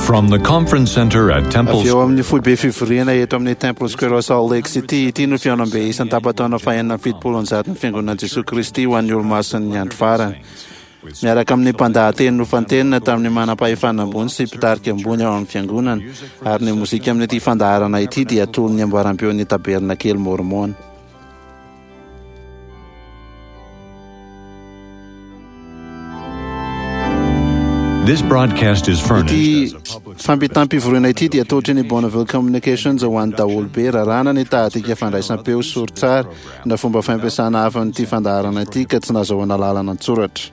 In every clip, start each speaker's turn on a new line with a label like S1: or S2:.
S1: From the conference center at Temple
S2: Avy eo amin'ny foibe fivoriana eto amin'ny Temple Square ao Salt Lake City, ity no fihaonambe isan-tapataona fahenina amby 170 ny Fiangonan'i Jesoa Kristy ho an'ny Olomasin'ny Andro Farany. Miaraka amin'ny mpandahateny nofantenina tamin'ny manam-pahefana ambony sy mpitarika ambony ao amin'ny Fiangonana, ary ny mozika amin'ity fandaharana ity dia toy ny amboaram-peon'ny Tabernakely Môrmôna.
S1: This broadcast is furnished
S2: Ity
S1: as a public
S2: fampitam-pivoriana ity dia atolotry ny Bonneville Communications ho an'ny daholobe. Raràna ny tahadika fandraisam-peo sori-tsary na fomba fampiasana hafa amin'ity fandaharana ity ka tsy nazahoana lalana an-tsoratra.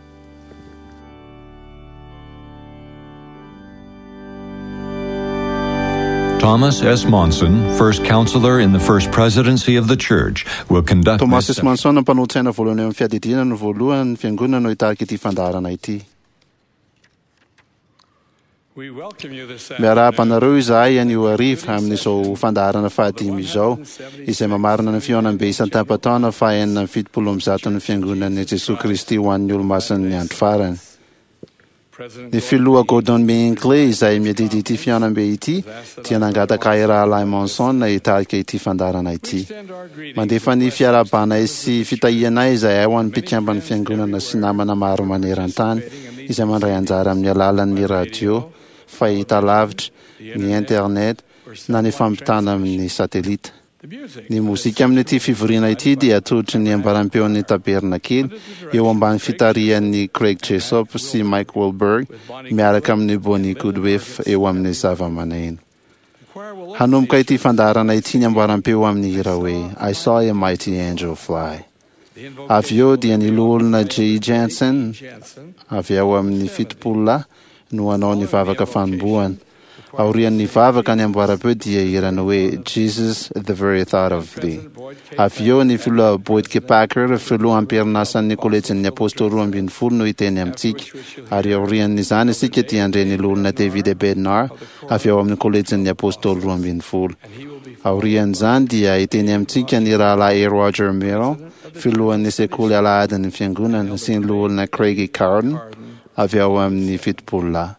S1: Thomas S. Monson, first counselor in the first presidency of the church, will conduct
S2: Thomas
S1: this
S2: S. Monson, mpanolo-tsaina voalohany eo amin'ny fiadidiana no voalohany ny fiangonana no hitarika ity fandaharana ity. Miarahaba anareo izahay anio hariva amin'izao fandaharana fahadimy izao, izay mamarana ny fihaonambe isan-tampataona faha 176 ny Fiangonan'i Jesoa Kristy ho an'ny Olomasin'ny Andro Farany. Ny Filoha Gordon B. Hinckley, izay miadidy ity fihaonambe ity, dia nangataka ahy Rahalahy Monson hitarika ity fandaharana ity. Mandefa ny fiarahabanay sy fitahianay izahay ho an'ny mpikamban'ny Fiangonana sy namana maro maneran-tany izay mandray anjara amin'ny alalan'ny radio, fahitalavitra, ny internet, na ny fampitana amin'ny satelita. Ny mozika amin'ity fivoriana ity dia atolotry ny ambaram-peon'ny Tabernakely eo ambany fitarihan'i Craig Jessop sy Mike Wahlberg miaraka amin'i Bonnie Goodwiff eo amin'ny zavamaneno. Hanomboka ity fandaharana ity ny ambaram-peo amin'ny hira hoe I Saw a Mighty Angel Fly. Avy eo dia ny Loholona Jay Jensen avy ao amin'ny Fitopololahy no hanao ny vavaka fanombohana. Aorian'ny vavaka ny amboaram-peo dia hira ny hoe Jesus, the very thought of thee. Avy eo ny Filoha Boyd K. Packer, filoha am-perinasan'ny Kolejin'ny Apôstôly 12 no hiteny amintsika. Ary aorian'izany isika dia handre ny Loholona David A. Bednar avy ao amin'ny Kolejin'ny Apôstôly 12. Aorian'izany dia hiteny amintsika ny Rahalahy A. Roger Merrill, filohan'ny Sekoly Alahadin'ny Fiangonana, sy ny Loholona Craig E. Cardon avy ao amin'ny Fitopololahy.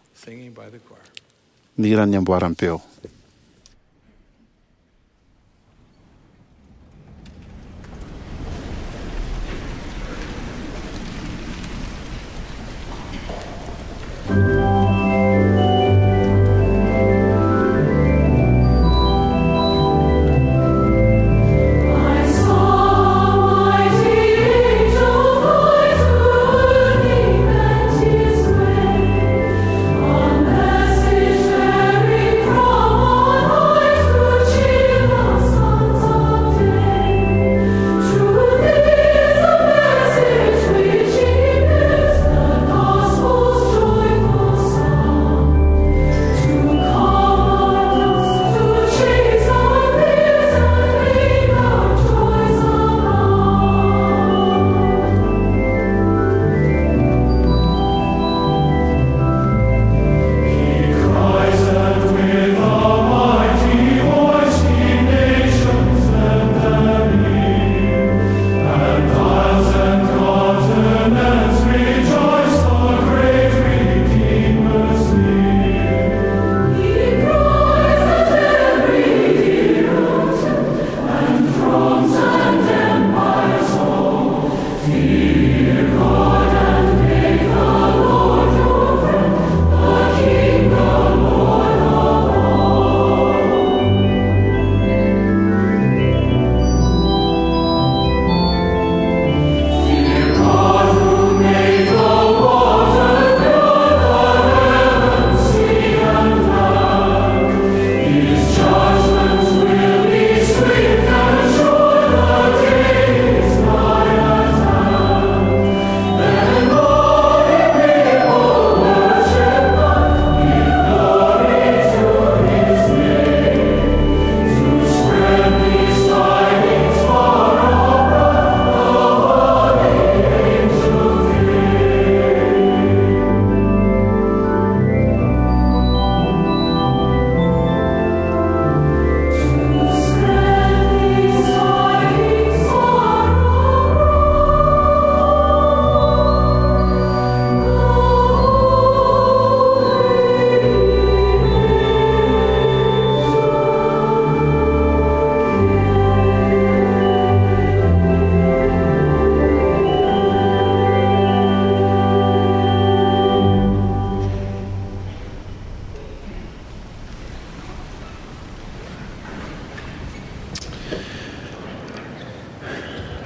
S2: Ny hiran'ny amboaram-peo.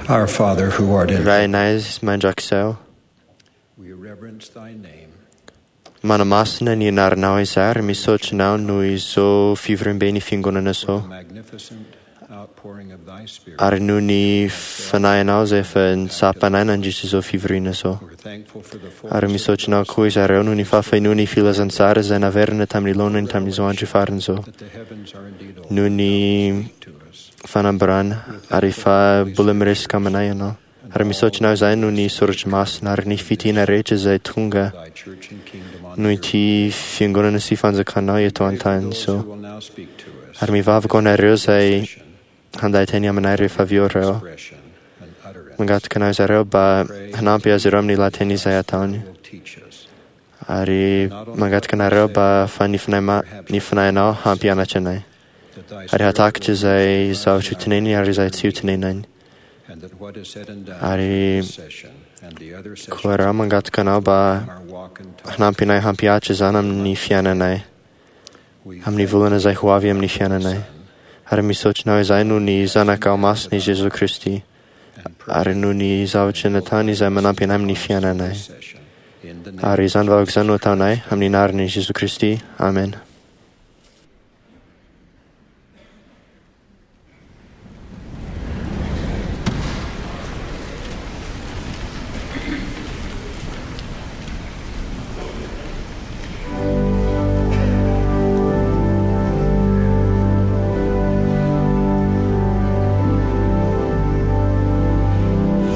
S3: Our Father who art in
S4: Rainay mandrakizay,
S3: we reverence thy name.
S4: manamasina ny anaranao izahay ary misaotra anao noho izao fivoriamben'ny fiangonana izao
S3: Magnificent outpouring of thy spirit.
S4: ary noho ny fanahinao izay efa nitsapanay nandritra izao fivoriana izao.
S3: We're thankful for the fullness
S4: Ary misaotra anao koa izareo noho ny fahafenoan'ny ny filazantsara izay naverina tamin'ny laonany tamin'izao andro farany izao.
S3: that the heavens are indeed open
S4: Noho ny
S3: to us.
S4: fanambarana ary efa mbola miresaka aminay ianao. Ary misaotra anao izahay noho ny soratra masina ary ny fitiana rehetra izay tonga
S3: Thy church and kingdom on
S4: noho
S3: earth.
S4: ity fiangonana sy fanjakanao eto an-tany
S3: Those
S4: izao.
S3: who will now speak to us.
S4: Ary mivavaka ho anareo izay handay teny aminay rehefa avy eo ireo.
S3: Expression and utterance
S4: Mangataka anao izareo mba hanampy azy ireo amin'ny lahateny izay ataony.
S3: will teach us.
S4: Ary mangataka anareo mba fa ny fanahy ma- ny fanahinao hampianatra anay.
S3: That thy
S4: Ary
S3: spirit
S4: hatakatra
S3: will
S4: izay
S3: guide us
S4: zavatra
S3: in our
S4: hoteneniny ary izay tsy hotenenany.
S3: and that what is said and done
S4: Ary
S3: in this session and the other sessions
S4: Koa raha mangataka anao mba
S3: our walk and talk,
S4: hanampy anay hampihatra izany amin'ny fiainanay,
S3: we
S4: amin'ny
S3: thank
S4: volana izay ho avy amin'ny fiainanay.
S3: Son
S4: Ary misaotra anao izahay noho ny zanakao masina i Jesoa Kristy
S3: and
S4: ary noho ny zavatra nataony izay manampy anay amin'ny fiainanay.
S3: this session in the name
S4: Ary izany vavaka izany no ataonay amin'ny anaran'i Jesoa Kristy. Amen.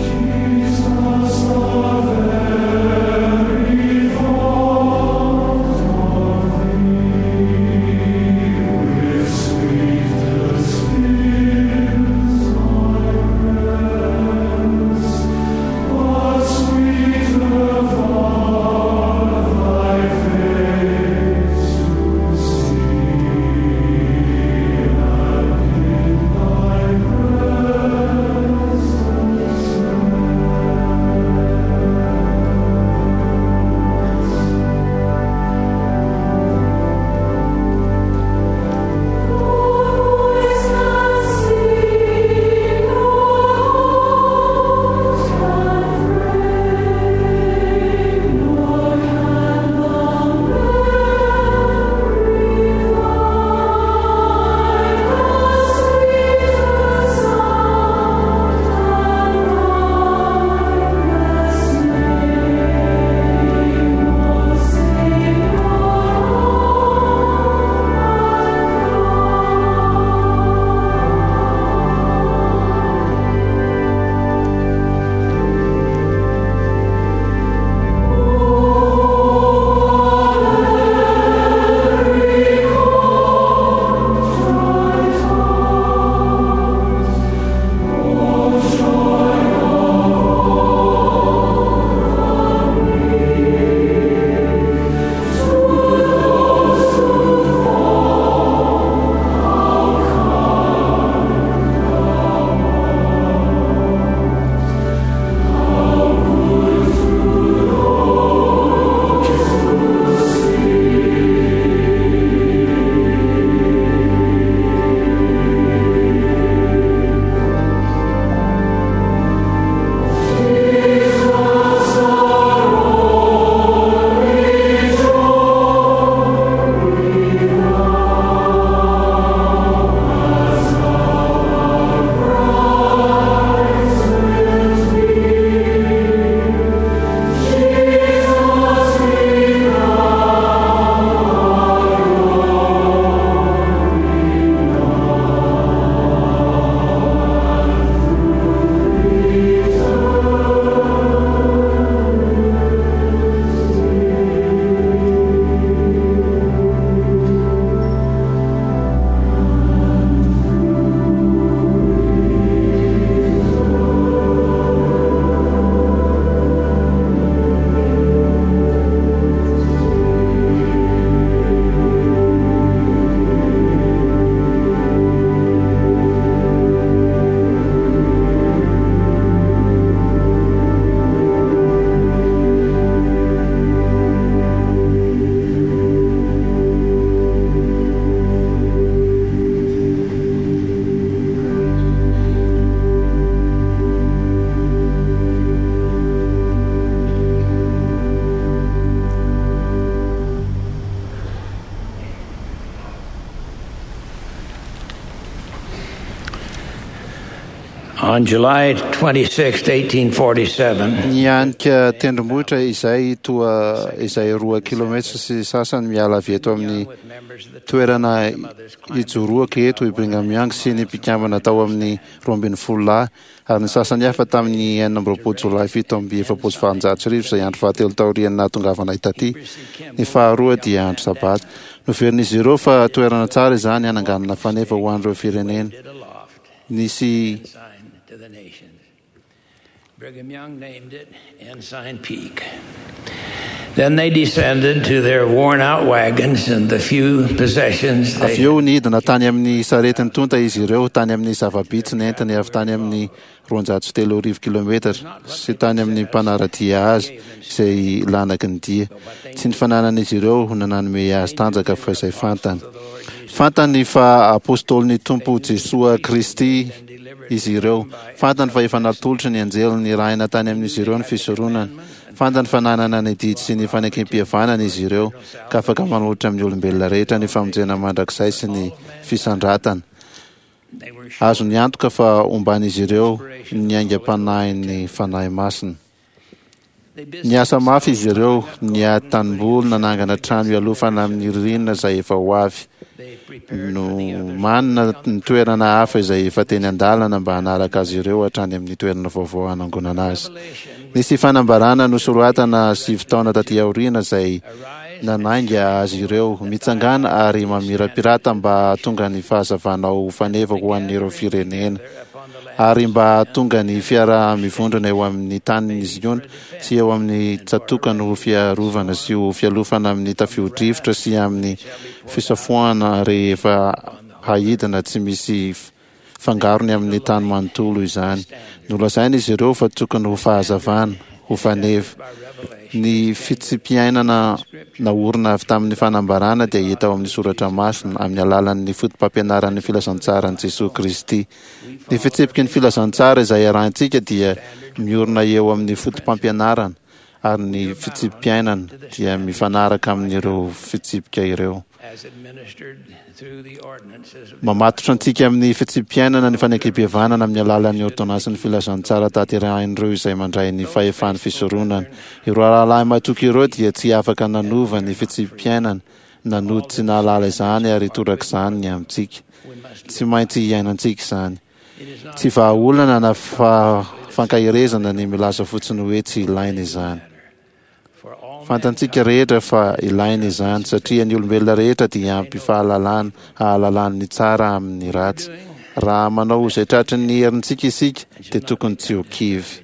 S5: Jesus, the very On July 26, 1847,
S2: Nianika tendrombohitra izay toa izay 2 kilometatra sy sasany miala avy eto amin'ny toerana ijoroako eto i Brigham Young sy ny mpikambana tao amin'ny 12 lahy ary ny sasany hafa tamin'ny 26 jolay 1847, izay andro fahatelo taorian'ny nahatongavanay taty. Ny faharoa dia andro sabata. Noverin'izy ireo fa toerana tsara izany hananganana faneva ho an'ireo firenena. Nisy
S5: sign to the nations. Brigham Young named it Ensign Peak. Then they descended to their worn out wagons and the few possessions they
S2: Avy eo nidina tany amin'ny sarety nitonta izy ireo, tany amin'ny zava-bitsy nentiny avy tany amin'ny 203 kilometatra sy tany amin'ny mpanara-dia azy izay lanaky ny dia. Tsy ny fananan'izy ireo no nanome azy tanjaka fa izay fantany. Fantany fa apôstôlin'ny Tompo Jesoa Kristy izy ireo. Fantany fa efa natolotry ny anjely nirahina tany amin'izy ireo ny fisoronana. Fantany fa nanana ny didy sy ny fanekem-pihavanana izy ireo, ka afaka manolotra amin'ny olombelona rehetra ny famonjena mandrakizay sy ny fisandratana. Azony antoka fa omban'izy ireo ny aingam-panahin'ny Fanahy Masina. Niasa mafy izy ireo, niady tanimboly, nanangana trano hialofana amin'ny ririnina izay efa ho avy. Nomanina ny toerana hafa izay efa teny an-dalana mba hanaraka azy ireo hatrany amin'ny toerana vaovao hanangonana azy. Nisy fanambarana nosoratana 9 taona taty aoriana izay nanainga azy ireo: mitsangàna ary mamirapirata mba hahatonga ny fahazavanao ho faneva ho an'ireo firenena, ary mba hahatonga ny fiaraha-mivondrona eo amin'ny tanin'i Ziona sy eo amin'ny tsatòkany ho fiarovana sy ho fialofana amin'ny tafio-drivotra sy amin'ny fisafoahana rehefa haidina tsy misy fangarony amin'ny tany manontolo izany. Nolazaina izy ireo fa tokony ho fahazavana, ho faneva. Ny fitsipiainana naorina avy tamin'ny fanambarana dia hita ao amin'ny soratra masina amin'ny alalan'ny foto-pampianaran'ny filazantsaran'i Jesoa Kristy. Ny fitsipiky ny filazantsara izay arahintsika dia miorina eo amin'ny foto-pampianarana, ary ny fitsipi-piainana dia mifanaraka amin'ireo fitsipika ireo.
S5: as administered through the ordinances of
S2: Mamatotra antsika amin'ny fitsipi-piainana ny fanekem-pihavanana amin'ny alalan'ny ôrdônansin'ny filazantsara tanterahin'ireo izay mandray ny fahefan'ny fisoronana. Ireo rahalahy matoky ireo dia tsy afaka nanova ny fitsipi-piainana, nanody tsy nahalala izany, ary torak'izany ny amintsika. Tsy maintsy iainantsika izany. Tsy vahaolana na fankaherezana ny milaza fotsiny hoe tsy ilaina izany. Fantantsika rehetra fa ilaina izany, satria ny olombelona rehetra dia ampy fahalalana hahalalany ny tsara amin'ny ratsy. Raha manao izay tratry ny herintsika isika, dia tokony tsy ho kivy.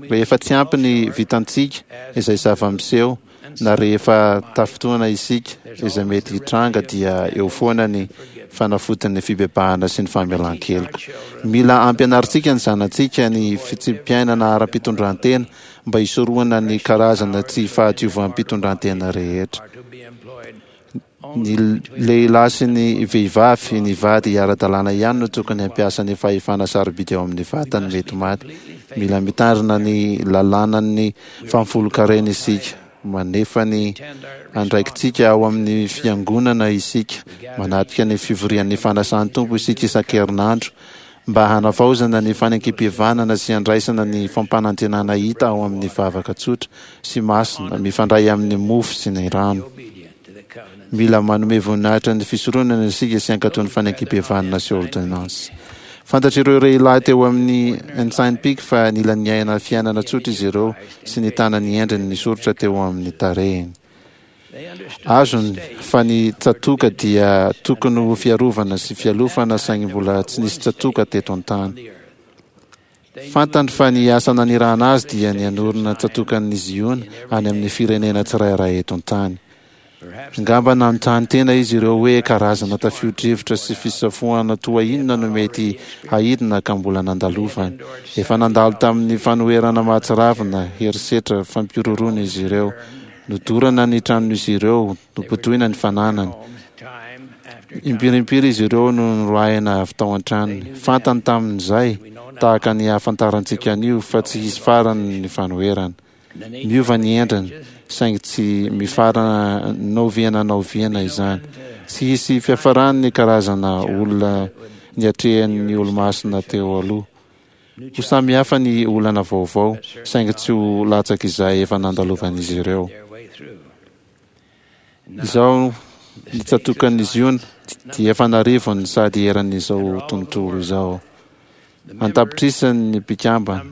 S2: Rehefa tsy ampy ny vitantsika, izay zava-miseho, na rehefa tafintohina isika, izay mety hitranga, dia eo foana ny fanafodin'ny fibebahana sy ny famelan-keloka. Mila ampianarintsika ny zanatsika ny fitsipi-piainana ara-pitondran-tena mba hisorohana ny karazana tsy fahadiovam-pitondran-tena rehetra. Ny lehilahy sy ny vehivavy, ny vady ara-dalàna ihany no tokony hampiasa ny fahefana sarobidy ao amin'ny vatany mety maty. Mila mitandrina ny lalànan'ny fahafolonkarena isika. Manefa ny andraikitsika ao amin'ny fiangonana isika. Manatrika ny fivorian'ny fanasan'ny Tompo isika isan-kerinandro mba hanavaozana ny fanekem-pihavanana sy handraisana ny fampanantenana hita ao amin'ny vavaka tsotra sy masina mifandray amin'ny mofo sy ny rano. Mila manome voninahitra ny fisoronana isika sy hankatò ny fanekem-pihavanana sy ôrdônansy. Fantatr'ireo lehilahy teo amin'ny Ensign Peak fa nila niaina fiainana tsotra izy ireo sy nitana ny endriny nisoritra teo amin'ny tarehiny. Azony fa ny tsatòka dia tokony ho fiarovana sy fialofana, saingy mbola tsy nisy tsatòka teto an-tany. Fantany fa ny asa nanirahana azy dia ny hanorina tsatòkan'i Ziona any amin'ny firenena tsirairay eto an-tany. Angamba nanontany tena izy ireo hoe karazana tafio-drivotra sy fisafoahana toa inona no mety haidina ka mbola nandalovany. Efa nandalo tamin'ny fanoherana mahatsiravina, herisetra, fampihorohoroana izy ireo. Nodorana ny tranon'izy ireo, nobodoina ny fananany. Impiry impiry izy ireo no noroahina avy tao an-tranony. Fantany tamin'izay, tahaka ny ahafantarantsika an'io, fa tsy hisy farany ny fanoherana. Miova ny endriny, saingy tsy mifarana na oviana na oviana izany. Tsy hisy fiafarany ny karazana olona niatrehan'ny Olomasina teo aloha. Ho samy hafa ny olana vaovao, saingy tsy ho latsak'izay efa nandalovan'izy ireo. Izao ny tsatòkan'i Ziona dia efa an'arivony sady eran'izao tontolo izao. An-tapitrisany ny mpikambana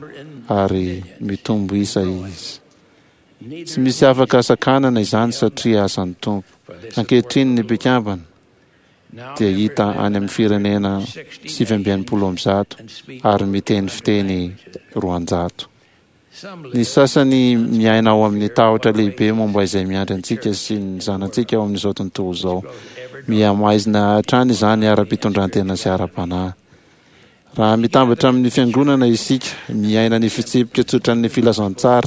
S2: ary mitombo isa izy. Tsy misy afaka sakanana izany satria asan'ny Tompo. Ankehitriny ny mpikambana dia hita any amin'ny firenena 169 ary miteny fiteny 200. Ny sasany miaina ao amin'ny tahotra lehibe momba izay miandry antsika sy ny zanatsika ao amin'izao tontolo izao. Mihamaizina hatrany izany ara-pitondrantena sy ara-panahy. Raha mitambatra amin'ny Fiangonana isika, miaina ny fitsipika tsotran'ny filazantsara,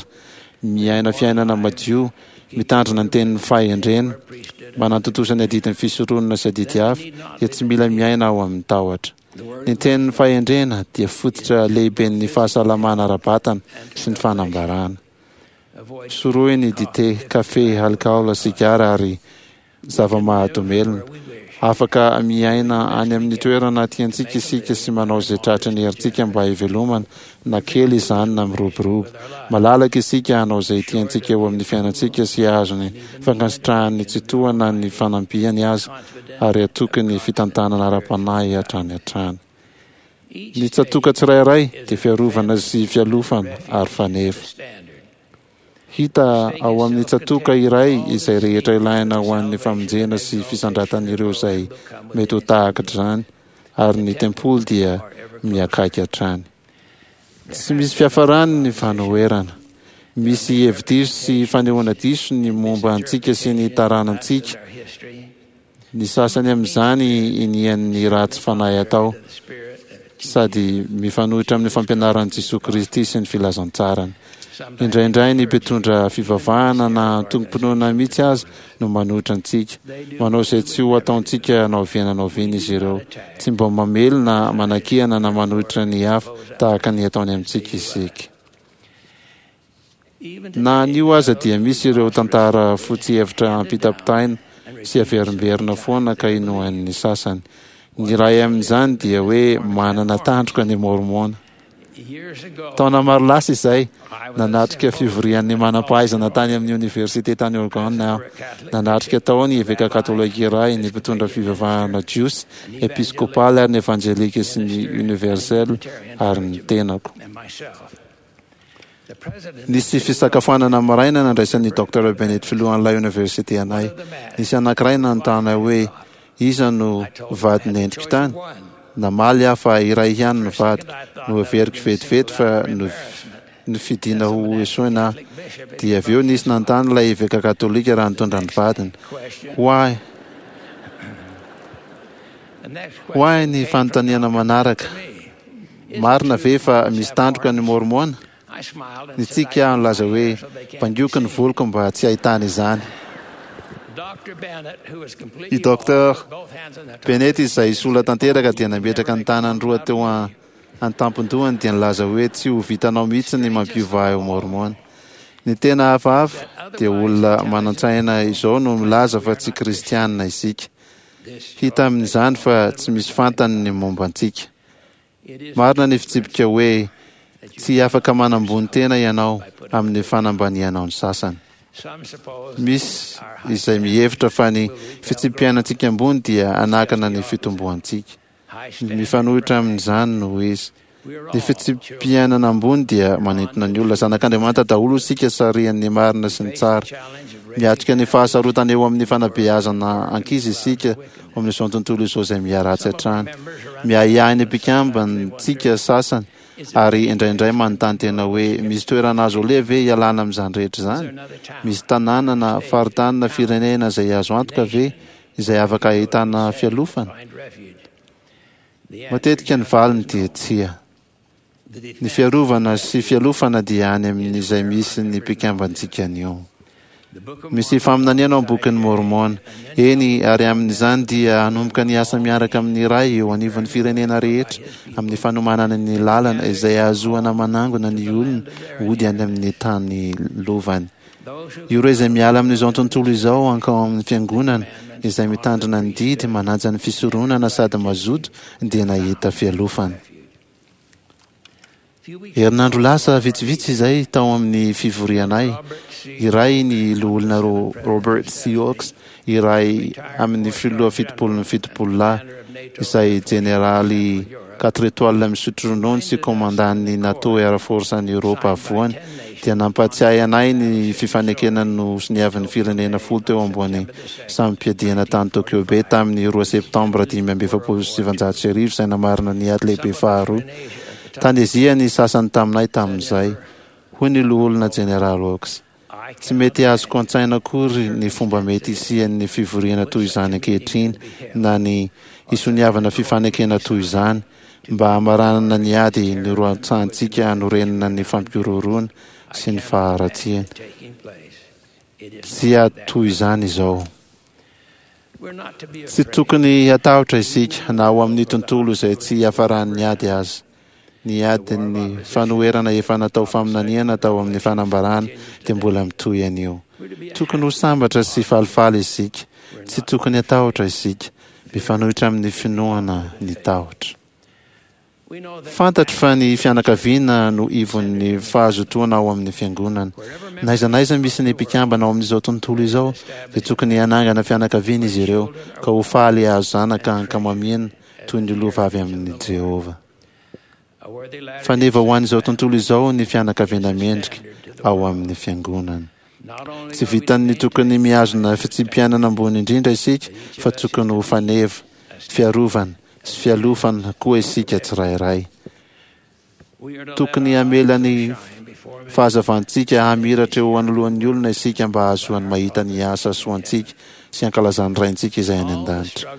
S2: miaina fiainana madio, mitandrina ny tenin'ny fahendrena, manatontosa ny adidin'ny fisoronana sy adidy hafa, dia tsy mila miaina ao amin'ny tahotra. Ny tenin'ny fahendrena dia fototra lehiben'ny fahasalamana ara-batana sy ny fanambarana. Sorohy ny dite, kafe, alikaola, sigara ary zava-mahadomelina. Afaka miaina any amin'ny toerana tiantsika isika sy manao izay tratry ny herintsika mba hivelomana, na kely izany na miroborobo. Malalaka isika hanao izay tiantsika eo amin'ny fiainantsika sy hahazo ny fankasitrahan'ny Tsitoha na ny fanampiany aza, ary hatoky ny fitantanana ara-panahy hatrany hatrany. Ny tsatòka tsirairay dia fiarovana sy fialofana ary faneva. Hita ao amin'ny tsatòka iray izay rehetra ilaina ho an'ny famonjena sy fisandratan'ireo izay mety ho tahak'izany, ary ny tempoly dia miakaiky hatrany. Tsy misy fiafarany ny fanoherana. Misy hevi-diso sy fanehoana diso ny momba antsika sy ny taranantsika. Ny sasany amin'izany inian'ny ratsy fanahy atao, sady mifanohitra amin'ny fampianaran'i Jesoa Kristy sy ny filazantsarany. Indraindray ny mpitondra fivavahana na antokom-pinoana mihitsy aza no manohitra antsika. Manao izay tsy ho ataontsika na oviana na oviana izy ireo. Tsy mba mamely na manakiana na manohitra ny hafa tahaka ny ataony amintsika isika. Na anio aza dia misy ireo tantara fotsy hevitra ampitapitaina sy averimberina foana ka inoan'ny sasany. Ny iray amin'izany dia hoe manana tandroka ny Môrmôna. Taona maro lasa izay, nanatrika fivorian'ny manam-pahaizana tany amin'ny oniversite tany Oregon aho. Nanatrika tao ny eveka katolika iray, ny mpitondra fivavahana jiosy, episkopaly ary ny evanjelika sy ny universel ary ny tenako. Nisy fisakafoanana maraina nandraisan'ny Docteur Bennett filohan'ilay oniversite anay. Nisy anankiray nanontany ahy hoe iza no vadin'ny endriko tany. Namaly aho fa iray ihany no vadiko. Noheveriko vetivety fa nofidina ho esoina aho. Dia avy eo nisy nanontany ilay eveka katolika raha nitondra ny vadiny. Ho ahy Ho ahy ny fanontaniana manaraka. Marina ve fa misy tandroka ny Môrmôna? Nitsiky aho nilaza hoe, Bangoiko ny voloko mba tsy hahitana izany. I Docteur Bennett izay sola tanteraka dia nametraka ny tanany roa teo an-tampon-dohany dia nilaza hoe, Tsy ho vitanao mihitsy ny mampiova ahy ho Môrmôna. Ny tena hafahafa dia olona manan-tsaina izao no milaza fa tsy kristiana isika. Hita amin'izany fa tsy misy fantany ny momba antsika. Marina ny fitsipika hoe tsy afaka manambony tena ianao amin'ny fanambanianao ny sasany. Misy izay mihevitra fa ny fitsipi-piainantsika ambony dia hanakana ny fitomboantsika. Mifanohitra amin'izany no izy. Ny fitsipi-piainana ambony dia manintona ny olona. Zanak'Andriamanitra daholo isika sarihan'ny marina sy ny tsara. Miatrika ny fahasarotana eo amin'ny fanabeazana ankizy isika ao amin'izao tontolo izao izay miharatsy hatrany. Miahiahy ny mpikambantsika sasany ary indraindray manontany tena hoe misy toerana azo aleha ve hialana amin'izany rehetra izany? Misy tanàna na faritany na firenena izay azo antoka ve izay afaka ahitana fialofana? Matetika ny valiny dia tsia. Ny fiarovana sy fialofana dia any amin'izay misy ny mpikambantsika anio. Misy faminaniana ao amin'ny Bokin'i Môrmôna. Eny, ary amin'izany dia hanomboka ny asa miaraka amin'ny Ray eo anivon'ny firenena rehetra amin'ny fanomanana ny lalana izay hahazoana manangona ny olona hody any amin'ny tany lovany. Ireo izay miala amin'izao tontolo izao hankao amin'ny Fiangonana. Izay mitandrina ny didy, manaja ny fisoronana sady mazoto dia nahita fialofana. Herinandro lasa vitsivitsy izay, tao amin'ny fivorianay iray, ny Loholona Robert C. Oaks, iray amin'ny filoha fitopolon'ny Fitopololahy, izay jeneraly quatre étoiles misotro ronono sy komandan'ny NATO Air Force any Eoropa Afovoany, dia nampahatsiahy anay ny fifanekena nosoniavin'ny firenena folo teo ambony samim-piadiana tany Tokyo Bay tamin'ny roa septambra 1945 izay namarana ny Ady Lehibe Faharoa. Tany Azia ny sasany taminay tamin'izay, hoy ny Loholona Jeneraly Oaks. Tsy mety azoko an-tsaina akory ny fomba mety hisian'ny fivoriana toy izany ankehitriny na ny hisoniavana fifanekena toy izany mba hamaranana ny ady niroatsahantsika hanorenana ny fampihorohoroana sy ny faharatsiana. Tsy ady toy izany izao. Tsy tokony hatahotra isika na ao amin'ny tontolo izay tsy hiafaran'ny ady aza. Ny adin'ny fanoherana efa natao faminaniana tao amin'ny fanambarana dia mbola mitohy anio. Tokony ho sambatra sy falifaly isika. Tsy tokony hatahotra isika. Mifanohitra amin'ny finoana ny tahotra. Fantatro fa ny fianakaviana no ivon'ny fahazotoana ao amin'ny Fiangonana. N'aiza n'aiza misy ny mpikambana ao amin'izao tontolo izao, dia tokony hanangana fianakaviana izy ireo, ka ho faly hahazo zanaka ankamamiana toy ny lova avy amin'i Jehovah. Faneva ho an'izao tontolo izao ny fianakaviana mendrika ao amin'ny Fiangonana. Tsy vitan'ny tokony mihazona fitsipi-piainana ambony indrindra isika, fa tokony ho faneva, fiarovana, sy fialofana koa isika tsirairay. Tokony hamela ny fahazavantsika hamiratra eo anoloan'ny olona isika mba hahazoany mahita ny asa soantsika sy hankalazan'ny Raintsika izay any an-danitra.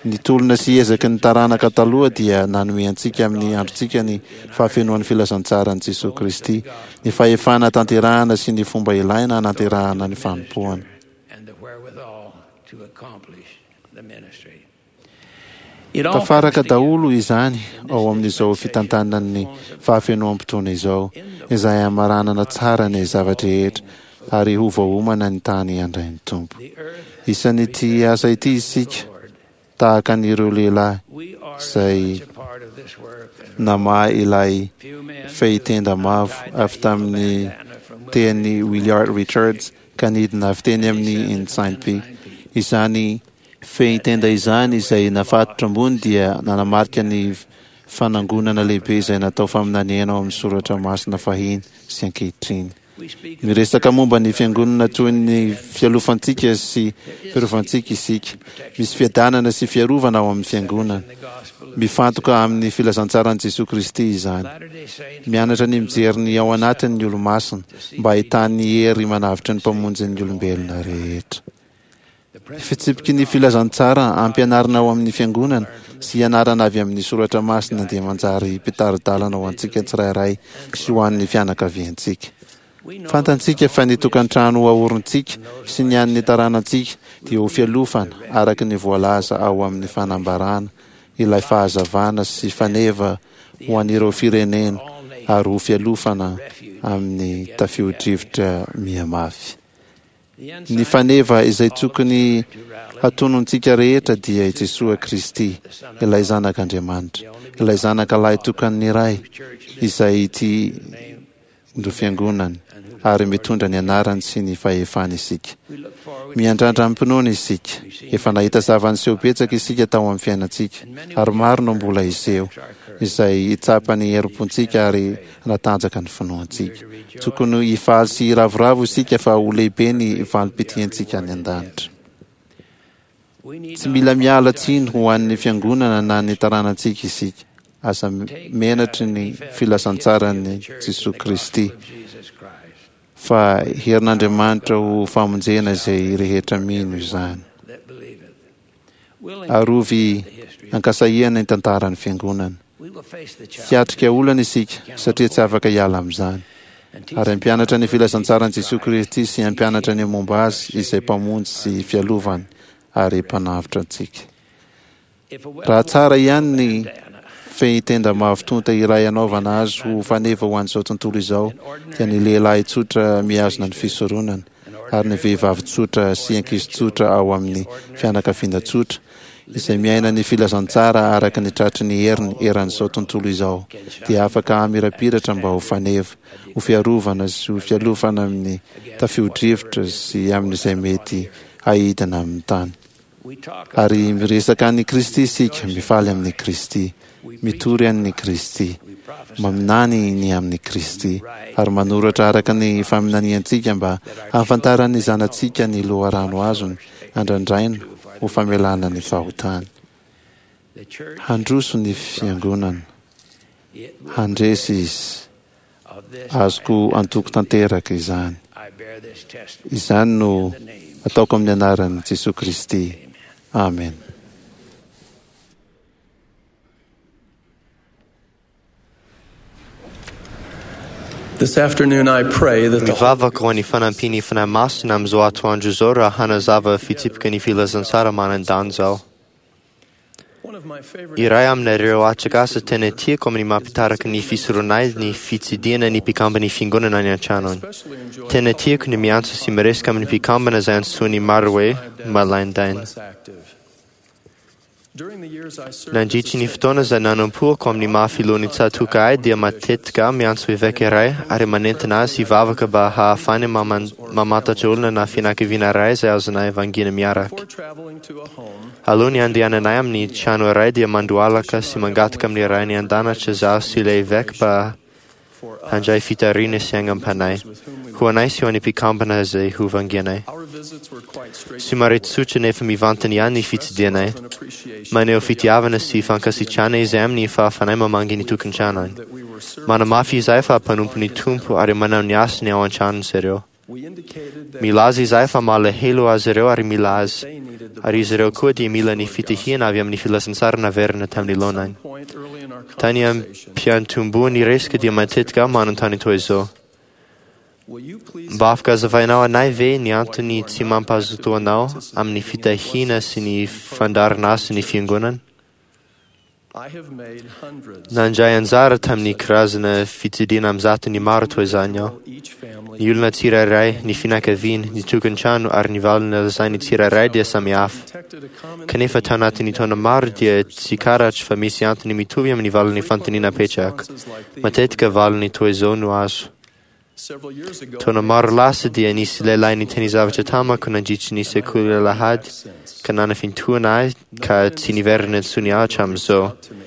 S2: Ny tolona sy ezaky ny taranaka taloha dia nanome antsika amin'ny androntsika ny fahafenoan'ny filazantsaran'i Jesoa Kristy, ny fahefana tanterahana sy ny fomba ilaina hananterahana ny fanompoana. Tafaraka daholo izany ao amin'izao fitantanan'ny fahafenoam-potoana izao, izay hamaranana tsara ny zava-drehetra ary ho voaomana ny tany handray ny Tompo. Isan'ity asa ity isika, tahaka an'ireo lehilahy izay namaha ilay fehitenda mavo avy tamin'ny tehin'i Williard Richards ka nidina avy teny amin'ny Ensign Peak. Izany Fehintenda izany izay nafatotra ambony dia nanamarika ny fanangonana lehibe izay natao faminaniana ao amin'ny soratra masina fahiny sy ankehitriny. Miresaka momba ny fiangonana toy ny fialofantsika sy fiarovantsika isika. Misy fiadanana sy fiarovana ao amin'ny fiangonana. Mifantoka amin'ny filazantsaran'i Jesoa Kristy izany. Mianatra ny mijery ny ao anatiny ny Olomasina mba hahitany hery manavotra ny Mpamonjin'ny olombelona rehetra. Fitsipiky ny filazantsara ampianarina ao amin'ny Fiangonana sy ianarana avy amin'ny soratra masina dia manjary mpitari-dalana ho antsika tsirairay sy ho an'ny fianakaviantsika. Fantantsika fa ny tokantrano aorintsika sy ny an'ny taranantsika dia ho fialofana araka ny voalaza ao amin'ny fanambarana ilay fahazavana sy faneva ho an'ireo firenena ary ho fialofana amin'ny tafio-drivotra mihamafy. Ny faneva izay tokony hatonontsika rehetra dia i Jesoa Kristy, ilay Zanak' Andriamanitra, ilay Zanaka Lahitokan'ny Ray, izay ity no Fiangonany, ary mitondra ny anarany sy ny fahefany isika. Miandrandra amim-pinoana isika. Efa nahita zava-niseho betsaka isika tao amin'ny fiainantsika, ary maro no mbola hiseho, izay hitsapa ny herim-pontsika ary hanatanjaka ny finoantsika. Tokony hifaly sy hiravoravo isika fa ho lehibe ny valim-pitiantsika any an-danitra. Tsy mila miala tsiny ho an'ny fiangonana na ny taranantsika isika. Aza menatry ny filazantsaran'i Jesoa Kristy, fa herin'Andriamanitra ho famonjena izay rehetra mino izany. Arovy ankasahiana ny tantaran'ny Fiangonana. Hiatrika olana isika satria tsy afaka hiala amin'izany. Ary hampianatra ny filazantsaran'i Jesoa Kristy sy hampianatra ny momba Azy izay Mpamonjy sy Fialovany ary Mpanavotra antsika. Raha tsara ihany ny fehintenda mavo tonta iray hanaovana azy ho faneva ho an'izao tontolo izao dia ny lehilahy tsotra mihazona ny fisoronana. ary ny vehivavy tsotra sy ankizy tsotra ao amin'ny fianakaviana tsotra, izay miaina ny filazantsara araka ny tratry ny heriny eran'izao tontolo izao, dia afaka hamirapiratra mba ho faneva, ho fiarovana sy ho fialofana amin'ny tafio-drivotra sy amin'izay mety haidina amin'ny tany. Ary miresaka an'i Kristy isika, mifaly amin'i Kristy, mitory an'i Kristy, maminany ny amin'i Kristy, ary manoratra araka ny faminaniantsika mba hahafantaran'ny zanatsika ny loharano azony andrandraina ho famelana ny fahotany. Handroso ny fiangonana. Handresy izy. Azoko antoko tanteraka izany. Izany no ataoko amin'ny anaran'i Jesoa Kristy. Amen.
S6: This afternoon I pray that the
S4: Mivavaka ho an'ny fanampian'ny Fanahy Masina amin'izao atoandro izao raha hanazava fitsipika ny filazantsara manan-danja aho.
S6: One of my favorite
S4: Iray amin'ireo atrikasa tena tiako amin'ny mampitaraka ny fisoronay ny fitsidihana ny mpikamban'ny fiangonana any an-tranony.
S6: especially enjoy
S4: Tena tiako ny miantso sy miresaka amin'ny mpikambana izay antsoin'ny maro hoe malaindaina.
S6: less active. During the years I served as a
S4: Nandritry ny
S6: state
S4: fotoana izay nanompoako amin'ny maha filohan'ny tsatoka ahy dia matetika aho miantso eveka iray ary manentana azy hivavaka mba hahafahany mamantatra olona na fianakaviana iray izay azonay vangiana miaraka.
S6: before traveling to a home,
S4: Alohan'ny handehananay amin'ny trano iray dia mandohalaka sy mangataka amin'ny ray ny an-danitra zaho sy ilay eveka mba
S6: for us
S4: handray fitariana sy aingam-panahy.
S6: with whom we
S4: Ho anay sy ho an'ny mpikambana izay ho vangianay.
S6: our visits were quite
S4: Somary
S6: straightforward.
S4: tsotra nefa mivantana ihany ny fitsidihanay.
S6: Love and appreciation
S4: Maneho
S6: for the
S4: fitiavana sy fankasitrahana izay amin'ny fahafanay mamangy ny tokantranony.
S6: that we were serving.
S4: Manamafy izahay fa mpanompo ny Tompo ary manao ny asany ao an-tranony izy ireo.
S6: We indicated that
S4: Milaza izahay fa malahelo azy ireo ary mila azy.
S6: they needed the
S4: Ary izy ireo koa dia mila ny fitahiana avy amin'ny filazantsara naverina tamin'ny laonany.
S6: point early in our
S4: Tany
S6: conversation.
S4: am-piantombohan'ny resaka dia matetika aho manontany toy izao.
S6: Will you please
S4: Mba afaka hazavainao anay ve ny antony tsy mampazoto anao amin'ny fitahiana sy ny fandaharana sy ny fiangonana?
S6: I have made hundreds
S4: Nandray anjara tamin'ny karazana fitsidihana amin'ny maro toy izany aho.
S6: each family
S4: Ny olona tsirairay, ny fianakaviana, ny tokantrano ary ny valina lazain'ny tsirairay dia samy hafa.
S6: detected a common
S4: Kanefa tao anatin'ny taona maro dia tsikaratry fa misy antony mitovy amin'ny valin'ny fanontaniana apetraka. Matetika valiny toy izao no azo.
S6: several years ago
S4: Taona maro lasa dia nisy lehilahy niteny zavatra tamako nandritry ny sekoly alahady ka nanafintohina ahy ka tsy niverina intsony aho hatramin'izao.
S6: to me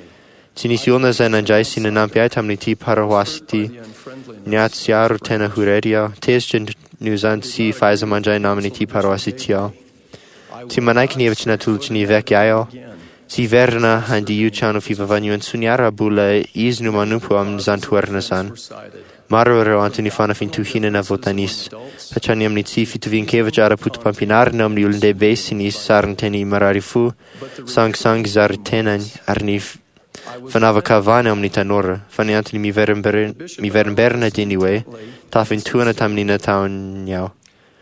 S4: Tsy nisy olona izay nandray sy nanampy ahy tamin'ity paroasy ity.
S6: the unfriendliness
S4: Niatsiaro tena ho irery aho. Tezitra noho izany tsy fahaiza-mandray namana ity paroasy ity aho.
S6: I
S4: Tsy manaiky ny hevitra natolotry ny eveka ahy aho.
S6: again
S4: Tsy hiverina handia io trano fivavahana io intsony aho raha mbola izy no manompo amin'izany toerana izany.
S6: were cited.
S4: Maro ireo antony fanafintohinana voatanisa. Hatrany amin'ny tsy fitovian-kevitra ara-poto-pampianarana amin'ny olon-dehibe sy ny sarinteny marary fo, sangisangy zary tenany ary ny fanavakavahana amin'ny tanora. Fa ny antony miverimberina dia ny hoe tafintohina tamin'ny nataony aho.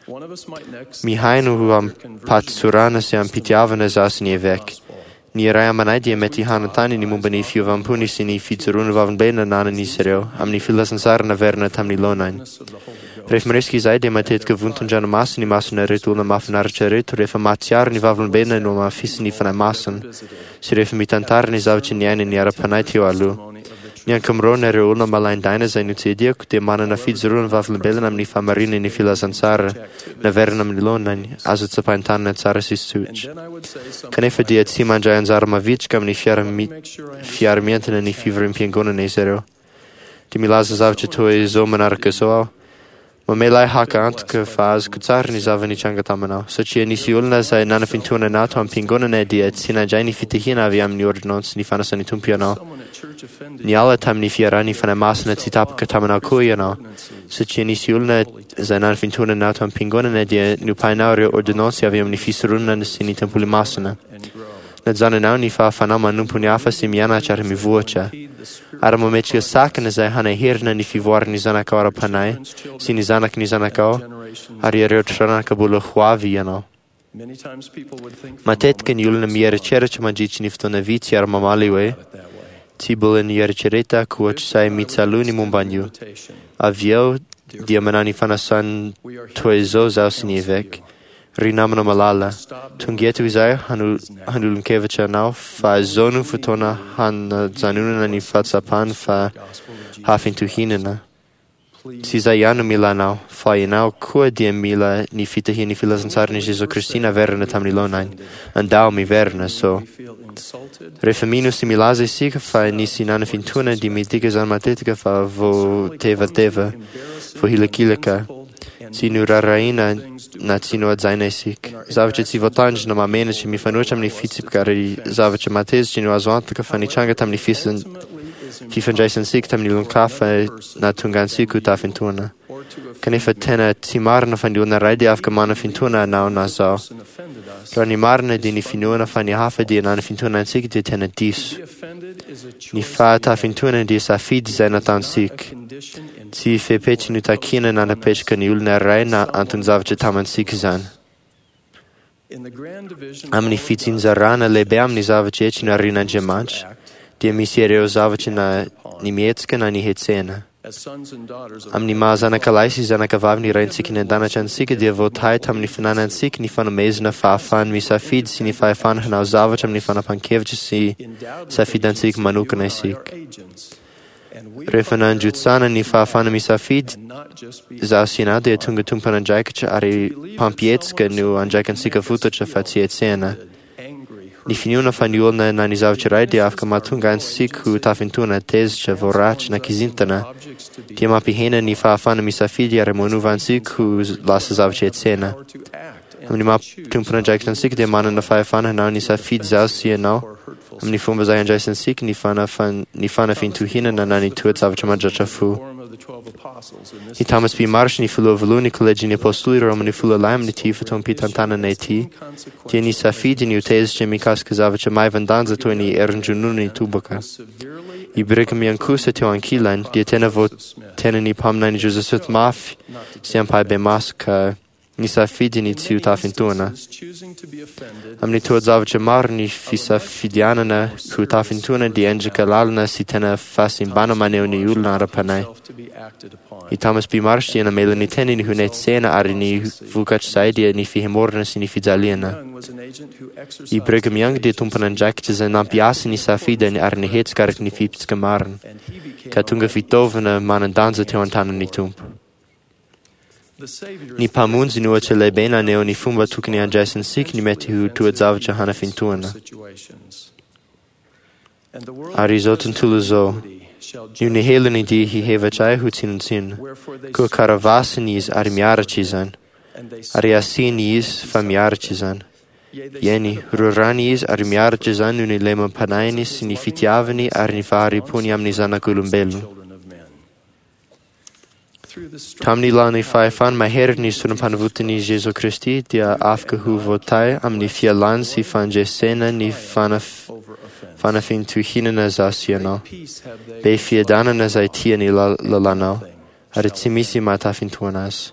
S6: One of us might next
S4: Mihaino ho am-pahatsorana sy am-pitiavana zaho sy ny eveka. Ny iray aminay dia mety hanontany ny momba ny fiovampony sy ny fijoroana vavolombelona nanan'izy ireo amin'ny filazantsara naverina tamin'ny laonany.
S6: of the Holy Ghost.
S4: Rehefa miresaka izahay dia matetika vonton-dranomaso ny mason'ireto olona mahafinaritra ireto rehefa mahatsiaro ny vavolombelona no hamafisin'ny Fanahy Masina sy rehefa mitantara ny zavatra niainany ara-panahy teo aloha. Ny ankamaroan'ireo olona malaindaina izay notsidihako dia manana fijoroana vavolombelona amin'ny fahamarinan'ny filazantsara naverina amin'ny laonany azo tsapain-tanana tsara sy
S6: And
S4: tsotra.
S6: then I would say something
S4: Kanefa dia tsy mandray anjara mavitrika amin'ny fiara-mientana ny fivoriam-piangonana izy ireo. Dia milaza zavatra toy izao manaraka izao aho. Mamela ahy haka antoka fa azoko tsara ny zava-nitranga taminao, satria nisy olona izay nanafintohina anao tao am-piangonana dia tsy nandray ny fitahiana avy amin'ny ordonnance ny fanasan'ny Tompo ianao.
S6: someone at church offended
S4: Niala tamin'ny fiarahan'ny Fanahy Masina tsy tapaka taminao koa ianao, satria nisy olona izay nanafintohina anao tao am-piangonana dia nopainao ireo ordonnance avy amin'ny fisoronana sy ny tempoly masina.
S6: and grow.
S4: Najanonao ny fahafanao manompo ny hafa sy mianatra ary mivoatra.
S6: Heed the spirit
S4: Ary mametraka sakana izay hanaherina ny fivoaran'ny zanakao ara-panahy sy ny zanaky ny zanakao
S6: generations.
S4: ary ireo taranaka mbola ho avy ianao.
S6: Many times people would think for a
S4: Matetika
S6: moment
S4: ny olona mieritreritra mandritry ny fotoana vitsy ary mamaly hoe
S6: about it that way.
S4: tsy mbola nieritreretako ohatr'izay mitsaloha ny momba an'io.
S6: Invitation.
S4: Avy eo Dia manao ny fanasany toy izao zaho sy ny eveka. Ry namana malala, tonga eto izahay hanolon-kevitra anao fa izao no fotoana hanajanonana ny fahatsapana fa hafintohinana. Tsy izay ihany no mila anao, fa ianao koa dia mila ny fitahian'ny filazantsaran'i Jesoa Kristy naverina tamin'ny laonany. Andao miverina, so. Rehefa mino sy milaza isika fa nisy nanafintohina dia midika izany matetika fa voatevateva, voahilakilaka, tsy noraharahiana na tsy nohajaina isika. Zavatra tsy voatandrina, mahamenatra, mifanohitra amin'ny fitsipika ary zavatra mahatezitra no azo antoka fa nitranga tamin'ny fifandraisantsika tamin'ny olon-kafa nahatonga antsika ho tafintohina. Kanefa tena tsy marina fa ny olona iray dia afaka manafintohina anao na zaho. Raha ny marina dia ny finoana fa ny hafa dia nanafintohina antsika dia tena diso. Ny fahatafintohina dia safidy izay nataontsika. Tsy fepetra notakiana na napetraka ny olona iray na anton-javatra tamintsika izany. Amin'ny fitsinjarana lehibe amin'ny zavatra rehetra narian'Andriamanitra, dia misy ireo zavatra na ny mihetsika na ny hetsehina. Amin'ny maha zanakalahy sy zanakavavy ny Raintsika any an-danitra antsika dia voatahy tamin'ny fananantsika ny fanomezana fahafahana misafidy sy ny fahefana hanao zavatra amin'ny fanapahan-kevitra sy safidantsika manokana isika. Rehefa nandrotsahana ny fahafahana misafidy, izaho sy ianao dia tonga tompon'andraikitra ary mpampihetsika no andraikantsika fototra fa tsy hetsehina. Ny finoana fa ny olona na ny zavatra iray dia afaka mahatonga antsika ho tafintohina, tezitra, voaratsy na kizintana, dia mampihena ny fahafahana misafidy ary manova antsika ho lasa zavatra hetsehina. Amin'ny maha tompon'andraikitra antsika dia manana fahefana hanao ny safidy izaho sy ianao amin'ny fomba izay andraisantsika ny ny fanafintohinana na ny toe-javatra mandratra fo. I Thomas B. Marsh, ny filoha voalohany Kolejin'ny Apôstôly Roman'ny Folo Lahy amin'ity fotoam-pitantanana ity, dia nisafidy ny ho tezitra mikasika zavatra maivan-danja toy ny erin-dronono ny tobaka. I Brigham Young kosa teo ankilany dia tena voatenan'ny mpaminany Joseph Smith mafy sy ampahibemaso ka nisafidy ny tsy ho tafintohina. Amin'ny toe-javatra maro ny fisafidianana ho tafintohina dia endrika lalina sy tena fahasimbana maneho ny olona ara-panahy. I Thomas B. Marsh dia namela ny teniny ho netsehina ary ny vokatr'izay dia ny fihemorana sy ny fijaliana. I Brigham Young dia tompon'andraikitra izay nampiasa ny safidiny ary nihetsika araka ny fitsipika marina, ka tonga fitaovana manan-danja teo an-tanan'ny Tompo. Ny Mpamonjy no ohatra lehibe naneho ny fomba tokony handraisantsika ny mety ho toe-javatra hanafintohina. Ary izao tontolo izao, noho ny helony dia hihevitra ahy ho tsinontsinona. Koa karavasiny izy ary miaritra izany. Ary asiany izy fa miaritra izany. Eny, rorany izy ary miaritra izany noho ny lemam-panahiny sy ny fitiavany ary ny fahari-pony amin'ny zanak'olombelona. Tamin'ny lalan'ny fahefany mahery ny sorom-panavotan'i Jesoa Kristy dia afaka ho voatahy amin'ny fialany sy fandresena ny fanafintohinana izaho sy ianao. Be fiadanana izay tia ny lalànao, ary tsy misy mahatafintohina azy.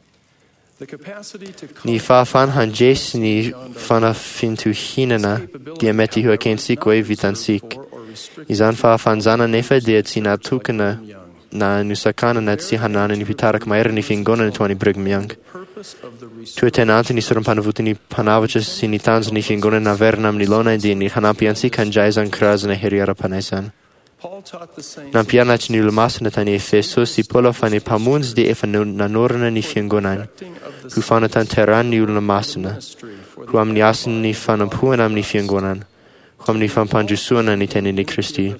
S4: Ny fahafahana handresy ny fanafintohinana dia mety ho ekentsika hoe vitantsika. Izany fahafahana izany anefa dia tsy natokana na nosakanana tsy hananan'ny mpitarika mahery ny fiangonana toa an'i Brigham Young. Toa tena antony sorom-panavotan'ny Mpanavotra sy ny tanjon'ny fiangonana naverina amin'ny laonany dia ny hanampy antsika handray izany karazana hery ara-panahy izany. Nampianatry ny Olomasina tany Efesosy i Paoly fa ny Mpamonjy dia efa nanorina ny Fiangonany ho fanatanterahany ny olona masina, ho amin'ny hasin'ny fanompoana amin'ny Fiangonana, ho amin'ny fampandrosoana ny tenin'i Kristy,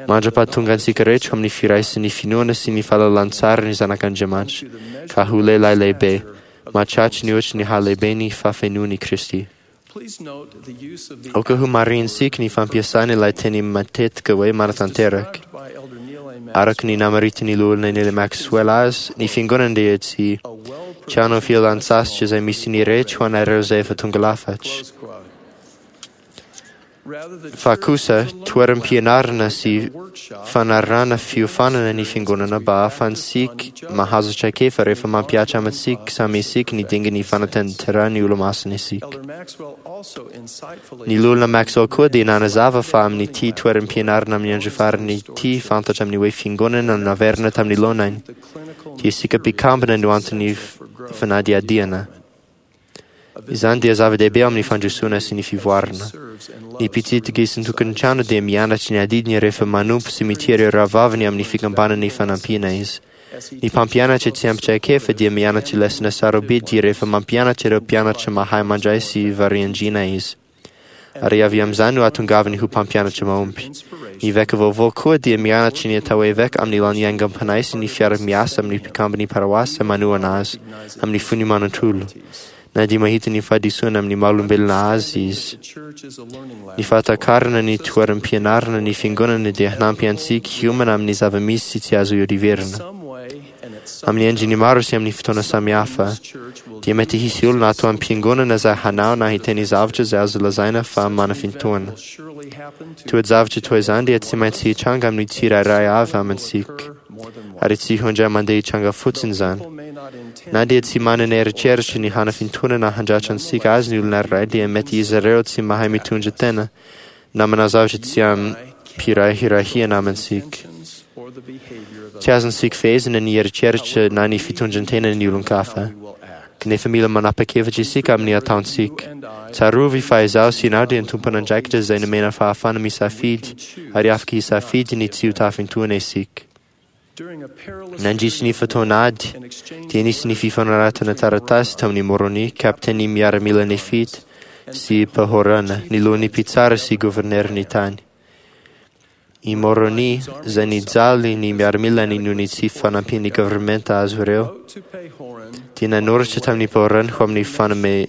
S4: mandra-pahatonga antsika rehetra ho amin'ny firaisan'ny finoana sy ny fahalalan-tsara ny Zanak'Andriamanitra, ka ho lehilahy lehibe, mahatratra ny ohatry ny halehiben'ny fahafenoan'i Kristy. Aoka ho marihintsika ny fampiasana ilay teny matetika hoe manatanteraka. Araka ny namaritan'ny loholona Neil Maxwell azy, ny fiangonana dia tsy trano fialan-tsasatra izay misy ny rehetra ho anareo izay efa tonga lafatra. Fa kosa, toeram-pianarana sy fanarahana fiofanana ny fiangonana mba hahafahantsika mahazo traikefa rehefa mampihatra amintsika samy isika ny dingan'ny fanatanterahana ny Olomasina isika. Ny loholona Maxwell koa dia nanazava fa amin'ity toeram-pianarana amin'ny andro farany ity fantatra amin'ny hoe fiangonana naverina tamin'ny laonany, dia isika mpikambana no antony fanadihadiana. Izany dia zava-dehibe amin'ny fandrosoana sy ny fivoarana. Ny mpitsidika isan-tokantrano dia mianatra ny adidiny rehefa manompo sy mitia ireo rahavaviny amin'ny fikambanana ifanampiana izy. Ny mpampianatra tsy ampy traikefa dia mianatra lesona sarobidy rehefa mampianatra ireo mpianatra mahay mandray sy variandriana izy. Ary avy amin'izany no ahatongavany ho mpampianatra mahomby. Ny eveka vaovao koa dia mianatra ny atao hoe eveka amin'ny alalan'ny aingam-panahy sy ny fiara-miasa amin'ny mpikamban'ny paroasy manohana azy amin'ny fony manontolo, na dia mahita ny fahadisoana amin'ny maha olombelona azy izy. Ny fahatakarana ny toeram-pianarana ny fiangonana dia hanampy antsika hiomana amin'ny zava-misy sy tsy azo ihodivirana. Amin'ny endriny maro sy amin'ny fotoana samihafa, dia mety hisy olona ato am-piangonana izay hanao na hiteny zavatra izay azo lazaina fa manafintohina. Toe-javatra toy izany dia tsy maintsy hitranga amin'ny tsirairay avy amintsika, ary tsy ho indray mandeha hitranga fotsiny izany. Na dia tsy manana eritreritra ny hanafintohina na handratra antsika azy ny olona iray, dia mety izy ireo tsy mahay mitondra tena na manao zavatra tsy amim-pirahirahiana amintsika. Tsy azontsika fehezina ny eritreritra na ny fitondran-tenan'ny olon-kafa, kanefa mila manapa-kevitra isika amin'ny ataontsika. Tsarovy fa izaho sy ianao dia tompon'andraikitra izay nomena fahafahana misafidy, ary afaka hisafidy ny tsy ho tafintohina isika. Nandritry ny fotoan'ady, dia nisy ny fifanoratana taratasy tamin'i Môrônia, kapiteny miaramila Nefita, sy Pahôrana, ny lohan'ny mpitsara sy governerin'ny tany. I Môrônia, izay nijaly ny miaramilany noho ny tsy fanampian'ny governemanta azy ireo, dia nanoratra tamin'i Pahôrana ho amin'ny fanome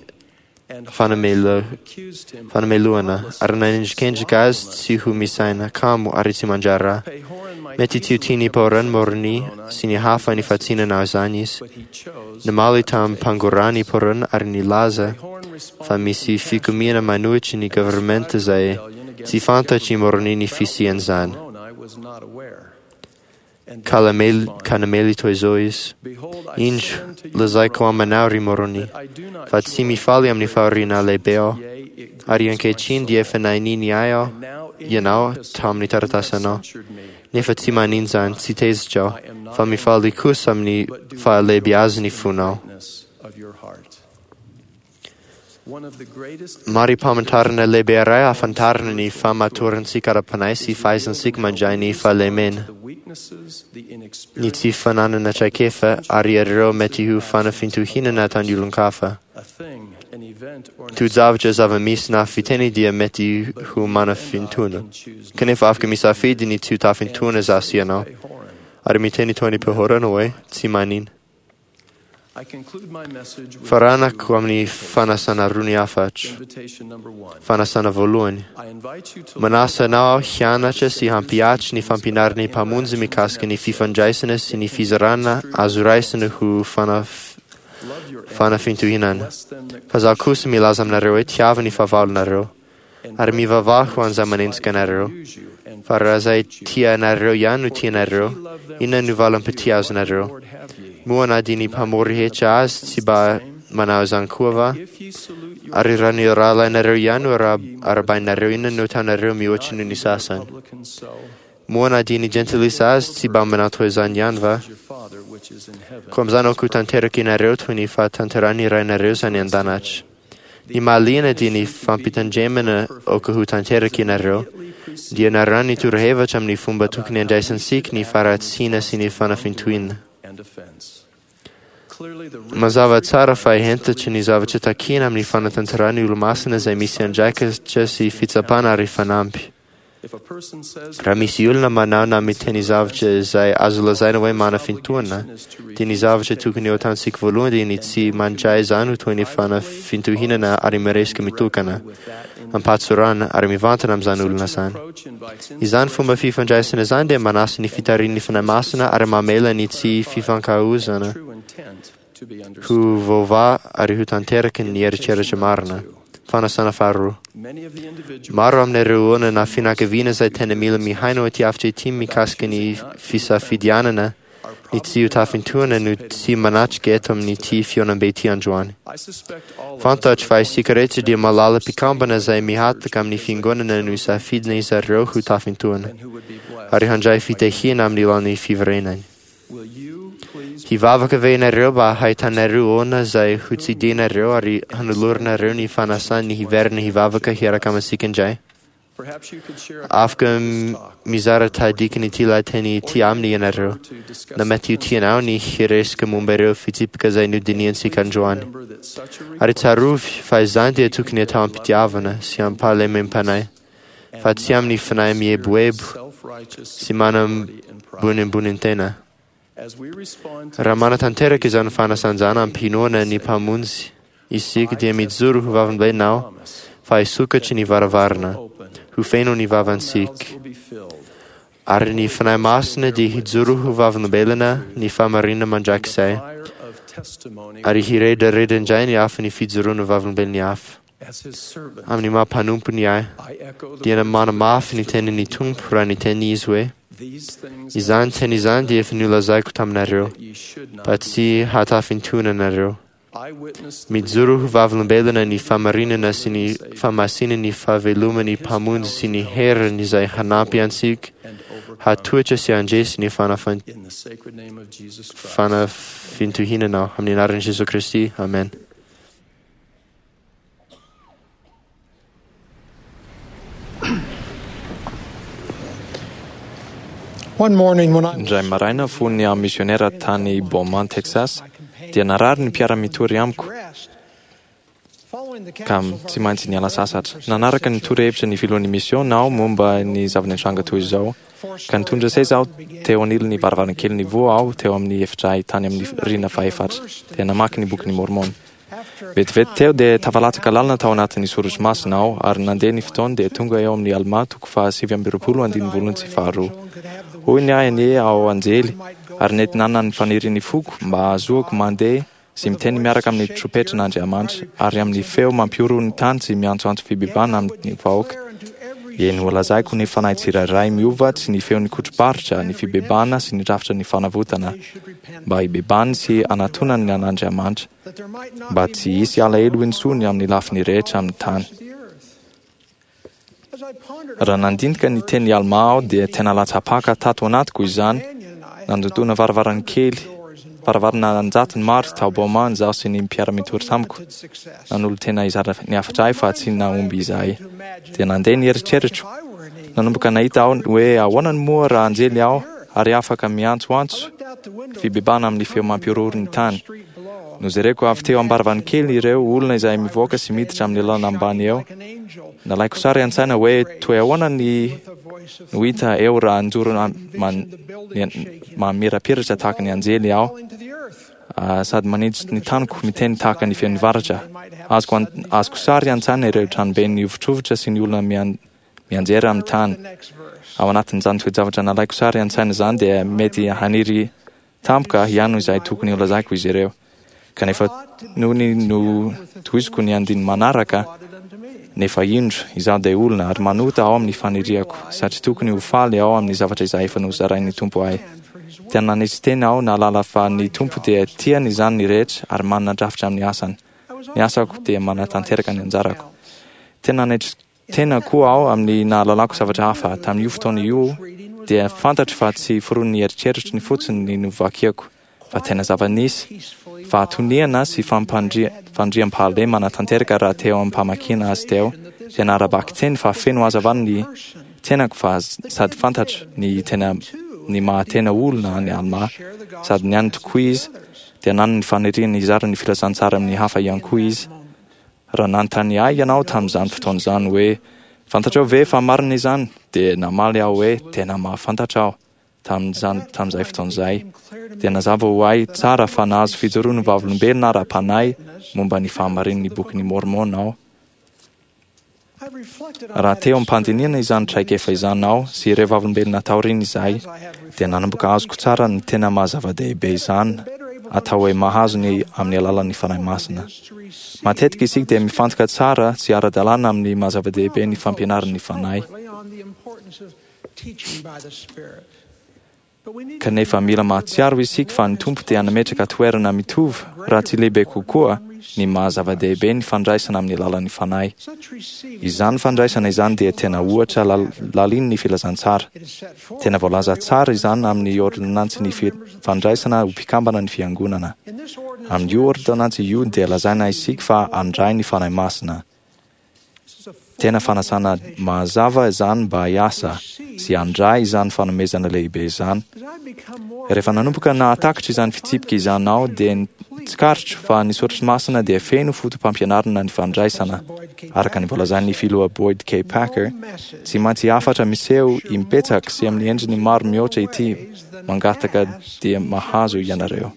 S4: fanamelohana, ary nanendrikendrika azy tsy ho misaina, kamo, ary tsy mandraharaha. Mety tsy ho tian'i Pahôrana, Môrônia, sy ny hafa ny fahatsinana izany izy. Namaly tamim-pangorahana i Pahôrana ary nilaza fa misy fikomiana manohitra ny governemanta izay tsy fantatr'i Môrônia ny fisian'izany. Ka namely toy izao izy, Indro, lazaiko aminao, ry Môrônia, fa tsy mifaly amin'ny fahoriana lehibe aho, ary ankehitriny dia efa naininy ahy aho ianao tamin'ny taratasinao, nefa tsy maninona izany, tsy tezitra aho, fa mifaly kosa amin'ny fahalehibeazan'ny fonao. Mari-pamantarana lehibe iray ahafantarana ny fahamatorantsika ara-panahy sy fahaizantsika mandray ny fahalemena, ny tsy fananana traikefa, ary ireo mety ho fanafintohinana ataon'ny olon-kafa. Toe-javatra zava-misy na fiteny dia mety ho manafintohina, kanefa afaka misafidy ny tsy ho tafintohina izaho sy ianao, ary miteny toy ny Pahôrana hoe, Tsy maninona. Faranako amin'ny fanasana roa ny hafatra. Fanasana voalohany. Manasa anao aho hianatra sy hampihatra ny fampianaran'ny Mpamonjy mikasika ny fifandraisana sy ny fizarana azo raisina ho fanafintohinana. Fa izaho kosa milaza aminareo hoe tiavo ny fahavalonareo, ary mivavaha ho an'izay manenjika anareo. Fa raha izay tia anareo ihany no tianareo, inona no valim-pitia azonareo? Moa na dia ny mpamory hetra azy tsy mba manao izany koa va? Ary raha ny rahalahinareo ihany no arahabainareo, inona no ataonareo mihoatra noho ny sasany? Moa na dia ny jentilisa azy tsy mba manao toy izany ihany va? Koa amin'izany aoka ho tanteraka ianareo toy ny fahatanterahan'ny Rainareo izay any an-danitra. Ny mahaliana dia ny fampitandremana aoka ho tanteraka ianareo, dia narahiny ny torohevitra amin'ny fomba tokony handraisantsika ny faharatsiana sy ny fanafintohina. Mazava tsara fa hentitra ny zavatra takiana amin'ny fanatanterahana ny Olomasina izay misy andraikitra sy fitsapana ary fanamby. Raha misy olona manao na miteny zavatra izay azo lazaina hoe manafintohina, dia ny zavatra tokony ho ataontsika voalohany dia ny tsy mandray izany ho toy ny fanafintohinana ary miresaka mitokana, am-pahatsorana, ary mivantana amin'izany olona izany. Izany fomba fifandraisana izany dia manasa ny fitarihan'ny Fanahy Masina ary mamela ny tsy fifankahaozana ho voavaha ary ho tanteraka ny eritreritra marina. Fanasana faharoa. Maro amin'ireo olona na fianakaviana izay tena mila mihaino ity hafatra ity mikasika ny fisafidianana ny tsy ho tafintohina no tsy manatrika eto amin'ity fihaonambe ity androany. Fantatro fa isika rehetra dia mahalala mpikambana izay mihataka amin'ny fiangonana no safidina izy ireo ho tafintohina ary handray fitahiana amin'ny lalan'ny fiverenany. Hivavaka ve ianareo mba hahitanareo olona izay ho tsidihinareo ary hanoloranareo ny fanasany hiverina hivavaka hiaraka amintsika indray? Afaka mizara tahadikan'ity lahateny ity aminy ianareo, na mety ho tianao ny hiresaka momba ireo fitsipika izay nodinihantsika androany. Ary tsarovy fa izany dia tokony atao am-pitiavana sy am-pahalemem-panahy, fa tsy amin'ny fanahy mieboebo sy manambonimbony-tena. Raha manatanteraka izany fanasanjana am-pinoana ny Mpamonjy isika dia mijoro ho vavolombelona aho fa hisokatry ny varavarana, ho feno ny vavantsika. Ary ny Fanahy Masina dia hijoro ho vavolombelona ny fahamarinana mandrakizay, ary hiredareda indray ny afon'ny fijoroana vavolombelon'ny hafa. Amin'ny maha mpanompony ahy, dia manamafy ny tenin'ny Tompo raha niteny Izy hoe, Izany teny izany dia efa nolazaiko taminareo, mba tsy hahatafintohina anareo. Mijoro ho vavolombelona ny fahamarinana sy ny fahamasinan'ny fahaveloman'ny Mpamonjy sy ny heriny izay hanampy antsika hatohitra sy handresy ny fanafintohinana aho. Amin'ny anaran'i Jesoa Kristy, amen.
S7: Indray maraina fony aho misionera tany Beaumont, Texas, dia narary ny mpiara-mitory amiko ka tsy maintsy niala sasatra. Nanaraka ny torohevitra ny filohan'ny misiona aho momba ny zava-nitranga toy izao, ka nitondra seza aho teo anilan'ny varavarankely nivoha aho teo amin'ny efitray tany amin'ny rihana fahefatra, dia namaky ny Bokin'i Môrmôna. Vetivety teo dia tafalatsaka lalina tao anatin'ny Sorotry Masina aho, ary nandeha ny fotoana dia tonga eo amin'ny Almà toko faha-29 andininy voalohany sy faharoa. Hoy ny ahy anie aho anjely, ary nety nanana ny fanirian'ny foko mba hahazoako mandeha sy miteny miaraka amin'ny trompetran'Andriamanitra, ary amin'ny feo mampihorohoro ny tany sy miantsoantso fibebahana amin'ny vahoaka. Eny, holazaiko ny fanahy tsirairay miova tsy ny feon'ny kotro-paritra, ny fibebahana sy ny rafitra ny fanavotana, mba hibebahany sy hanatonany an'Andriamanitra, mba tsy hisy alahelo intsony amin'ny lafiny rehetra amin'ny tany. Raha nandinika ny tenin'i Almà aho dia tena latsa-paka tato anatiko izany, nandodona varavarankely, varavarana an-jatony maro tao Beaumont izaho sy ny mpiara-mitory tamiko. Nanolo-tena hizara ny hafatra ahy fa tsy nahomby izahay. Dia nandeha ny eritreritro. Nanomboka nahita aho hoe ahoana no moa raha anjely aho ary afaka miantsoantso fibebahana amin'ny feo mampihorohoro ny tany. Nojereko avy teo am-baravankely ireo olona izay mivoaka sy miditra amin'ny lalana ambany eo. Nalaiko sary an-tsaina hoe toy ahoana ny no hita eo raha nijoro mamirapiratra tahaka ny anjely aho sady manitsy ny taniko miteny tahaka ny feon'ny varatra. Azoko azoko sary an-tsaina ireo tranobe nihovitrovitra sy ny olona mianjera amin'ny tany. Ao anatin'izany toe-javatra nalaiko sary an-tsaina izany dia mety haniry tampoka ihany izay tokony holazaiko izy ireo. Kanefa nony notohiziko ny andininy manaraka, nefa indro, izaho dia olona ary manota ao amin'ny faniriako, satria tokony ho faly aho amin'ny zavatra izay efa nozarain'ny Tompo ahy. Tena nanetry tena aho nahalala fa ny Tompo dia tiany izany ny rehetra ary manana drafitra amin'ny asany. Ny asako dia manatanteraka ny anjarako. Tena nanetry tena koa aho amin'ny nahalalako zavatra hafa tamin'io fotoana io dia fantatro fa tsy foronin'ny eritreritro ny fotsiny ny novakiako fa tena zava-nisy fahatoniana sy fampandriampahalemana tanteraka raha teo am-pamakiana azy teo dia nara-bakiteny fa feno hazavana ny tenako fa sady fantatro ny tena ny maha-tena olona an'i Almà sady niany tokoa izy dia nanana ny faniriana hizara ny filazantsara amin'ny hafa ihany koa izy. Raha nanontany ahy ianao tamin'izany fotoana izany hoe, Fantatrao ve fa marina izany? dia namaly aho hoe, Tena mahafantatra aho. Tamin'izany, tamin'izay fotoana izay, dia nazava ho ahy tsara fa nahazo fijoroan'ny vavolombelona ara-panahy momba ny fahamarinan'ny Bokin'i Môrmôna aho. Raha teo am-pandinihana izany traikefa izany aho sy ireo vavolombelona taorian'izay, dia nanomboka azoko tsara ny tena maha-zava-dehibe izany atao hoe mahazo ny amin'ny alalan'ny Fanahy Masina. Matetika isika dia mifantoka tsara sy ara-dalàna amin'ny maha-zava-dehibe ny fampianaran'ny Fanahy. Kanefa mila mahatsiaro isika fa ny Tompo dia nametraka toerana mitovy, raha tsy lehibe kokoa, ny maha zava-dehibe ny fandraisana amin'ny alalan'ny Fanahy. Izany fandraisana izany dia tena ohatra lalin'ny filazantsara. Tena voalaza tsara izany amin'ny ôrdônansin'ny fandraisana ho mpikambana ny Fiangonana. Amin'io ôrdônansy io dia lazaina isika fa handray ny Fanahy Masina. Tena fanasana mazava izany mba hiasa sy handray izany fanomezana lehibe izany. Rehefa nanomboka nahatakatra izany fitsipika izany aho dia tsikaritro fa ny Soratra Masina dia feno fotopampianarana ny fandraisana. Araka ny voalazan'ny Filoha Boyd K. Packer, tsy maintsy hafatra miseho imbetsaka sy amin'ny endriny maro mihoatra ity mangataka dia mahazo ianareo.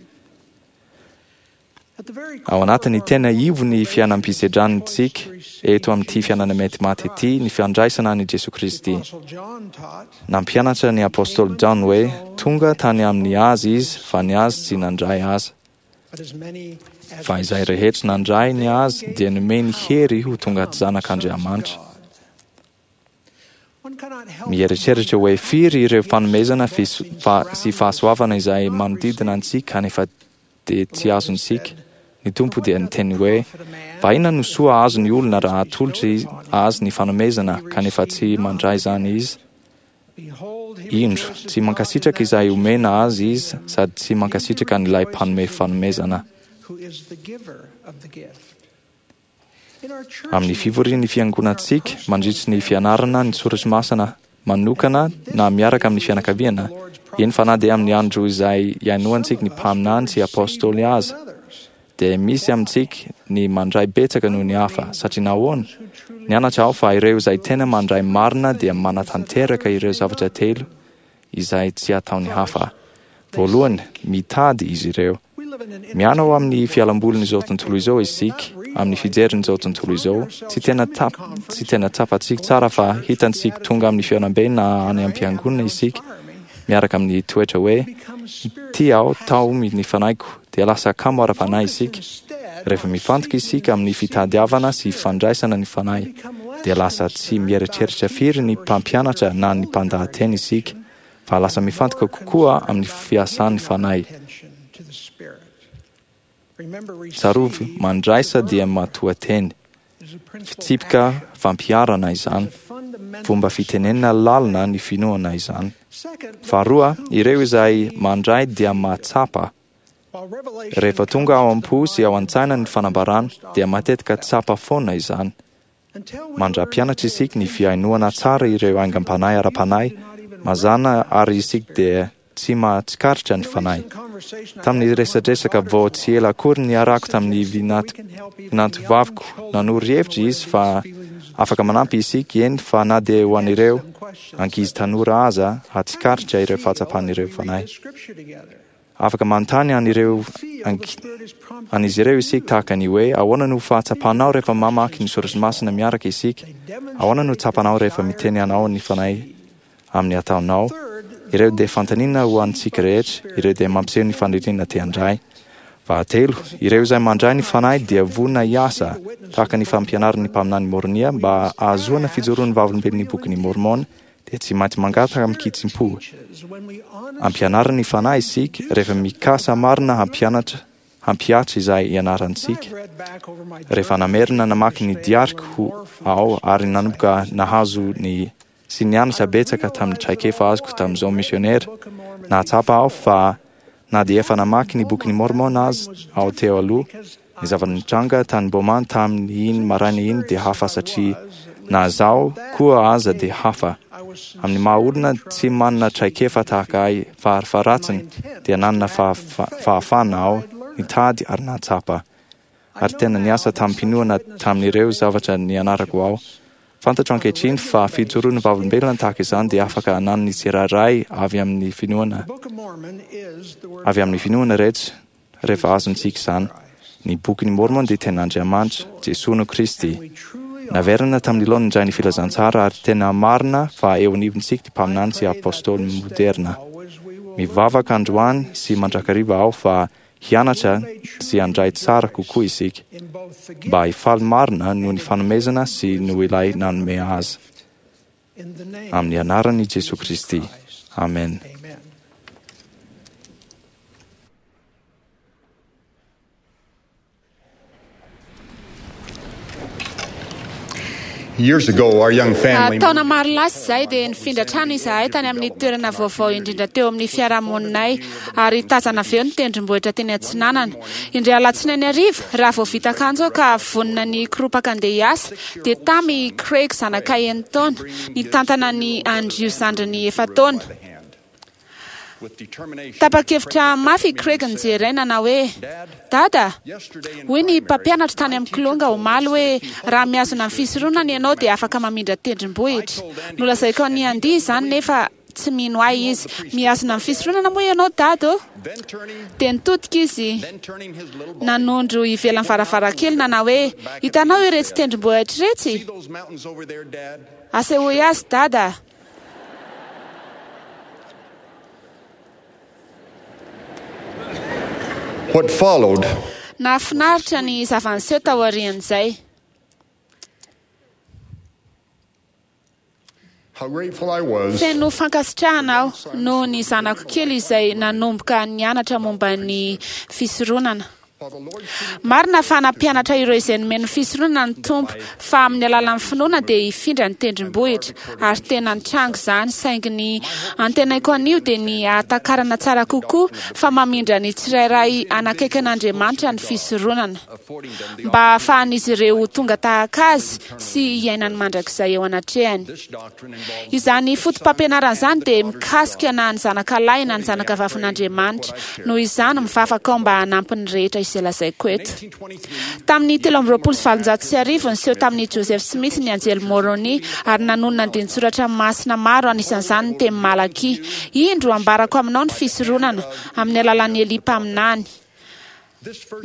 S7: Ao anatin'ny tena ivon'ny fiainam-pisedrantsika eto amin'ity fiainana mety maty ity ny fiandraisana an'i Jesoa Kristy. Nampianatra ny Apostoly Jaona hoe tonga tany amin'ny Azy Izy fa ny Azy tsy nandray Azy. Fa izay rehetra nandray ny Azy dia nomeny hery ho tonga zanak'Andriamanitra. Mieritreritra hoe firy ireo fanomezana sy fahasoavana izay manodidina antsika kanefa dia tsy azontsika. Ny Tompo dia niteny hoe, Fa inona no soa azon'ny olona raha atolotra azy ny fanomezana kanefa tsy mandray izany izy? Indro, tsy mankasitraka izay omena azy izy sady tsy mankasitraka an'ilay mpanome fanomezana. Amin'ny fivorian'ny fiangonantsika, mandritry ny fianarana ny Soratra Masina manokana na miaraka amin'ny fianakaviana, eny fa na dia amin'ny andro izay ihainoantsika ny mpaminany sy apôstôly aza, dia misy amintsika ny mandray betsaka noho ny hafa. Satria nahoana? Nianatra aho fa ireo izay tena mandray marina dia manatanteraka ireo zavatra telo izay tsy ataon'ny hafa. Voalohany, mitady izy ireo. Miana ao amin'ny fialambolin'izao tontolo izao isika, amin'ny fijerin'izao tontolo izao. Tsy tena tsy tena tsapantsika tsara fa hitantsika tonga amin'ny fihaonambe na any am-piangonana isika miaraka amin'ny toetra hoe ity aho taomy ny fanahiko, dia lasa kamo ara-panahy isika. Rehefa mifantoka isika amin'ny fitadiavana sy fandraisana ny Fanahy, dia lasa tsy mieritreritra firy ny mpampianatra na ny mpandahateny isika, fa lasa mifantoka kokoa amin'ny fiasan'ny Fanahy. Tsarovy, mandraisa dia matoateny. Fitsipika fampiharana izany. Fomba fitenenana lalina ny finoana izany. Faharoa, ireo izay mandray dia mahatsapa. Rehefa tonga ao am-po sy ao an-tsaina ny fanambarana, dia matetika tsapa foana izany. Mandra-pianatra isika ny fihainoana tsara ireo aingam-panahy ara-panahy, mazàna àry isika dia tsy mahatsikaritra ny Fanahy. Tamin'ny resadresaka vao tsy ela akory niarahako tamin'ny vinantovaviko, nanoro hevitra izy fa afaka manampy isika, eny fa na dia ho an'ireo ankizy tanora aza, hahatsikaritra ireo fahatsapan'ireo Fanahy. Afaka manontany an'ireo an'izy ireo isika tahaka ny hoe, Ahoana no fahatsapanao rehefa mamaky ny soratra masina miaraka isika? Ahoana no tsapanao rehefa miteny anao ny Fanahy amin'ny ataonao? Ireo dia fanontaniana ho antsika rehetra. Ireo dia mampiseho ny faniriana te handray. Fahatelo, ireo izay mandray ny Fanahy dia vonona hiasa, tahaka ny fampianaran'ny mpaminany Môrônia mba hahazoana fijoroan'ny vavolombelon'ny Bokin'i Môrmôna dia tsy maintsy mangataka amin-kitsim-po. Ampianarin'ny Fanahy isika rehefa mikasa marina hampianatra, hampihatra izay ianarantsika. Rehefa namerina namaky ny diariko aho ary nanomboka nahazo ny sy nianatra betsaka tamin'ny traikefa azoko tamin'izao misionera, nahatsapa aho fa na dia efa namaky ny Bokin'i Môrmôna aza aho teo aloha, Ny zava-nitranga tany Boma tamin'iny maraina iny dia hafa satria na izaho koa aza dia hafa. Amin'ny maha olona tsy manana traikefa tahaka ahy farafaharatsiny dia nanana fahafahana aho nitady ary nahatsapa. Ary tena niasa tamim-pinoana tamin'ireo zavatra nianarako aho. Fantatro ankehitriny fa fijoroan'ny vavolombelona tahaka izany dia afaka ananan'ny tsirairay avy amin'ny finoana avy amin'ny finoana rehetra. Rehefa azontsika izany, ny Bokin'i Môrmôna dia Tenin'Andriamanitra, Jesoa no Kristy. Naverina tamin'ny laoniny indray ny filazantsara ary tena marina fa eo anivontsika ny mpaminany sy apôstôly moderna. Mivavaka androany sy mandrakariva aho fa hianatra sy handray tsara kokoa isika, mba hifaly marina noho ny fanomezana sy noho ilay nanome azy. Amin'ny anaran'i Jesoa Kristy. Amen.
S8: Years ago, our young family
S9: Taona maro lasa izay dia nifindra trano izahay tany amin'ny toerana vaovao indrindra teo amin'ny fiarahamoninay, ary tazana avy eo ny tendrombohitra teny atsinanana. Indray alatsinainy hariva, raha vao vita akanjo aho ka vonona ny hikoropaka handeha hiasa, dia tamy i Craig zanakay enin-taona, nitantana an'i Andrew zandriny efa-taona. Tapa-kevitra mafy i Craig nijery ahy nanao hoe, Dada, hoy ny mpampianatro tany amin'ny Kilonga omaly hoe raha mihazona ny fisoronana ianao dia afaka mamindra tendrombohitra. Nolazaiko an'i Andy izany nefa tsy mino ahy izy. Mihazona ny fisoronana moa ianao Dada ô? Dia nitodika izy nanondro ivelan'ny varavarankely nanao hoe, Hitanao iretsy tendrombohitra iretsy? Asehoy azy Dada.
S8: What followed
S9: Nahafinaritra ny zava-niseho taorian'izay.
S8: How grateful I was
S9: Feno fankasitrahana aho noho ny zanako kely izay nanomboka nianatra momba ny fisoronana. Marina fa nampianatra ireo izay nomeny ny fisoronana ny Tompo fa amin'ny alalan'ny finoana dia hifindra ny tendrombohitra, ary tena nitranga izany, saingy ny antenaiko anio dia ny hahatakarana tsara kokoa fa mamindra ny tsirairay hanakaiky an'Andriamanitra ny fisoronana, mba hahafahan'izy ireo ho tonga tahaka Azy sy hiaina ny mandrakizay eo anatrehany. Izany fotopampianarana izany dia mikasika na ny zanaka lahy na ny zanaka vavin'Andriamanitra. Noho izany, mivavaka aho mba hanampy ny rehetra izay lazaiko eto. Tamin'ny 1823, niseho tamin'i Joseph Smith ny anjely Moroni ary nanonona andinin-tsoratra masina maro, anisan'izany ny teny Malakia, Indro, ambarako aminao ny fisoronana, amin'ny alalan'i Elia mpaminany.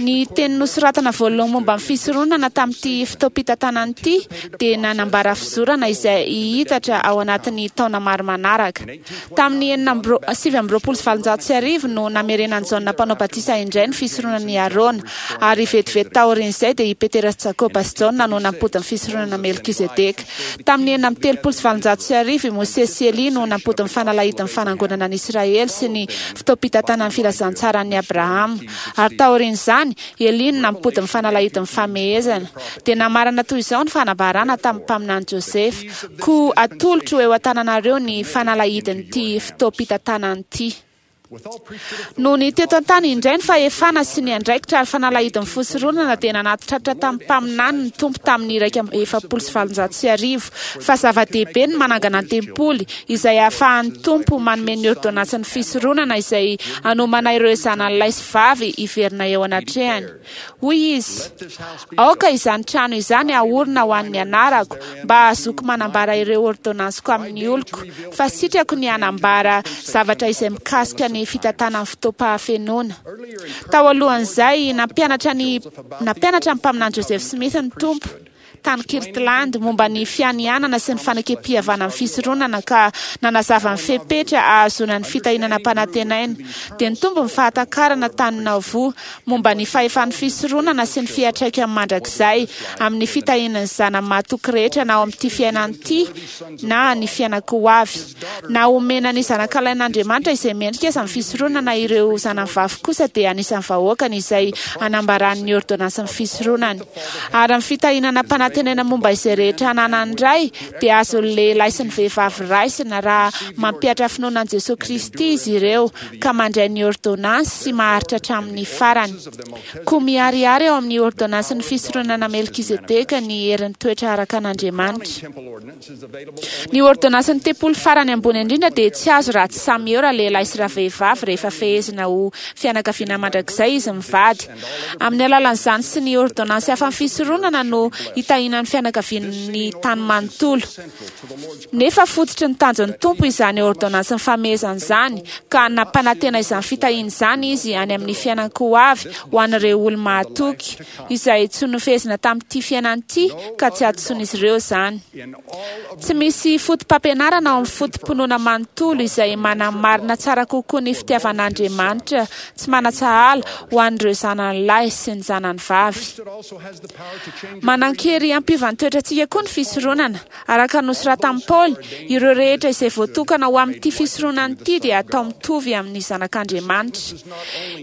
S9: Ny teny nosoratana voalohany momba ny fisoronana tamin'ity fotoampitantanana ity dia nanambara fizorana izay hihitatra ao anatin'ny taona maro manaraka. Tamin'ny 1829 no namerenan'i Jaona Mpanao Batisa indray ny fisoronan'i Arona, ary vetivety taorian'izay dia i Petera sy Jakoba sy Jaona no nampody ny fisoronana Melkizedeka. Tamin'ny 1836 i Mosesy sy Elia no nampody ny fanalahidin'ny fanangonana an'i Israely sy ny fotoampitantanan'ny filazantsaran'i Abrahama. Ary taorian'izany, Elia no nampody ny fanalahidin'ny famehezana. Dia namarana toy izao ny fanambarana tamin'ny mpaminany Josefa, Koa atolotro eo an-tananareo ny fanalahidin'ity fotoampitantanana ity. Nony teto an-tany indray ny fahefana sy ny andraikitra ary fanalahidin'ny fisoronana dia nanatitratra tamin'ny mpaminany ny Tompo tamin'ny 1841 fa zava-dehibe ny manangana ny tempoly izay ahafahan'ny Tompo manome ny ôrdônansin'ny fisoronana izay hanomana ireo zanany lahy sy vavy hiverina eo anatrehany. Hoy izy, Aoka izany trano izany haorina ho an'ny anarako, mba hahazoako manambara ireo ôrdônansiko amin'ny oloko, fa sitrako ny hanambara zavatra izay mikasika ny fitantanan'ny fotoam-pahafenoana. Tao alohan'izay, nampianatra ny nampianatra ny Mpaminany Joseph Smith ny Tompo, tany Kirtland momba ny fianianana sy ny fanekem-pihavanan'ny fisoronana ka nanazava ny fepetra ahazoana ny fitahiana nampanantenaina, dia nitombo ny fahatakarana tany Nauvoo momba ny fahefan'ny fisoronana sy ny fiantraikany mandrakizay amin'ny fitahiana ny zanany mahatoky rehetra na ao amin'ity fiainana ity na ny fiainan-ko avy. Na omena ny zanakalahin'Andriamanitra izay mendrika aza ny fisoronana, ireo zanany vavy kosa dia anisan'ny vahoakany izay anambarany ny ôrdônansin'ny fisoronany. Ary ny fitahiana nampanantenaina momba izay rehetra ananan'ny Ray dia azon'ny lehilahy sy ny vehivavy raisina raha mampihatra finoana an'i Jesoa Kristy izy ireo ka mandray ny ôrdônansy sy maharitra hatramin'ny farany. Koa miharihary ao amin'ny ôrdônansin'ny fisoronana Melkizedeka ny herin'ny toetra araka an'Andriamanitra. Ny ôrdônansin'ny tempoly farany ambony indrindra dia tsy azo raha tsy samy eo ralehilahy sy ravehivavy rehefa fehezina ho fianakaviana mandrakizay izy mivady. Amin'ny alalan'izany sy ny ôrdônansy hafa amin'ny fisoronana no hitahiana ny fianakavian'ny tany manontolo. Nefa fototry ny tanjon'ny Tompo izany ôrdônansin'ny famehezana izany, ka nampanantena izany fitahiana izany Izy any amin'ny fiainan-ko avy ho an'ireo olo-mahatoky, izay tsy nofehezina tamin'ity fiainana ity ka tsy hadisoan'izy ireo izany. Tsy misy fotopampianarana ao amin'ny foto-pinoana manontolo izay manamarina tsara kokoa ny fitiavan'Andriamanitra tsy manan-tsahala ho an'ireo zanany lahy sy ny zanany vavy. Manan-kery. Afaka hampiova ny toetrantsika koa ny fisoronana. Araka ny nosoratan'i Paoly, ireo rehetra izay voatokana ho amin'ity fisoronana ity dia atao mitovy amin'ny zanak'Andriamanitra.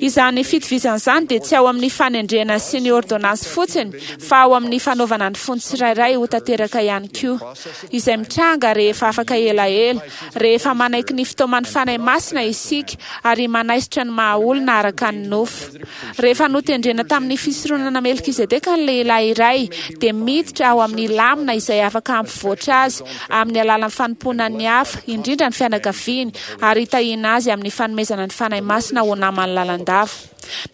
S9: Izany fitovizana izany dia tsy ao amin'ny fanendrena sy ny ôrdônansy fotsiny, fa ao amin'ny fanaovana ny fon'ny tsirairay ho tanteraka ihany koa, izay mitranga rehefa afaka elaela, rehefa manaiky ny fitaoman'ny Fanahy Masina isika ary manaisotra ny maha-olona araka ny nofo. Rehefa notendrena tamin'ny fisoronana Melkizedeka ny lehilahy iray, dia miditra ao amin'ny lamina izay afaka hampivoatra azy amin'ny alalan'ny fanompoana ny hafa, indrindra ny fianakaviany, ary hitahiana azy amin'ny fanomezana ny Fanahy Masina ho namany lalandava.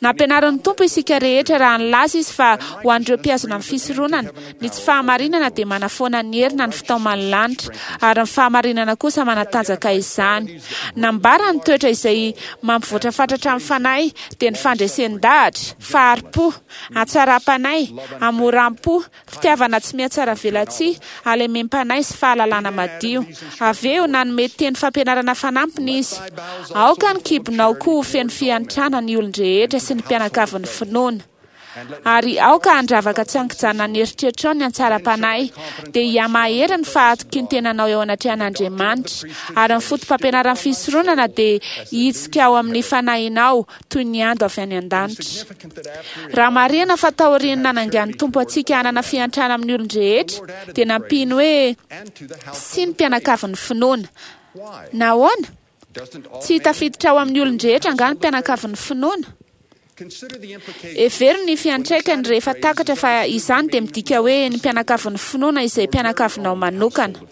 S9: Nampianarin'ny Tompo isika rehetra raha nilaza Izy fa ho an'ireo mpihazona ny fisoronana, ny tsy fahamarinana dia manafoana ny hery na ny fitaoman'ny lanitra, ary ny fahamarinana kosa manatanjaka izany. Nambara ny toetra izay mampivoatra fatratra ny fanahy dia ny fandresen-dahatra, fahari-po, hatsaram-panahy, hamoram-po, fitiavana tsy mihatsaravelatsihy, halemem-panahy sy fahalalana madio. Avy eo, nanome teny fampianarana fanampiny izy, Aoka ny kibonao koa ho feno fiantrana ny olon-drehetra sy ny mpianakavin'ny finoana. Ary aoka handravaka tsy an-kijanona ny eritreritrao ny hatsaram-panahy, dia hihamahery ny fahatokian-tenanao eo anatrehan'Andriamanitra, ary ny fotopampianaran'ny fisoronana dia hitsika ao amin'ny fanahinao toy ny ando avy any an-danitra. Raha marihina fa taorian'ny nanangan'ny Tompo antsika hanana fiantrana amin'ny olon-drehetra, dia nampiany hoe sy ny mpianakavin'ny finoana. Nahoana? Tsy tafiditra ao amin'ny olon-drehetra angaha ny mpianakavin'ny finoana? Hevero ny fiantraikany rehefa takatra fa izany dia midika hoe ny mpianakavin'ny finoana izay mpianakavinao manokana.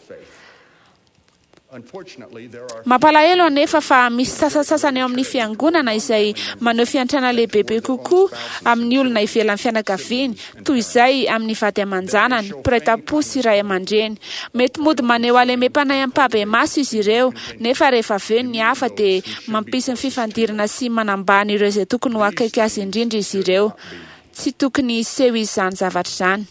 S9: Mampalahelo anefa fa misy sasantsasany ao amin'ny fiangonana izay maneho fiantrana lehibebe kokoa amin'ny olona ivelan'ny fianakaviany toy izay amin'ny vady aman-janany, mpiray tam-po sy ray aman-dreny. Mety mody maneho halemem-panahy ampahibemaso izy ireo, nefa rehefa avy eo ny hafa dia mampisy ny fifandirana sy manambany ireo izay tokony ho akaiky azy indrindra izy ireo. Tsy tokony hiseho izany zavatra izany.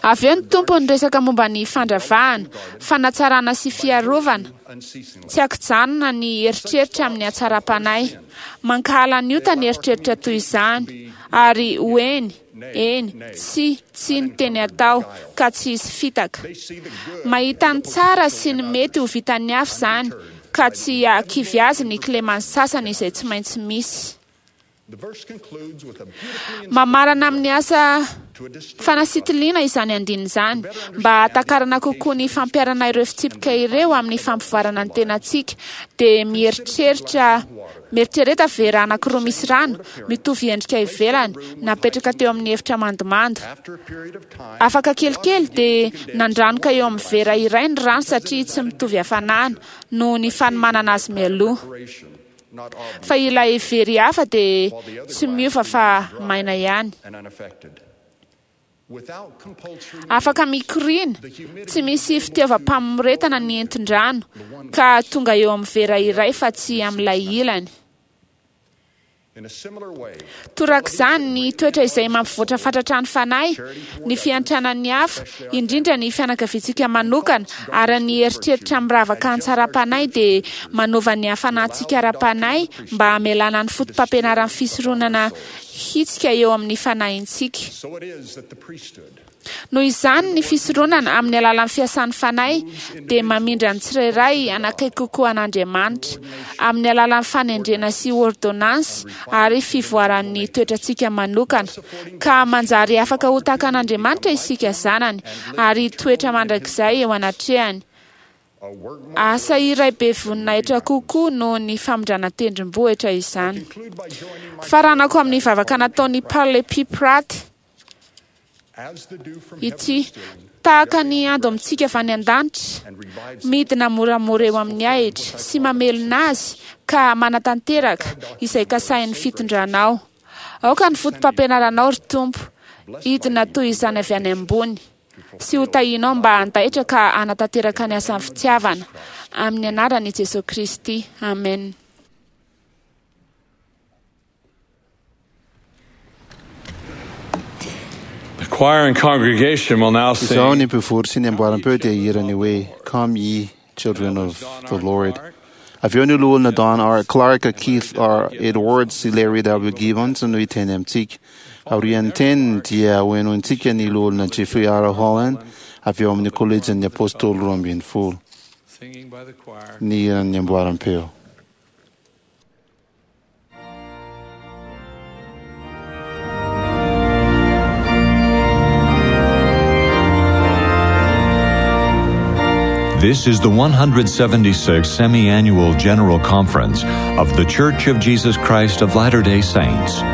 S9: Avy eo ny Tompo niresaka momba ny fandravahana, fanatsarana sy fiarovana, tsy ankijanona ny eritreritra amin'ny hatsaram-panahy. Mankahala ny ota ny eritreritra toy izany, ary ho eny, eny, tsia, tsia ny teny atao, ka tsy hisy fitaka. Mahita ny tsara sy ny mety ho vitan'ny hafa izany, ka tsy hahakivy azy ny kileman'ny sasany izay tsy maintsy misy. Mamarana amin'ny asa fanasitiliana izany andininy izany, mba hahatakarana kokoa ny fampiharana ireo fitsipika ireo amin'ny fampivoarana ny tenantsika, dia mieritreritra mieritrereta vera anankiroa misy rano, mitovy endrika ivelany, napetraka teo amin'ny efitra mandomando. Afaka kelikely dia nandranoka eo amin'ny vera iray ny rano satria tsy mitovy hafanana, noho ny fanomanana azy mialoha. Fa ilay very hafa dia tsy miova fa maina ihany. Afaka mikoriana, tsy misy fitiavam-pamoretana ny entin-drano, ka tonga eo amin'ny vera iray fa tsy amin'ilay ilany. Torak'izany, ny toetra izay mampivoatra fatratra ny fanahy, ny fiantrana ny hafa, indrindra ny fianakaviantsika manokana, ary ny eritreritra miravaka an-tsaram-panahy dia manova ny hafanantsika ara-panahy mba hamelana ny fotopampianaran'ny fisoronana hitsika eo amin'ny fanahintsika. Noho izany, ny fisoronana, amin'ny alalan'ny fiasan'ny Fanahy, dia mamindra ny tsirairay hanakaiky kokoa an'Andriamanitra, amin'ny alalan'ny fanendrena sy ôrdônansy ary fivoaran'ny toetrantsika manokana, ka manjary afaka ho tahaka an'Andriamanitra isika zanany, ary hitoetra mandrakizay eo anatrehany. Asa iray be voninahitra kokoa noho ny famindrana tendrombohitra izany. Faranako amin'ny vavaka nataon'i Parley P. Pratt ity, Tahaka ny ando amintsika avy any an-danitra, midina moramora eo amin'ny ahitra sy mamelona azy ka manatanteraka izay kasahin'ny fitondranao. Aoka ny fotopampianaranao, ry Tompo, hidina toy izany avy any ambony sy ho tahianao mba handaitra ka hanatanteraka ny asan'ny fitiavana. Amin'ny anaran'i Jesoa Kristy. Amena.
S10: The choir and congregation will now
S2: Izao
S10: sing
S2: ny mpivory sy ny amboaram-peo dia hihira ny hoe Come ye children of the Lord. Avy eo ny loholona Don R. Clark, Keith R. Edwards sy Larry W. Gibbons no hiteny amintsika. Aorian'ny teniny dia hohenointsika ny Loholona Jeffrey R. Holland avy ao amin'ny Kolejin'ny Apôstôly 12. Ny hiran'ny amboaram-peo.
S1: This is the 176th Semi Annual General Conference of The Church of Jesus Christ of Latter day Saints.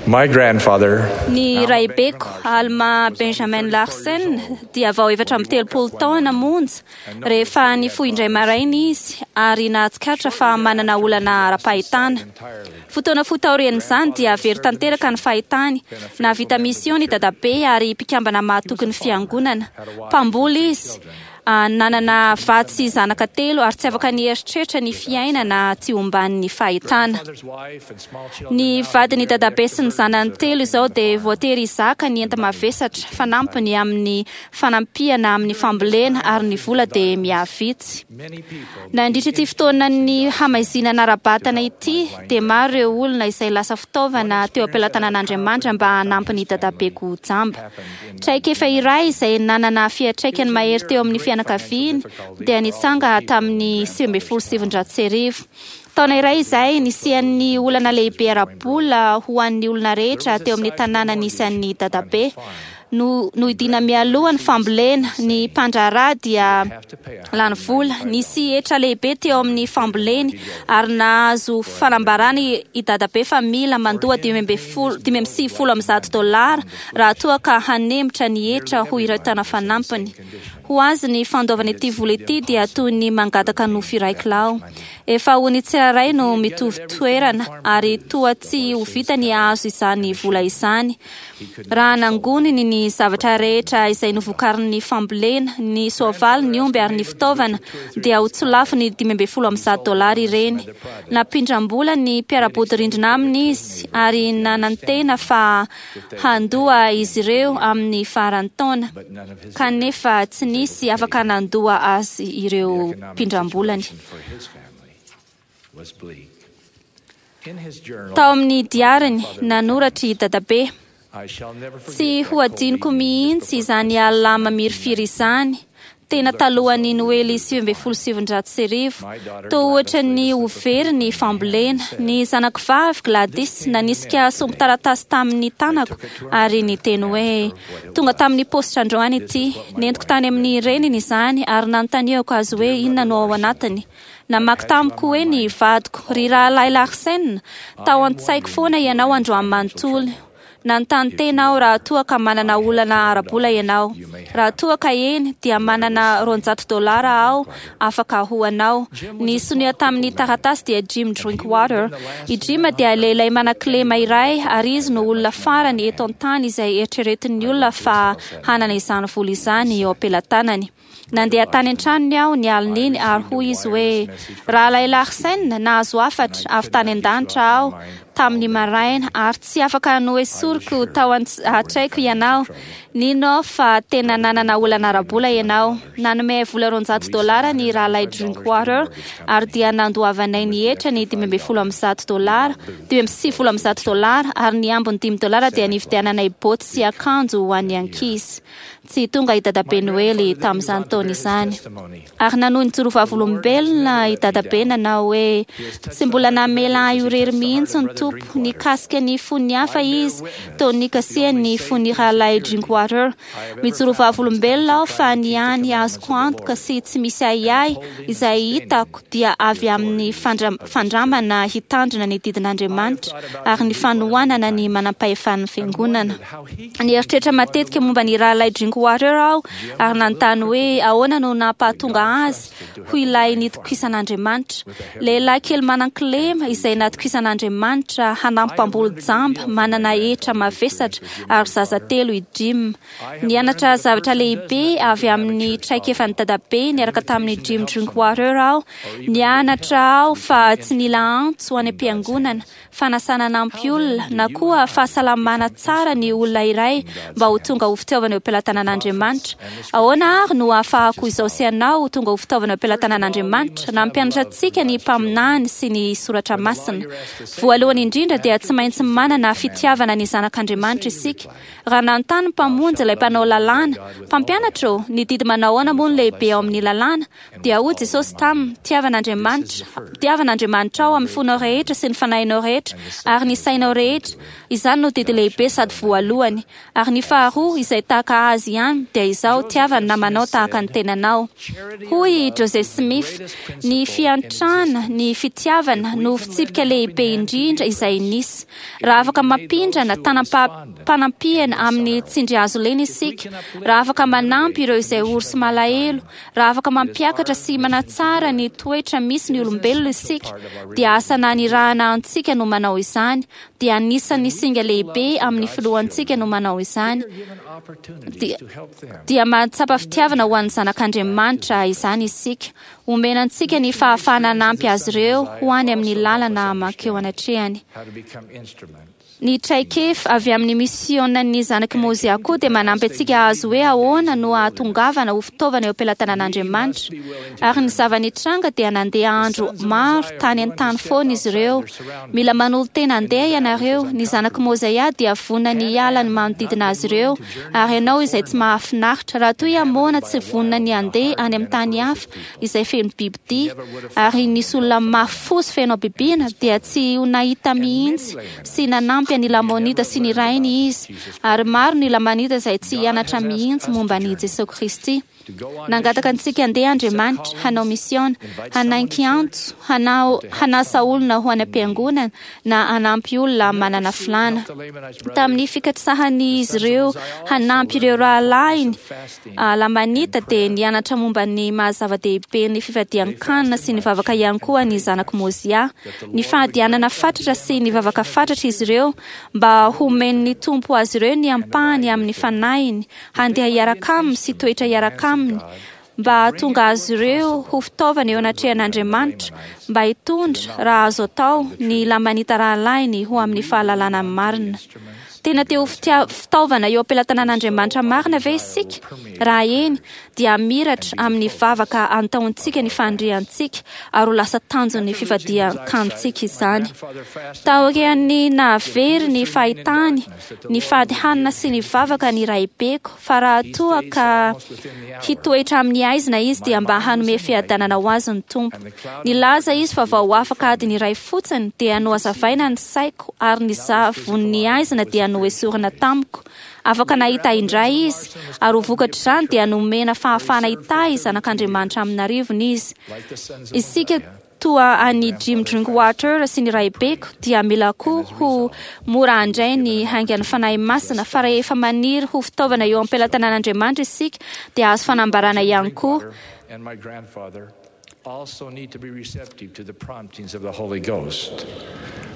S11: My grandfather,
S12: Ny raibeko Alma Benjamin Larsen dia vao 34 taona monja rehefa nifoha indray maraina izy ary nahatsikaritra fa manana olana ara-pahitana. Fotoana fohy taorian'izany dia very tanteraka ny fahitany. Nahavita mission ny dadabe ary mpikambana mahatoky ny fiangonana. Mpamboly izy. Nanana vady sy zanaka telo ary tsy afaka nieritreritra ny fiainana tsy omban'ny fahitana. Ny vadin'ny dadabe sy ny zanany telo izao dia voatery hizaka ny enta-mavesatra fanampiny amin'ny fanampiana amin'ny fambolena ary ny vola dia mihavitsy. Nandritra ity fotoanan'ny hamaizinana ara-batana ity dia maro ireo olona izay lasa fitaovana teo am-pelatanan'Andriamanitra mba hanampy ny dadabeko jamba. Traikefa iray izay nanana fiantraikany mahery teo amin'ny fianakaviany dia nitsanga tamin'ny 1919. Taona iray izay nisian'ny olana lehibe ara-bola ho an'ny olona rehetra teo amin'ny tanàna nisy an'i Dadabe. No, nohidiana mialoha ny fambolena, ny mpandraharaha dia lany vola. Nisy hetra lehibe teo amin'ny famboleny ary nahazo fanambarana i Dadabe fa mila mandoa 195 dolara raha toa ka hanemitra ny hetra ho iray taona fanampiny. Ho azy ny fandoavana ity vola ity dia toy ny mangataka nofy iray kilao. Efa ho ny tsirairay no mitovy toerana ary toa tsy ho vita ny hahazo izany vola izany. Raha nangoniny ny zavatra rehetra izay novokarin'ny fambolena, ny soavaly, ny omby ary ny fitaovana, dia ho tsy lafo ny 115 dolara ireny. Nampindram-bola ny mpiara-bodirindrina aminy izy ary nanantena fa handoa izy ireo amin'ny faran'ny taona, kanefa tsy nisy afaka nandoa azy ireo mpindram-bolany. Tao amin'ny diariny, nanoratra i Dadabe: Tsy ho adinoko mihitsy izany alina mamirifiry izany, tena talohan'ny Noely 1919. Toa ohatran'ny ho very ny fambolena. Ny zanako vavy, Gladys, nanisika sombin-taratasy tamin'ny tanako ary niteny hoe, Tonga tamin'ny paositra androany ity. Nentiko tany amin'ny reniny izany ary nanontaniako azy hoe inona no ao anatiny. Namaky tamiko hoe ny vadiko, Ry Rahalahy Larsen, tao an-tsaiko foana ianao androany manontolo. Nanontany tena aho raha toa ka manana olana ara-bola ianao. Raha toa ka eny, dia manana 200 dolara aho afaka ho anao. Ny sonia tamin'ny taratasy dia Jim Drinkwater. I Jim dia lehilahy manan-kilema iray ary izy no olona farany eto an-tany izay eritreretin'ny olona fa hanana izany vola izany eo am-pelatanany. Nandeha tany an-tranony aho ny alin'iny ary hoy izy hoe, Rahalahy Larsen, nahazo hafatra avy tany an-danitra aho tamin'ny maraina ary tsy afaka noesoriko tao an-tsaiko ianao. Nino aho fa tena nanana olana ara-bola ianao. Nanome ahy vola 200 dolara ny Rahalahy Drinkwater ary dia nandoavanay ny hetra ny 115 dolara, 195 dolara, ary ny ambiny dimy dolara dia nividiananay boty sy akanjo ho an'ny ankizy. Tsy tonga i Dadabe Noely tamin'izany taona izany. Ary nanohy nijoro vavolombelona i Dadabe nanao hoe, Tsy mbola namela ahy ho irery mihitsy ny Tompo. Nikasika ny fon'ny hafa Izy toa nikasihany ny fon'ny Rahalahy Drinkwater. Mijoro vavolombelona aho fa ny hany azoko antoka sy tsy misy ahiahy izay hitako dia avy amin'ny fandramana hitandrina ny didin'Andriamanitra ary ny fanohanana ny manampahefan'ny Fiangonana. Nieritreritra matetika momba ny Rahalahy Drinkwater aho ary nanontany hoe ahoana no nampahatonga azy ho ilay nitokisan'Andriamanitra. Lehilahy kely manan-kilema izay natokisan'Andriamanitra hanampy mpamboly jamba manana hetra mavesatra ary zaza telo i Jim. Nianatra zavatra lehibe avy amin'ny traikefan'i Dadabe niaraka tamin'i Jim Drinkwater aho. Nianatra aho fa tsy nila antso any am-piangonana fanasana hanampy olona, na koa fahasalamana tsara ny olona iray mba ho tonga ho fitaovana eo am-pelatanan'Andriamanitra. Ahoana àry no ahafahako izao sy ianao ho tonga ho fitaovana eo am-pelatanan'Andriamanitra? Nampianatra antsika ny mpaminany sy ny soratra masina. Voalohany indrindra dia tsy maintsy manana fitiavana ny zanak'Andriamanitra isika. Raha nanontany ny Mpamonjy ilay mpanao lalàna, Mpampianatra ô, ny didy manao ahoana moa no lehibe ao amin'ny lalàna? Dia hoy Jesosy taminy, Tiava an'Andriamanitra, tiava an'Andriamanitrao amin'ny fonao rehetra sy ny fanahinao rehetra ary ny sainao rehetra. Izany no didy lehibe sady voalohany. Ary ny faharoa, izay tahaka azy ihany, dia izao, Tiava ny namanao tahaka ny tenanao. Hoy i Joseph Smith, Ny fiantrana, ny fitiavana, no fitsipika lehibe indrindra izay nisy. Raha afaka mampindrana tanam-panampiana amin'ny tsindrihazolena isika, raha afaka manampy ireo izay ory sy malahelo, Raha afaka mampiakatra sy manatsara ny toetra misy ny olombelona isika, dia asa nanirahana antsika no manao izany, dia anisan'ny singa lehibe amin'ny filohantsika no manao izany, dia, dia mahatsapa fitiavana ho an'ny zanak'Andriamanitra izany isika. Omena antsika ny fahafahana hanampy azy ireo ho any amin'ny lalana mankeo anatrehany. Ny traikefa avy amin'ny misiônan'ny zanak'i Môzià koa dia manampy antsika hahazo hoe ahoana no hahatongavana ho fitaovana eo am-pelatanan'Andriamanitra. Ary ny zava-nitranga dia nandeha andro maro tany an-tany foana izy ireo. Mila manolo-tena handeha ianareo. Ny zanak'i Môzià dia vonona ny hiala ny manodidina azy ireo, ary ianao izay tsy mahafinaritra. Raha toa i Amôna tsy vonona ny handeha any amin'ny tany hafa, izay feno bibidia, ary nisy olona mafy fo sy feno habibiana, dia tsy ho nahita mihitsy sy nanampy an'i Lamonita sy ny rainy izy, ary maro ny Lamanita izay tsy hianatra mihitsy momba an'i Jesoa Kristy. Nangataka antsika handeha Andriamanitra, hanao misiôna, hanainky antso, hanao, hanasa olona ho any am-piangonana, na hanampy olona manana filàna. Tamin'ny fikatsahan'izy ireo hanampy ireo rahalahiny, Lamanita dia nianatra momba ny maha-zava-dehibe ny fifadian-kanina sy ny vavaka ihany koa ny zanak'i Môzià. Nifadianana fatratra sy nivavaka fatratra izy ireo mba homen'ny Tompo azy ireo ny ampahany amin'ny Fanahiny handeha hiaraka aminy sy toetra hiaraka aminy mba hahatonga azy ireo ho fitaovana eo anatrehan'Andriamanitra mba hitondra, raha azo atao, ny Lamanita rahalahiny ho amin'ny fahalalana ny marina. Tena te ho fitaovana eo am-pelatanan'Andriamanitra marina ve isika? Raha eny, dia hamiratra amin'ny vavaka antaontsika ny faniriantsika ary ho lasa tanjon'ny fifadian-kanintsika izany. Taorian'ny nahavery ny fahitany, nifady hanina sy nivavaka ny raibeko fa raha toa ka hitoetra amin'ny haizina izy dia mba hanome fiadanana ho azy ny Tompo. Nilaza izy fa vao afaka adiny iray fotsiny dia nohazavaina ny saiko ary ny zavon'ny haizina dia noesorina tamiko. Afaka nahita indray izy, ary ho vokatr'izany dia nomena fahafahana hitahy zanak'Andriamanitra amin'arivony izy. Isika toa an'i Jim Drinkwater sy ny raibeko dia mila koa ho mora handray ny haingan'ny Fanahy Masina, fa rehefa maniry ho fitaovana eo am-pelatanan'Andriamanitra isika dia hahazo fanambarana ihany koa.
S11: Also need to be receptive to the promptings of the Holy Ghost.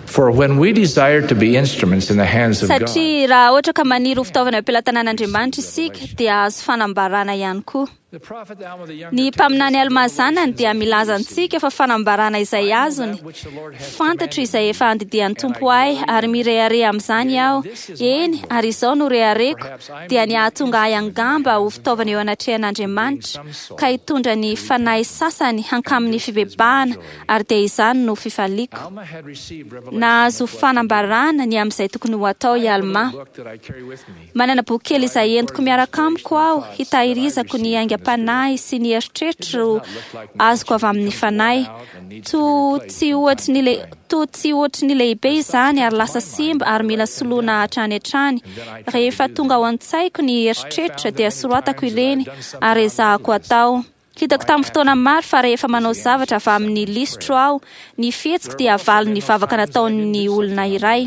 S11: For when we desire to be instruments in the hands of God,
S12: Satria raha ohatra ka maniry ho fitaovana eo am-pelatanan'Andriamanitra isika dia hahazo fanambarana ihany koa. Ny mpaminany Almà zanany dia milaza antsika fa fanambarana izay azony, Fantatro izay efa andidian'ny Tompo ahy, ary mirehareha amin'izany aho, eny, ary izao no rehareko, dia ny hahatonga ahy angamba ho fitaovana eo anatrehan'Andriamanitra, ka hitondra ny fanahy sasany hankamin'ny fibebahana, ary dia izany no fifaliako. Nahazo fanambarana ny amin'izay tokony ho atao i Almà. Manana boky kely izay entiko miaraka amiko aho hitahirizako ny aingam-panahy sy ny eritreritro azoko avy amin'ny Fanahy. Toa tsy ohatry ny toa tsy ohatry ny lehibe izany ary lasa simba ary mila soloina hatrany hatrany. Rehefa tonga ao an-tsaiko ny eritreritra dia soratako ireny ary ezahako atao. Hitako tamin'ny fotoana maro fa rehefa manao zavatra avy amin'ny lisitro aho, ny fihetsiko dia valin'ny vavaka nataon'ny olona iray.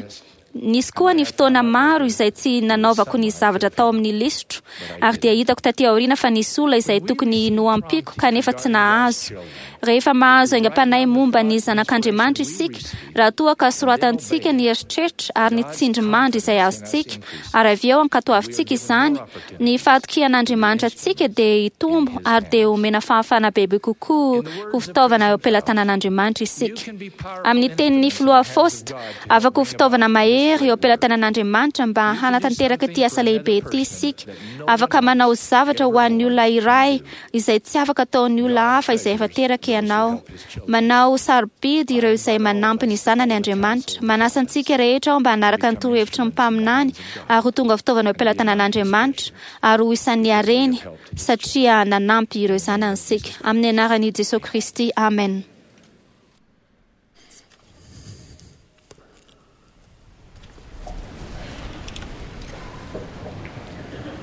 S12: Nisy koa ny fotoana maro izay tsy nanaovako ny zavatra tao amin'ny lisitro, ary dia hitako taty aoriana fa nisy olona izay tokony nohampiako kanefa tsy nahazo. Rehefa mahazo aingam-panahy momba ny Zanak'Andriamanitra isika, raha toa ka soratantsika ny eritreritra ary ny tsindrimandry izay azontsika, ary avy eo ankatoavintsika izany, ny fahatokian'Andriamanitra antsika dia hitombo ary dia homena fahafahana bebe kokoa ho fitaovana eo am-pelatanan'Andriamanitra isika. Amin'ny tenin'ny Filoha Faust, Afaka ho fitaovana mahery eo am-pelatanan'Andriamanitra mba hanatanteraka ity asa lehibe ity isika. Afaka manao zavatra ho an'ny olona iray izay tsy afaka ataon'ny olona hafa izay efa teraka ianao. Manao sarobidy ireo izay manampy ny zanany Andriamanitra. Manasa antsika rehetra aho mba hanaraka ny torohevitry ny mpaminany ary ho tonga fitaovana eo am-pelatanan'Andriamanitra ary ho isan'ny hareny satria nanampy ireo zanany isika. Amin'ny anaran'i Jesoa Kristy, amena.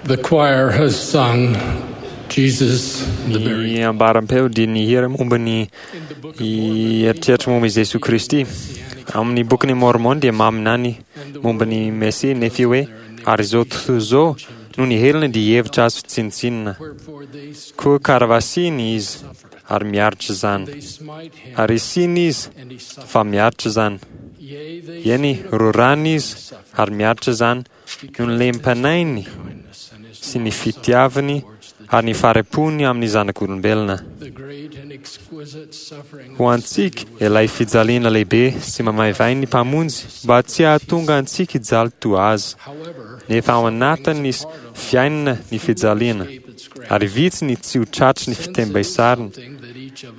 S10: The choir has sung Jesus the
S7: Ny ambaram-peo dia nihira momba ny eritreritra momba i Jesoa Kristy. Amin'ny bokin'i Mormon dia maminany momba ny Mesia Nefia hoe, Ary izao tontolo izao no nihelina dia hihevitra azy ho tsinontsinona. Koa karavasiany izy ary miaritra izany. Ary isiany izy fa miaritra izany. Eny, rorany izy ary miaritra izany noho ny lem-panainy sy ny fitiavany ary ny fahari-pony amin'ny zanak'olombelona. Ho antsika, ilay fijaliana lehibe sy mamaivay ny Mpamonjy mba tsy hahatonga antsika hijaly toa Azy. Nefa ao anatin'ny fiainana ny fijaliana, ary vitsy ny tsy ho tratry ny fitembesarana,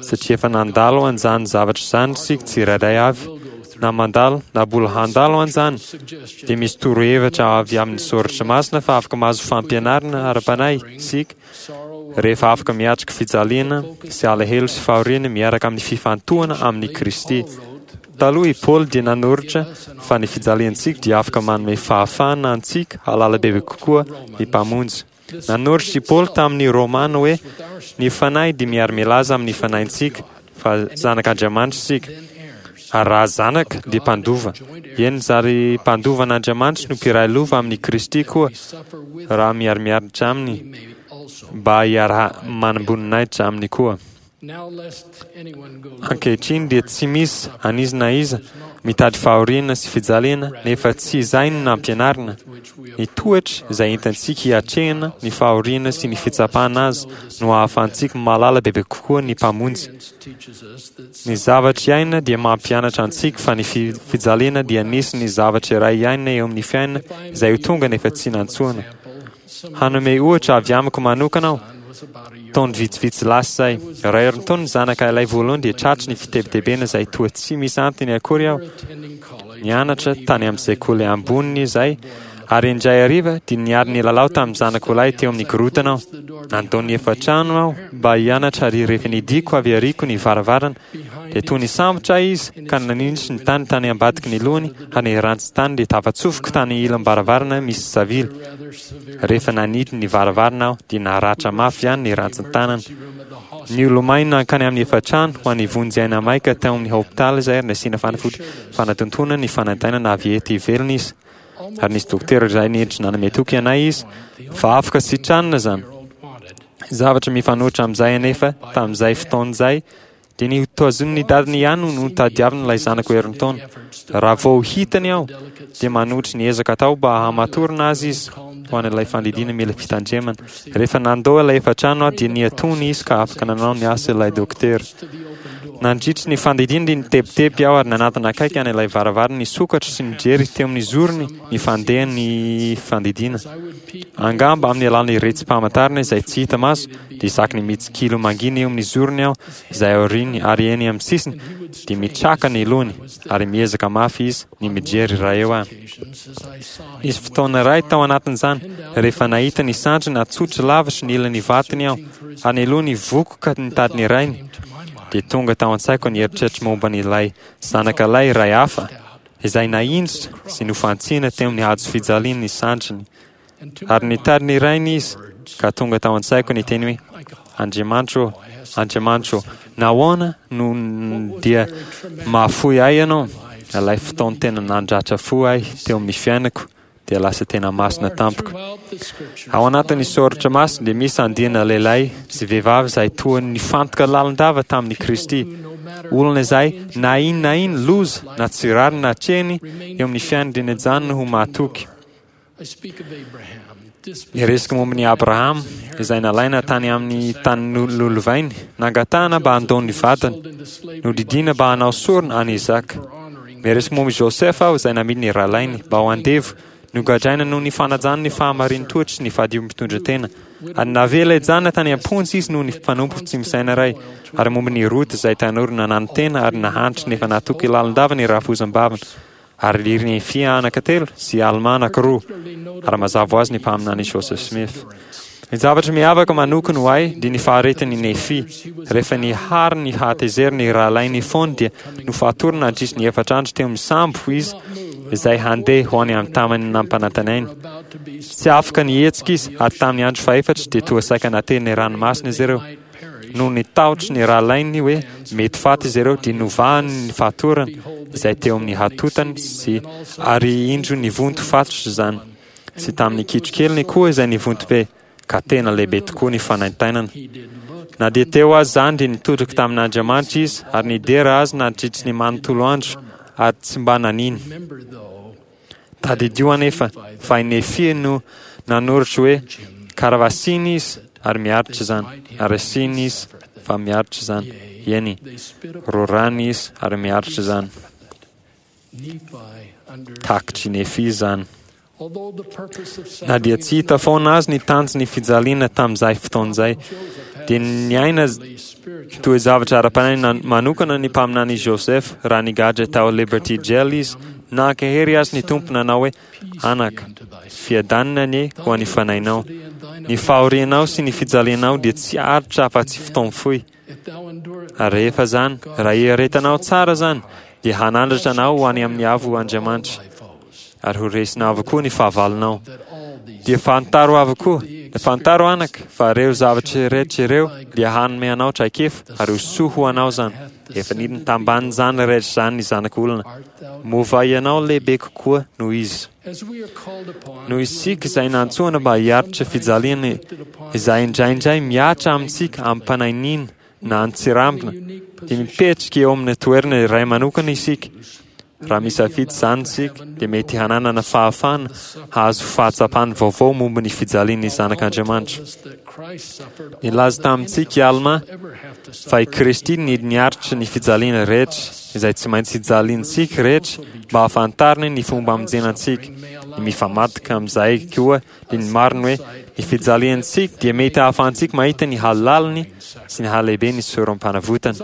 S7: satria efa nandalo an'izany zavatra izany isika tsirairay avy, na mandalo na mbola handalo an'izany, dia misy torohevitra avy amin'ny Soratra Masina fa afaka mahazo fampianarana ara-panahy isika rehefa afaka miatrika fijaliana sy alahelo sy fahoriana miaraka amin'ny fifantohana amin'i Kristy. Taloha i Paoly dia nanoratra fa ny fijaliantsika dia afaka manome fahafahana antsika hahalala bebe kokoa ny Mpamonjy. Nanoratra i Paoly tamin'ny Romana hoe, Ny Fanahy dia miara-milaza amin'ny fanahintsika fa zanak'Andriamanitra isika, ary raha zanaka, dia mpandova. Eny, zary mpandova an'Andriamanitra no mpiray lova amin'i Kristy koa, raha miara-miaritra aminy, mba hiara-manam-boninahitra aminy koa. Ankehitriny dia tsy misy an'iza na iza.
S13: Mitady fahoriana sy fijaliana, nefa tsy izay no nampianarina. Ny toetra izay entintsika hiatrehana ny fahoriana sy ny fitsapana azy no ahafahantsika mahalala bebe kokoa ny Mpamonjy. Ny zavatra iainana dia mampianatra antsika fa ny fijaliana dia nisy ny zavatra iray iainana eo amin'ny fiainana izay ho tonga nefa tsy nantsoina. Hanome ohatra avy amiko manokana aho. Taona vitsivitsy lasa izay, raha herintaona ny zanaka ilay voalohany dia tratry ny fitebitebena izay toa tsy misy antony akory aho. Nianatra tany amin'ny sekoly amboniny izahay ary indray hariva dia niary nilalao tamin'ny zanako lahy teo amin'ny korotana aho. Nandao ny efitrano aho mba hianatra ary rehefa nidiko avy ariko ny varavarana dia toa nisambotra ahy izy ka naninjitry ny tany tany ambadiky ny lohany ary ny rantsin-tany dia tafatsofoka tany ilam-baravarana misy savily. Rehefa nanidy ny varavarana aho dia naratra mafy ihany ny rantsin-tanana. Niolomay nankany amin'ny efitrano ho an'ny vonjy aina maika tao amin'ny hopitaly izay ary nasiana fanafody fanatontoana ny fanaintainana avy ety ivelany izy. Ary nisy dokotera iray niditra nanome toky anay izy fa afaka sitranina izany. Zavatra mifanohitra amin'izay anefa tamin'izay fotoana izay dia ny hotazonin'ny dadiny ihany no notadiaviny ilay zanako herintaona. Raha vao hitany aho dia manohitra ny ezaka atao mba hamatorana azy izy ho an'ilay fandidiana mila fitandremana. Rehefa nandao ilay efitrano aho dia nihatony izy ka afaka nanao ny asa ilay dokotera. Nandritry ny fandidiana dia nitebiteby aho ary nanatona akaiky an'ilay varavarana nisokatra sy nijery teo amin'ny zorony ny fandehan'ny fandidiana. Angamba amin'ny alalan'ny retsi-pamantarana izay tsy hita maso dia isaky ny mitsikilo mangina eo amin'ny zorony aho izay aoriany ary eny amin'ny sisiny dia mitraka ny lohany ary miezaka mafy izy ny mijery raha eo aho. Nisy fotoana iray tao anatin'izany rehefa nahita ny sandriny natsotry lavitry ny ilan'ny vatony aho ary ny lohany vokoka nitady ny rainy dia tonga tao an-tsaiko ny eritreritro momba an'ilay zanaka lahy iray hafa izay nahinjitra sy nofantsihina teo amin'ny hazo fijaliany ny sandriny. Ary nitady ny rainy izy, ka tonga tao an-tsaiko ny teny hoe, Andriamanitro ô, Andriamanitro ô, nahoana no dia mahafoy ahy Ianao? Ilay fotoan-tena nandratra fo ahy teo amin'ny fiainako dia lasa tena masina tampoka. Ao anatin'ny soratra masina dia misy andiana lehilahy sy vehivavy izay toa nifantoka lalindava tamin'i Kristy. Olona izay na inona na inona loza na tsy rariny natrehiny eo amin'ny fiainany dia nijanona ho mahatoky. Niresaka momba an'i Abrahama, izay nalaina tany amin'ny tany nolovainy, nangatahana mba handao ny vadiny, nodidiana mba hanao sorona an'i Isaka. Miresaka momba i Josefa aho, izay namidy ny rahalahiny mba ho andevo, nogadraina noho ny fanajany ny fahamarin-toetra sy ny fahadiovam-pitondran-tena, ary navela hijanona tany am-ponja izy noho ny mpanompo tsy misaina iray, ary momba ny Rota, izay tanora nananotena ary nahantra nefa natoky lalandava ny rafozam-baviny. Ary ry Nefia anaka telo sy Almà anankiroa, ary mazava ho azy ny mpaminany Joseph Smith. Ny zavatra miavaka manokana ho ahy dia ny faharetan'i Nefia. Rehefa nihary ny hatezeran'ny rahalahiny fony dia nofatorina nandritry ny efatra andro teo amin'ny sambo izy izay handeha ho any amin'ny tamany nampanantenainy. Tsy afaka nihetsika izy ary tamin'ny andro fahefatra dia toa saika natelin'ny ranomasina izy ireo. Noho ny tahotry ny rahalainy hoe mety faty izy ireo, dia novahany ny fatorana izay teo amin'ny hatotany sy ary indro nivonto fatotra izany, sy tamin'ny kitrokeliny koa izay nivonto be, ka tena lehibe tokoa ny fanaintainana. Na dia teo aza izany dia nitodika tamin'Andriamanitra izy ary nidera Azy nandritry ny manontolo andro ary tsy mba nanino. Tadidio anefa fa i Nefia no nanoratra hoe, Karavasiana izy ary miaritra izany, ary asiana izy fa miaritra izany, eny, roràna izy ary miaritra izany. Takatr'i Nefia izany. Na dia tsy hita foana azy ny tanjon'ny fijaliana tamin'izay fotoana izay, dia niaina toe-javatra ara-panahy manokana ny mpaminany Joseph raha nigadra tao Liberty Jail izy Nankahery azy ny Tompo nanao hoe, Anaka, fiadanana anie ho an'ny fanahinao. Ny fahorianao sy ny fijalianao dia tsy haharitra afa-tsy fotoam-fohy. Ary rehefa izany, raha iaretanao tsara izany, dia hanandratra anao ho any amin'ny avo Andriamanitra, ary ho resinao avokoa ny fahavalonao. Dia fantaro avokoa, fantaro anaka, fa ireo zavatra rehetra ireo dia hanome anao traikefa, ary ho soa ho anao izany. Efa nidina tambanin'izany rehetra izany ny Zanak'olona. Moa va ianao lehibe kokoa noho izy? Noho isika izay nantsoina mba hiaritra fijaliana izay indraindray mihatra amintsika amim-panainiana na an-tsirambina, dia mipetraka eo amin'ny toerana iray manokana isika. Raha misafidy izany isika, dia mety hananana fahafahana hahazo fahatsapana vaovao momba ny fijalian'ny Zanak'Andriamanitra. Nilaza tamintsika i Almà fa i Kristy no niaritra ny fijaliana rehetra izay tsy maintsy hijaliantsika rehetra mba hahafantarany ny fomba hamonjena antsika. Ny mifamadika amin'izay koa dia ny marina hoe ny fijaliantsika dia mety hahafahantsika mahita ny halaliny sy ny halehiben'ny sorom-panavotana.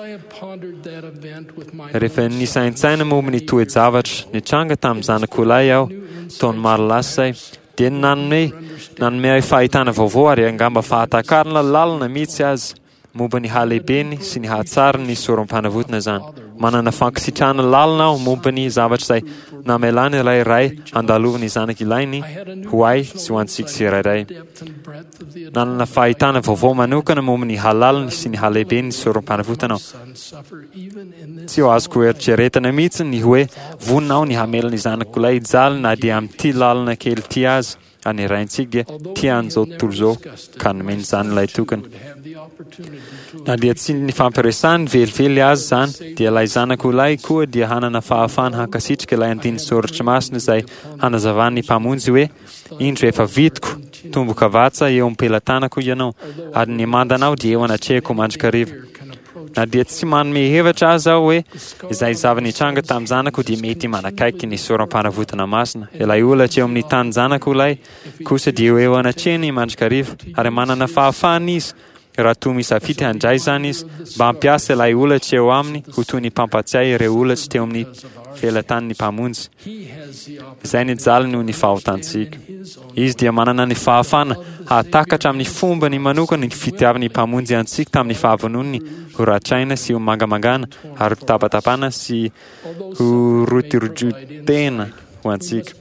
S13: Rehefa nisaintsaina momba ny toe-javatra nitranga tamin'ny zanak'olahy aho taona maro lasa izay, dia nanome nanome ahy fahitana vaovao ary angamba fahatakarana lalina mihitsy aza momba ny halehibeny sy ny hatsarany ny sorom-panavotana izany. Manana fankasitrahana lalina aho momba ny zavatra izay namelany ilay Ray handalovan'ny zanak' ilainy ho ahy sy ho antsika tsirairay. Nanana fahitana vaovao manokana momba ny halaliny sy ny halehibeny ny sorom-panavotana aho. Tsy ho azoko eritreretina mihitsy ny hoe vonona aho ny hamela ny zanako lahy hijaly na dia amin'ity lalana kely ity aza, ary ny Raintsika dia tia an'izao tontolo izao ka nomeny izany ilay tokana. Na dia tsy nifampiresahany velively aza izany, dia ilay zanako lahy koa dia hanana fahafahana hankasitraka ilay andinin-tsoratra masina izay hanazavan'ny Mpamonjy hoe, Indro efa vitiko tombokavatsa eo am-pelatanako ianao, ary ny mandanao dia eo anatrehako mandrakariva. Na dia tsy manome hevitra aza aho hoe izay zava-nitranga tamin'ny zanako dia mety manakaiky ny sorom-panavotana masina, ilay holatra eo amin'ny tanin-janako ilay kosa dia eo anatrehany mandrakariva, ary manana fahafahana izy raha toa misafidy handray izany izy, mba hampiasa ilay holatra eo aminy ho toy ny mpampatsiahy ireo holatra teo amin'ny felatanin'ny Mpamonjy, izay nijaly noho ny fahotantsika. Izy dia manana ny fahafahana hahatakatra amin'ny fombany manokana ny fitiavan'ny Mpamonjy antsika tamin'ny fahavononiny ho ratraina sy ho mangamangana ary ho tapatapana sy ho rotirotena ho antsika.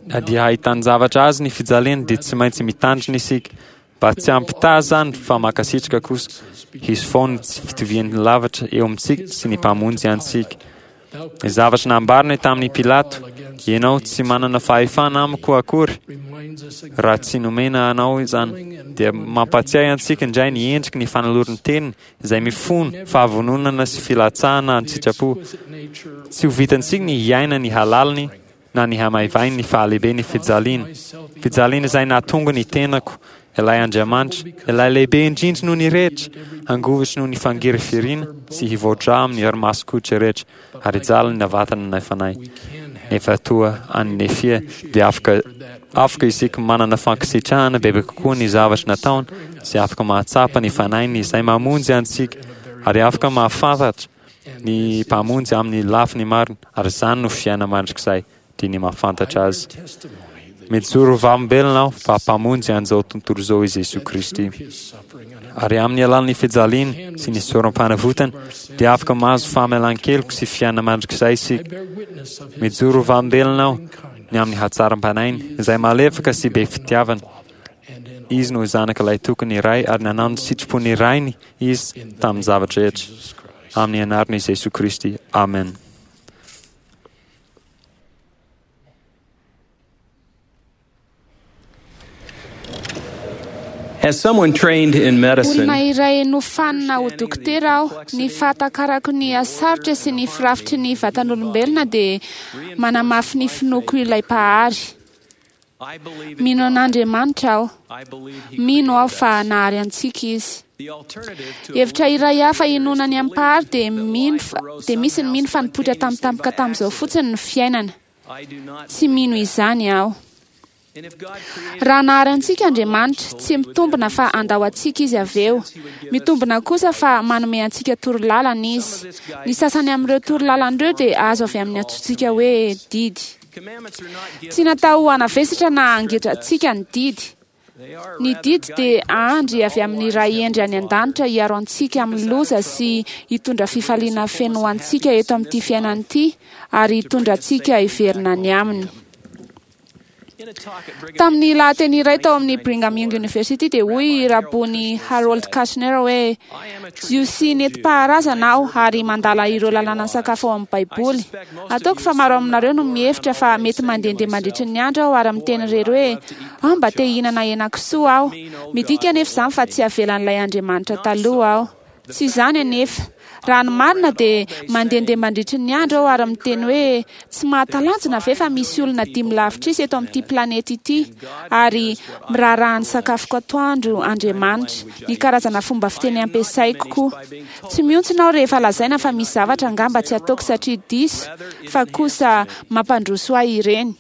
S13: Na dia ahitan-javatra azy ny fijaliany dia tsy maintsy mitandrina isika mba tsy hampitaha izany fa mankasitraka kosa. Hisy foana ny tsy fitovian'ny lavitra eo amintsika sy ny Mpamonjy antsika. Ny zavatra nambarany tamin'i Pilato, Ianao tsy manana fahefana amiko akory raha tsy nomena anao izany, dia mampatsiahy antsika indray ny endriky ny fanoloran-teniny izay mifono fahavononana sy filatsahana an-tsitrapo. Tsy ho vitantsika ny hiaina ny halaliny na ny hamaivainy ny fahalehiben'ny fijaliana, fijaliana izay nahatonga ny tenako, ilay Andriamanitra, ilay lehibe indrindra noho ny rehetra, hangovitry noho ny fangirifiriana sy hivoa-drà amin'ny herimasoko rehetra, ary hijaly ny vatana na fanahy. Nefa toa an'i Nefia, dia afaka afaka isika manana fankasitrahana bebe kokoa ny zavatra nataony sy afaka mahatsapa ny Fanahiny izay mamonjy antsika ary afaka mahafantatra ny Mpamonjy amin'ny lafiny marina, ary izany no fiainana mandrakizay, dia ny mahafantatra Azy. Mijoro ho vavolombelona aho fa Mpamonjy an'izao tontolo izao i Jesoa Kristy. Ary amin'ny alalan'ny fijaliany sy ny sorom-panavotany dia afaka mahazo famelan-keloka sy fiainana mandrakizay isika. Mijoro ho vavolombelona aho ny amin'ny hatsaram-panahiny izay malefaka sy be fitiavana. Izy no Zanak'ilay tokony Ray ary nanao ny sitrapon'ny Rainy Izy tamin'ny zavatra rehetra. Amin'ny anaran'i Jesoa Kristy. Amen.
S6: As someone trained in medicine,
S9: Olona iray nofanina ho dokotera aho. Ny fahatakarako ny hasarotra sy ny firafitry ny vatan'olombelona dia manamafy ny finoako ilay Mpahary. Mino an'Andriamanitra aho. Mino aho fa nahary antsika Izy. Hevitra iray hafa inoana ny Mpahary dia mino fa, dia misy ny mino fa nipoitra tampotampoka tamin'izao fotsiny ny fiainana. Tsy mino izany aho. Raha nahary antsika Andriamanitra, tsy mitombina fa handao antsika Izy avy eo. Mitombina kosa fa manome antsika torolalana Izy. Ny sasany amin'ireo torolalana ireo dia azo avy amin'ny antsointsika hoe didy. Tsy natao hanavesatra na hangeja antsika ny didy. Ny didy dia andry avy amin'ny Ray hendry any an-danitra hiaro antsika amin'ny loza sy hitondra fifaliana feno ho antsika eto amin'ity fiainana ity ary hitondra antsika hiverina any Aminy. Tamin'ny lahateny iray tao amin'ny Brigham Young University dia hoy i Rabony Harold Kushner hoe, Jiosy nentim-paharazana aho ary mandala ireo lalànan'ny sakafo ao amin'ny Baiboly. Ataoko fa maro aminareo no mihevitra fa mety mandehandeha mandritry ny andro aho ary miteny irery hoe, 'Ah, mba te hihinana henakisoa aho. Midika anefa izany fa tsy avelan'ilay Andriamanitra taloha aho. Tsy izany anefa. Raha ny marina dia mandehandeha mandritry ny andro aho ary miteny hoe, Tsy mahatalanjona ve fa misy olona dimy lavitrisa eto amin'ity planeta ity ary miraharaha ny sakafoko atoandro Andriamanitra, ny karazana fomba fiteny ampiasaiko koa. Tsy mihontsina aho rehefa lazaina fa misy zavatra angamba tsy ataoko satria diso fa kosa mampandroso ahy ireny.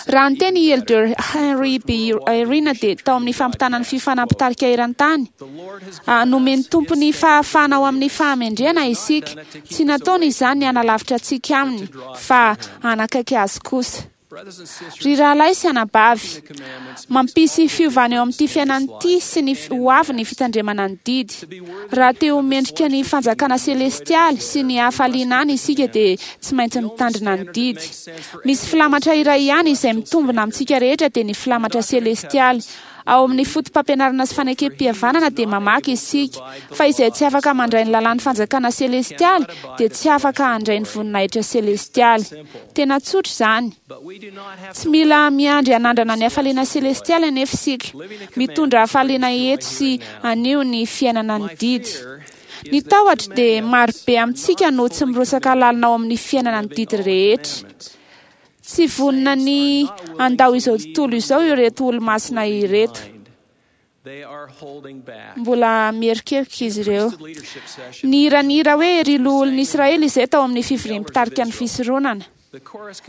S9: Raha niteny i Elder Henry B. Eyring dia tao amin'ny fampitana ny fiofanana mpitarika eran-tany, Nomen'ny Tompo ny fahafahana ao amin'ny fahamendrehana isika. Tsy nataony izany ny hanalavitra antsika Aminy, fa hanakaiky Azy kosa. Ry rahalahy sy anabavy, mampisy fiovana eo amin'ity fiainana ity sy ny ho avy ny fitandremana ny didy. Raha te ho mendrika ny fanjakana selestialy sy ny hafaliana any isika dia tsy maintsy mitandrina ny didy. Misy filamatra iray ihany izay mitombina amintsika rehetra dia ny filamatra selestialy. Ao amin'ny Fotopampianarana sy Fanekempihavanana dia mamaky isika fa izay tsy afaka mandray ny lalàn'ny fanjakana selestialy dia tsy afaka handray ny voninahitra selestialy. Tena tsotra izany. Tsy mila miandry hanandrana ny hafaliana selestialy anefa isika. Mitondra hafaliana eto sy anio ny fiainana ny didy. Ny tahotra dia marobe amintsika no tsy mirotsaka lalina ao amin'ny fiainana ny didy rehetra. Tsy vonona ny handao izao tontolo izao ireto olomasina ireto. Mbola mierikerika izy ireo. Nihira ny hira hoe Ry Loholon'i Israely izay tao amin'ny fivorian'ny mpitarika ny fisoronana.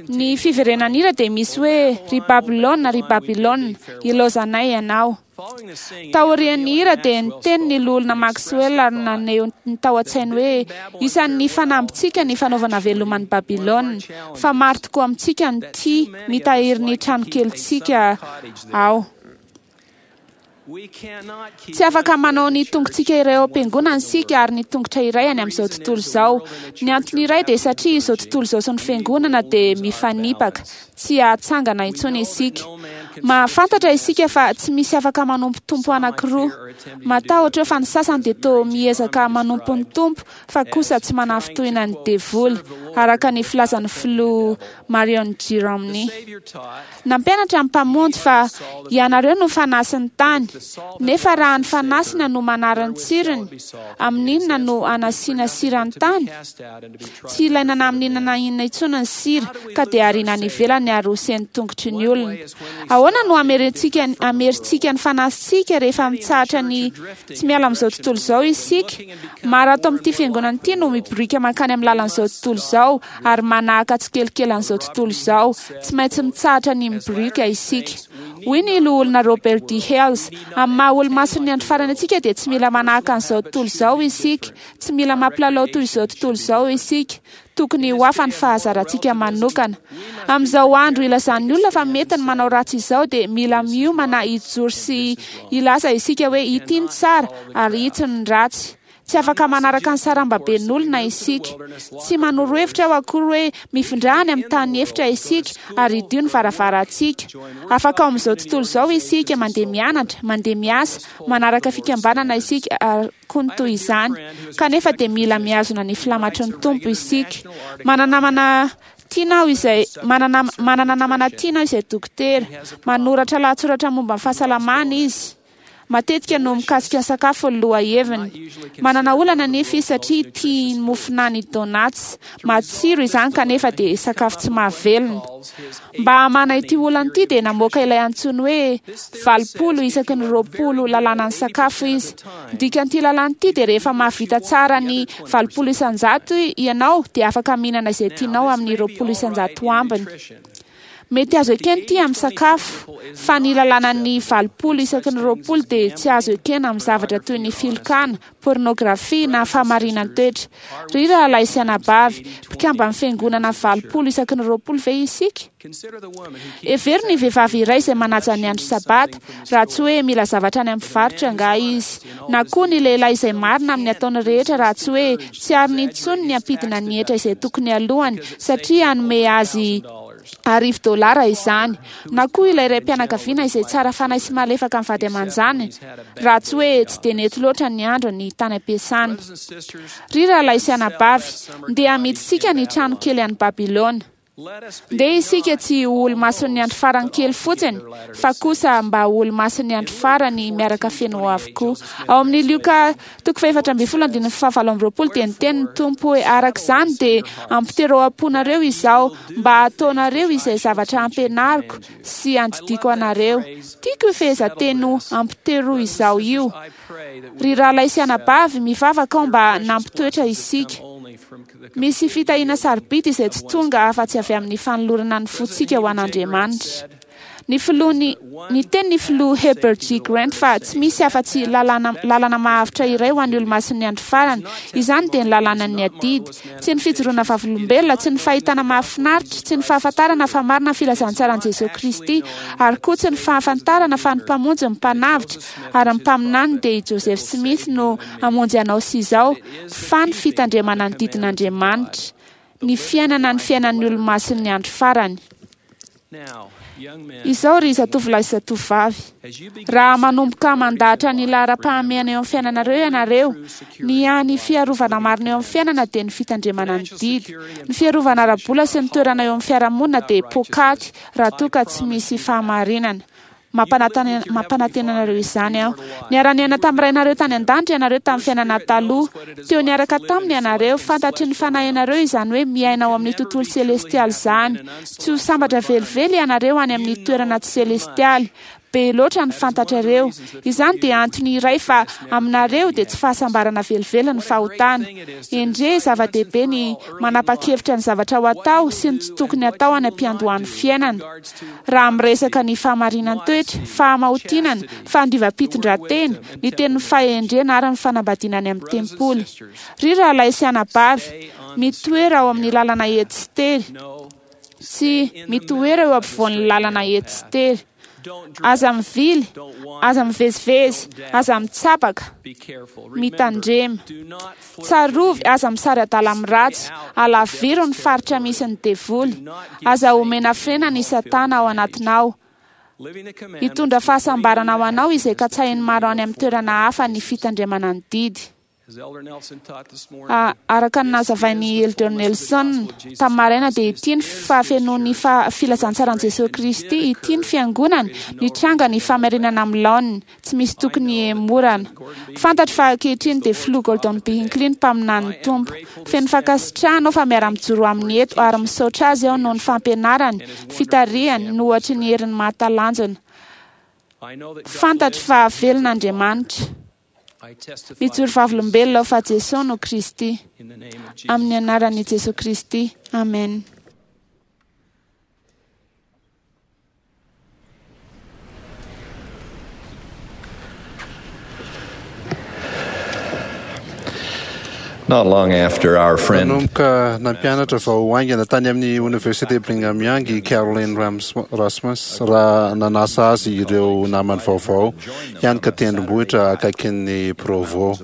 S9: Ny fiverenan'ny hira dia misy hoe Ry Babylona, ry Babylona, ilaozanay ianao. Taorian'ny hira dia niteny ny Loholona Maxwell ary naneho ny tao an-tsainy hoe isan'ny fanambintsika ny fanaovana veloma an'i Babylona, fa maro tokoa amintsika no tia mitahiry ny tranokelintsika ao. Tsy afaka manao ny tongotsika iray ao am-piangonana isika ary ny tongotra iray any amin'izao tontolo izao. Ny antony iray dia satria izao tontolo izao sy ny fiangonana dia mifanipaka. Tsy hahatsangana intsony isika. Mahafantatra isika fa tsy misy afaka manompo tompo anankiroa. Matahotra eo fa ny sasany dia toa miezaka manompo ny Tompo fa kosa tsy manafintohina ny devoly, araka ny filazan'ny filoha Marion G. Romney. Nampianatra ny Mpamonjy fa ianareo no fanasin'ny tany, nefa raha ny fanasina no manary ny tsirony, amin'inona no hanasiana sira ny tany? Tsy ilaina na amin'inona na inona intsony ny sira, ka dia ariana any ivelany ary hosen'ny tongotry ny olona. Ahoana no hamerentsika hamerintsika ny fanasintsika rehefa mitsahatra ny tsy miala amin'izao tontolo izao isika? Maro ato amin'ity fiangonana ity no miboriaka mankany amin'ny lalan'izao tontolo izao ary manahaka tsikelikely an'izao tontolo izao. Tsy maintsy mitsahatra ny miboriaka isika. Hoy ny Loholona Robert D. Hales, Amin'ny maha-Olomasin'ny Andro Farany antsika dia tsy mila manahaka an'izao tontolo izao isika. Tsy mila mampilalao toy izao tontolo izao isika. Tokony ho hafa ny fahazarantsika manokana. Amin'izao andro ilazan'ny olona fa mety ny manao ratsy izao dia mila miomana hijoro sy hilaza isika hoe ity ny tsara ary itsy ny ratsy. Tsy afaka manaraka ny sarambaben'olona isika. Tsy manoro hevitra aho akory hoe mifindrà any amin'ny tany efitra isika ary hidio ny varavarantsika. Afaka ao amin'izao tontolo izao isika, mandeha mianatra, mandeha miasa, manaraka fikambanana isika ary koa ny toy izany. Kanefa dia mila mihazona ny filamatry ny Tompo isika. Mana-namana tiana aho izay manana manana namana tiana aho izay dokotera. Manoratra lahatsoratra momba ny fahasalamana izy. Matetika no mikasika ny sakafo ny lohaheviny. Manana olana anefa izy satria tia ny mofonany donuts. Matsiro izany kanefa dia sakafo tsy mahavelona. Mba hamahana ity olana ity dia namoaka ilay antsoiny hoe 80 isaky ny 20 lalànan'ny sakafo izy. Ny dikan'ity lalàna ity dia rehefa mahavita tsara ny 80% ianao dia afaka mihinana izay tianao amin'ny 20% ambiny. Mety azo ekena ity amin'ny sakafo, fa ny lalànan'ny 80 isaky ny 20 dia tsy azo ekena amin'ny zavatra toy ny filokana, pôrnôgrafia na fahamarinan-toetra. Ry rahalahy sy anabavy, mpikamban'ny Fiangonana 80 isaky ny 20 ve isika? Hevero ny vehivavy iray izay manaja ny andro Sabata, raha tsy hoe mila zavatra any amin'ny mpivarotra angaha izy. Na koa ny lehilahy izay marina amin'ny ataony rehetra raha tsy hoe tsy ariny intsony ny hampidina ny hetra izay tokony halohany satria hanome azy arivo dolara izany. Na koa ilay raim-pianakaviana izay tsara fanahy sy malefaka amin'ny vady aman-janany, raha tsy hoe tsy dia nety loatra ny androny tany am-piasana. Ry rahalahy sy anabavy, ndeha hamidintsika ny trano kely any Babylona. Ndeha isika tsy ho olomasin'ny andro farany kely fotsiny, fa kosa mba ho olomasin'ny andro farany miaraka feno avokoa. Ao amin'ny Lioka toko faha-14 andininy faha-28 dia niteny ny Tompo hoe, Araka izany dia ampiterao am-ponareo izao, mba hataonareo izay zavatra ampianariko sy andidiako anareo. Tiako io fehezanteny ho ampitero izao io. Ry rahalahy sy anabavy, mivavaka aho mba nampitoetra isika. Misy fitahiana sarobidy izay tsy tonga afa-tsy avy amin'ny fanolorana ny fontsika ho an'Andriamanitra. Ny filoha ny Niteny ny filoha Heber G. Grant fa tsy misy afa-tsy lalàna lalana mahavitra iray ho an'ny Olomasin'ny Andro Farany. Izany dia ny lalànan'ny adidy. Tsy ny fijoroana vavolombelona, tsy ny fahitana mahafinaritra, tsy ny fahafantarana fa marina ny filazantsaran'i Jesoa Kristy, ary koa tsy ny fahafantarana fa ny Mpamonjy ny Mpanavotra ary ny Mpaminany dia i Joseph Smith no hamonjy anao sy izao, fa ny fitandremana ny didin'Andriamanitra, ny fiainana ny fiainan'ny Olomasin'ny Andro Farany. Izao ry zatovolahy sy zatovovavy, raha manomboka mandahatra ny laharam-pahamehana eo amin'ny fiainanareo ianareo, ny hany fiarovana marina eo amin'ny fiainana dia ny fitandremana ny didy. Ny fiarovana ara-bola sy ny toerana eo amin'ny fiarahamonina dia poakaty raha toa ka tsy misy fahamarinana. Mampanantena anareo izany aho. Niara-niaina tamin'ny Rainareo tany an-danitra ianareo tamin'ny fiainana taloha. Teo niaraka taminy ianareo. Fantatry ny fanahinareo izany hoe miaina ao amin'ny tontolo selestialy izany. Tsy ho sambatra velively ianareo any amin'ny toerana tsy selestialy. Be loatra ny fantatrareo. Izany dia antony iray fa aminareo dia tsy fahasambarana velively ny fahotana. Endrey, zava-dehibe ny manapa-kevitra ny zavatra ho atao sy ny tsy tokony atao any am-piandohan'ny fiainana. Raha miresaka ny fahamarinan-toetra, fahamaotinana, fahadiovam-pitondran-tena, ny tenin'ny fahendrena ary ny fanambadiana any amin'ny tempoly. Ry rahalahy sy anabavy, mitoera ao amin'ny lalana ety sy tery. Tsy mitoera eo ampovoan'ny lalana ety sy tery. Aza mivily, aza mivezivezy, aza mitsabaka. Mitandrema. Tsarovy, aza misary adala amin'ny ratsy, alaviro ny faritra misy ny devoly. Aza omena frenana i Satana ao anatinao. Hitondra fahasambarana ho anao izay katsahin'ny maro any amin'ny toerana hafa ny fitandremana ny didy. Araka ny nazavain'i Elder Nelson tamin'ny maraina dia ity ny fahafenoan'ny filazantsaran'i Jesoa Kristy, ity ny Fiangonany, nitranga ny famerenana amin'ny laoniny. Tsy misy tokony hihemorana. Fantatro fa ankehitriny dia Filoha Gordon B. Hinckley ny mpaminanin'ny Tompo. Feno fankasitrahana aho fa miara-mijoro aminy eto ary misaotra azy aho noho ny fampianarany, fitarihany, ny ohatry ny heriny mahatalanjona. Fantatro fa velona Andriamanitra. Mijoro vavolombelona aho fa Jesoa no Kristy. Amin'ny anaran'i Jesoa Kristy. Amen.
S3: Not long after our friend
S2: Nanomboka nampianatra vao haingana tany amin'ny Oniversite Brigham Young i Caroline Rasmus raha nanasa azy ireo namany vaovao hianoka tendrombohitra akaikin'i Provo.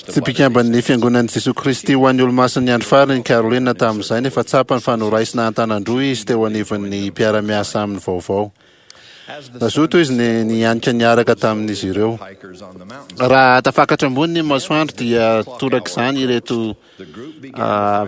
S2: Tsy mpikamban'ny Fiangonan'i Jesoa Kristy ho an'ny Olomasin'ny Andro Farany i Caroline tamin'izay, nefa tsapany fa noraisina an-tanan-droa izy teo anivon'ny mpiara-miasa aminy vaovao. Nazoto izy ny nihanika niaraka tamin'izy ireo. Raha tafakatra ambony ny masoandro dia torak'izany ireto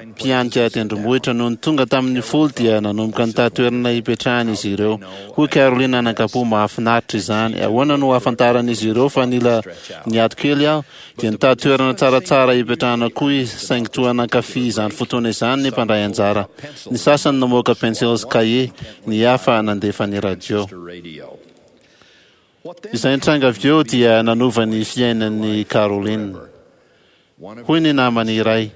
S2: mpihanika tendrombohitra. Nony tonga tamin'ny folo dia nanomboka nitady toerana hipetrahana izy ireo. Hoy Caroline anankampo, Mahafinaritra izany. Ahoana no ahafantaran'izy ireo fa nila niato kely aho? Dia nitady toerana tsaratsara hipetrahana koa izy, saingy toa nankafy izany fotoana izany ny mpandray anjara. Ny sasany namoaka pensily sy kahie, ny hafa nandefa ny radio. Izay nitranga avy eo dia nanova ny fiainan'i Caroline. Hoy ny namany iray,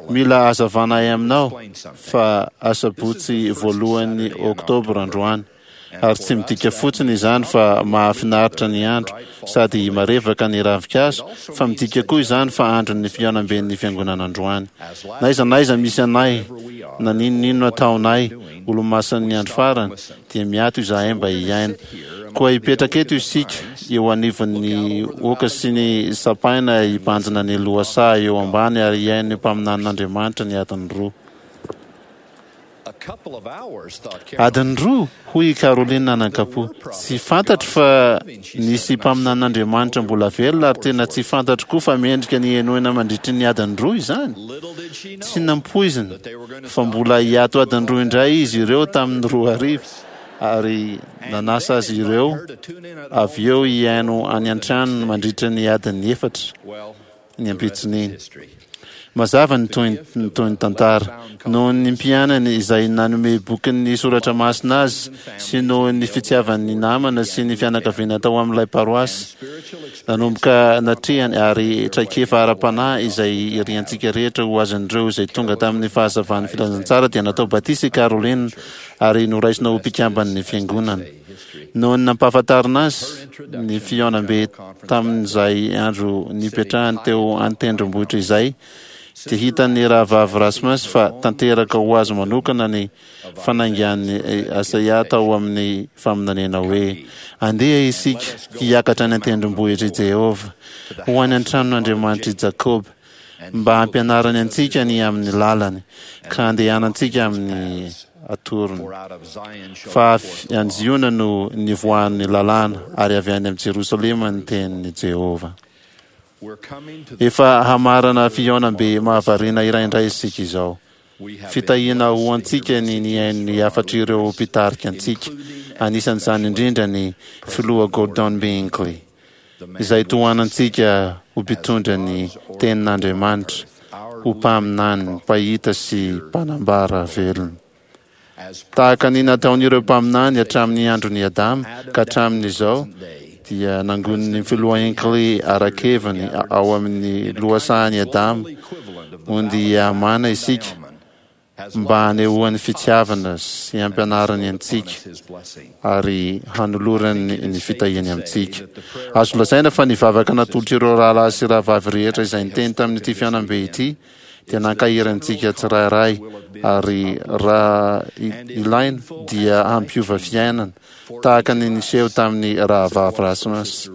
S2: Mila hazavana aminao fa asabotsy voalohan'ny oktobra androany, ary tsy midika fotsiny izany fa mahafinaritra ny andro sady marevaka ny ravinkazo, fa midika koa izany fa andron'ny fihaonamben'ny fiangonana androany. N'aiza n'aiza misy anay, na n'inon'inona ataonay, Olomasin'ny Andro Farany, dia miato izahay mba hihaino. Koa hipetraka eto isika, eo anivon'ny oaka sy ny sampaina hibanjina ny lohasaha eo ambany ary hihaino ny mpaminanin'Andriamanitra ny adiny roa. Adiny roa? Hoy i Caroline nanankampo. Tsy fantatro fa nisy mpaminanin'Andriamanitra mbola velona ary tena tsy fantatro koa fa mendrika ny henoina mandritry ny adiny roa izany. Tsy nampoizina fa mbola hiato adiny roa indray izy ireo tamin'ny 2000 ary nanasa azy ireo avy eo hihaino any an-tranony mandritra ny adiny efatra ny ampitson'iny. Mazava ny tohin'ny tohin'ny tantara. Noho ny mpianany izay nanome bokin'ny soratra masina azy sy noho ny fitiavan'ny namana sy ny fianakaviana tao amin'ilay paroasy, nanomboka natrehany ary traikefa ara-panahy izay iriantsika rehetra ho azon'ireo izay tonga tamin'ny fahazavan'ny filazantsara dia natao batisa i Caroline ary noraisina ho mpikamban'ny fiangonana. Noho ny nampahafantarina azy ny fihaonambe tamin'izay andro nipetrahany teo an-tendrombohitra izay, dia hitan'ny Rahavavy Rasmus fa tanteraka ho azy manokana ny fanaingan'i Isaia tao amin'ny faminaniana hoe, Andeha isika hiakatra any an-tendrombohitr'i Jehovah, ho any an-tranon'Andriamanitr'i Jakoba, mba hampianarany antsika ny amin'ny lalany, ka handehanantsika amin'ny atorony. Fa avy any Ziona no nivoahan'ny lalàna, ary avy any amin'i Jerosalema ny tenin'i Jehovah. Efa hamarana fihaonambe mahavariana iray indray isika izao. Fitahiana ho antsika ny nihaino ny hafatr'ireo mpitarika antsika, anisan'izany indrindra ny Filoha Gordon B. Hinckley, izay tohanantsika ho mpitondra ny Tenin'Andriamanitra, ho mpaminany, mpahita sy mpanambara velona. Tahaka ny nataon'ireo mpaminany hatramin'ny andron'i Adama ka hatramin'izao, dia nangonin'ny Filoha Hinckley ara-keviny ao amin'ny lohasahan'i Adama ondy Amana isika mba hanehoany fitiavana sy hampianarany antsika ary hanolorany ny fitahiany amintsika. Azo lazaina fa ny vavaka natolotr'ireo rahalahy sy rahavavy rehetra izay niteny tamin'ity fihaonambe ity dia nankahery antsika tsirairay ary raha ilaina dia hampiova fiainana tahaka ny niseho tamin'ny Rahavavy Rasmus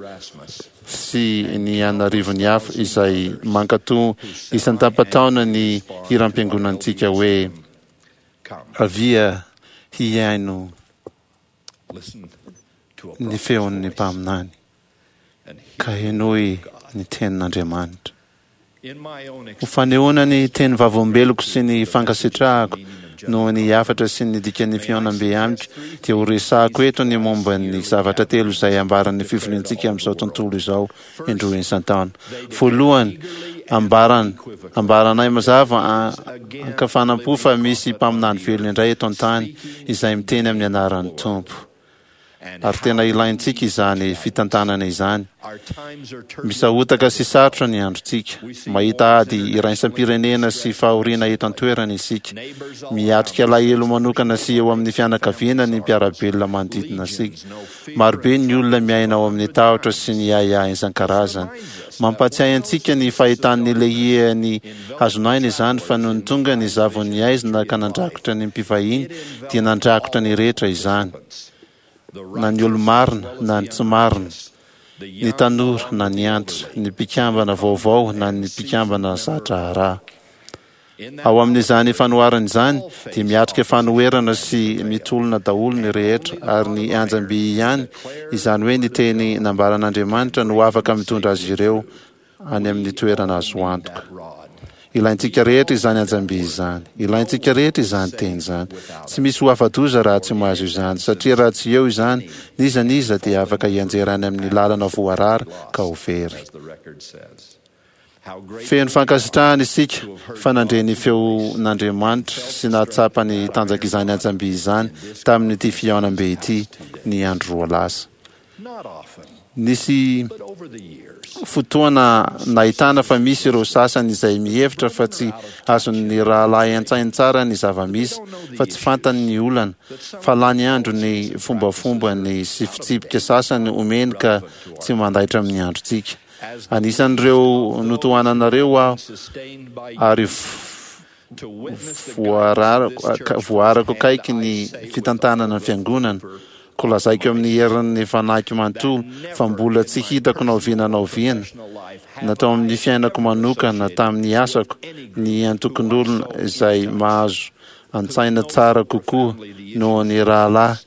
S2: sy ny an'arivony hafa izay mankatò isan-tapataona ny hiram-piangonantsika hoe Avia hihaino ny feon'ny mpaminany ka henoy ny tenin'Andriamanitra. Ho fanehoana ny teny vavolombeloko sy ny fankasitrahako noho ny hafatra sy ny dikan'ny fihaonambe amiko dia ho resahako eto ny momba ny zavatra telo izay ambaran'ny fivoriantsika amin'izao tontolo izao indroa isan-taona. Voalohany, ambaran, ambaranay mazava ankafanam-po fa misy mpaminany velona indray eto an-tany izay miteny amin'ny anaran'ny Tompo. Ary tena ilaintsika izany fitantanana izany. Misahotaka sy sarotra ny androntsika. Mahita ady iraisam-pirenena sy fahoriana eto an-toerana isika. Miatrika alahelo manokana sy eo amin'ny fianakaviana ny mpiara-belona manodidina antsika. Marobe ny olona miaina ao amin'ny tahotra sy ny ahiahy isan-karazany. Mampahatsiahy antsika ny fahitan'ny Lehia ny hazon'aina izany fa nony tonga ny zavon'ny haizina ka nandrakotra ny mpivahiny dia nandrakotra ny rehetra izany, na ny olo-marina na ny tsy marina, ny tanora na ny antitra, ny mpikambana vaovao na ny mpikambana za-draharaha. Ao amin'izany fanoharana izany dia miatrika fanoherana sy mitolona daholo ny rehetra ary ny anjam-by ihany, izany hoe ny teny nambaran'Andriamanitra no afaka mitondra azy ireo any amin'ny toerana azo antoka. Ilaintsika rehetra izany anjam-by izany. Ilaintsika rehetra izany teny izany. Tsy misy ho afa-doza raha tsy mahazo izany, satria raha tsy eo izany, n'iza n'iza dia afaka hianjera any amin'ny lalana voarara ka ho very. Feno fankasitrahana isika fa nandre ny feon'Andriamanitra sy nahatsapa ny tanjak'izany antsam-by izany tamin'ity fihaonambe ity ny andro roa lasa. Nisy fotoana nahitana fa misy ireo sasany izay mihevitra fa tsy azon'ny rahalahy an-tsainy tsara ny zava-misy, fa tsy fantany ny olana, fa lany andro ny fombafombany sy fitsipika sasany omeny ka tsy mandaitra amin'ny androntsika. Anisan'ireo notohananareo aho ary voaarako akaiky ny fitantanana ny fiangonana, koa lazaiko amin'ny herin'ny fanahiko manontolo fa mbola tsy hitako na oviana na oviana, na tao amin'ny fiainako manokana na tamin'ny asako, ny antokon'olona izay mahazo. an-tsaina tsara kokoa noho ny rahalahy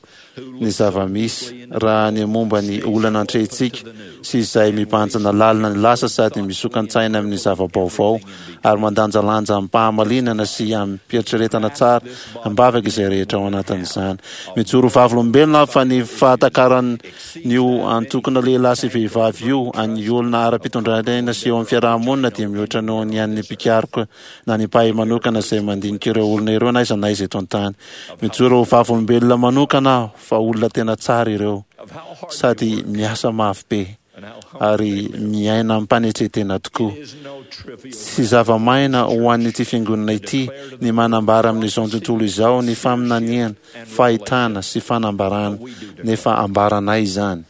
S2: ny zava-misy raha ny momba ny olana atrehintsika sy izay mibanjina lalina ny lasa sady misokan-tsaina amin'ny zava-baovao ary mandanjalanja amim-pahamalinana sy amim-pieritreretana tsara am-bavaka izay rehetra ao anatin'izany. Mijoro ho vavolombelona aho fa ny fahatakaran'io antokona lehilahy sy vehivavy io an'ny olona ara-pitondran-tena sy eo amin'ny fiaraha-monina dia mihoatra noho ny an'ny mpikaroka na ny mpahay manokana izay mandinika ireo olona ireo na aiza na aiza eto an-tany. Mijoro ho vavolombelona manokana aho fa olona tena tsara ireo, sady miasa mafy be ary miaina amim-panetren-tena tokoa. Tsy zava-maina ho an'ity fiangonana ity ny manambara amin'izao tontolo izao ny faminaniana, fahitana sy fanambarana, nefa ambaranay izany.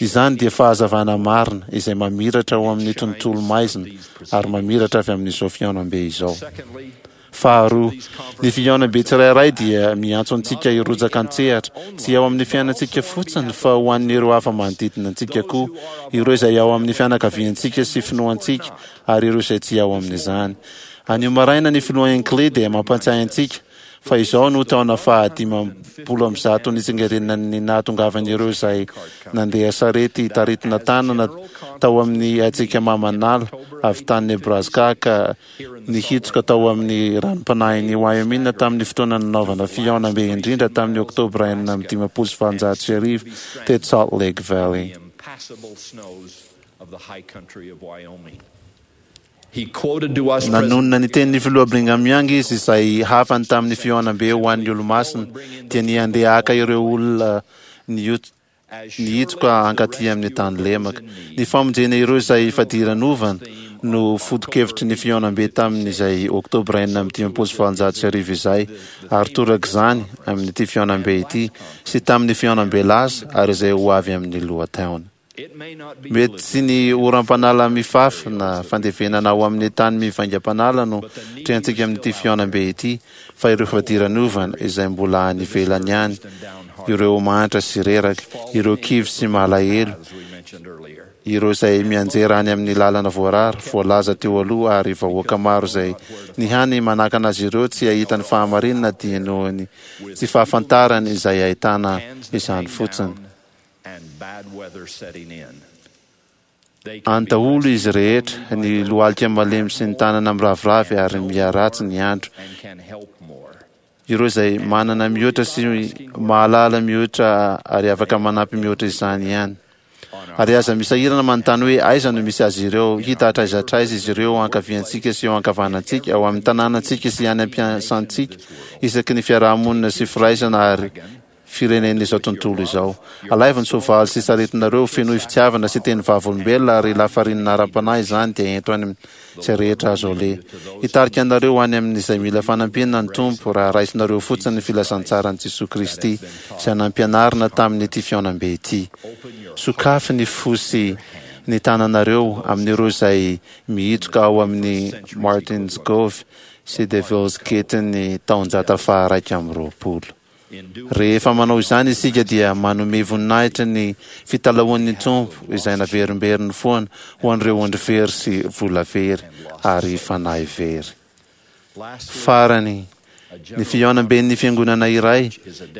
S2: Izany dia fahazavana marina izay mamiratra ao amin'ny tontolo maizina ary mamiratra avy amin'izao fihaonambe izao. Faharoa, ny fihaonambe tsirairay dia miantso antsika hirotsaka an-tsehatra, tsy ao amin'ny fiainantsika fotsiny fa ho an'ireo hafa manodidina antsika koa, ireo izay ao amin'ny fianakaviantsika sy finoantsika ary ireo izay tsy ao amin'izany. Anio maraina ny Filoha Hinckley dia mampantsiahy antsika fa izao no taona faha 150 nitsingerenan'ny nahatongavan'ireo izay nandeha sarety taritina tanana tao amin'ny hatsiaka mamanala avy tany Nebraska ka nihitsoka tao amin'ny ranom-panahin'i Wyoming tamin'ny fotoana nanaovana fihaonambe indrindra tamin'ny Oktobra 1856 teto Salt Lake Valley. Nanonona ny tenin'ny Filoha Brigham Young izy izay hafany tamin'ny fihaonambe ho an'ny Olomasina, dia ny handeha haka ireo olona nihitsoka hankaty amin'ny tany lemaka. Ny famonjena ireo izay fadiranovana no foto-kevitry ny fihaonambe tamin'izay Oktobra 1856 izay, ary torak'izany amin'ity fihaonambe ity sy tamin'ny fihaonambe lasa ary izay ho avy amin'ny lohataona. Mety tsy ny oram-panala mifafy na fandevenana ao amin'ny tany mivaingam-panala no trehantsika amin'ity fihaonambe ity, fa ireo fadiranovana izay mbola any ivelany any, ireo mahantra sy reraka, ireo kivy sy malahelo, ireo izay mianjera any amin'ny lalana voarara, voalaza teo aloha, ary vahoaka maro izay ny hany manakana azy ireo tsy hahita ny fahamarinana dia noho ny tsy fahafantarany izay ahitana izany fotsiny. Any daholo izy rehetra, ny lohalika malemy sy ny tanana miraviravy ary miharatsy ny andro. Ireo izay manana mihoatra sy mahalala mihoatra ary afaka manampy mihoatra izany ihany. Ary aza misahirana manontany hoe aiza no misy azy ireo, hita hatraiza hatraiza izy ireo eo ankaviantsika sy eo ankavanantsika, ao amin'ny tanànantsika sy any am-piasantsika, isaky ny fiaraha-monina sy firaisana ary firenen'izao tontolo izao. Alaivo ny soavaly sy saretinareo, fenoy fitiavana sy teny vavolombelona ary lafarinina ara-panahy izany dia ento any amin'izay rehetra azo aleha. Hitarika anareo any amin'izay mila fanampiana ny Tompo raha raisinareo fotsiny ny filazantsaran'i Jesoa Kristy izay nampianarina tamin'ity fihaonambe ity. Sokafy ny fo sy ny tananareo amin'ireo izay mihitsoka ao amin'ny Martin's Cove sy Devil's Gate-n'ny taonjata faha-21. Rehefa manao izany isika dia manome voninahitra ny fitalahoan'ny Tompo izay naverimberiny foana ho an'ireo ondry very sy vola very ary fanahy very. Farany, ny fihaonamben'ny fiangonana iray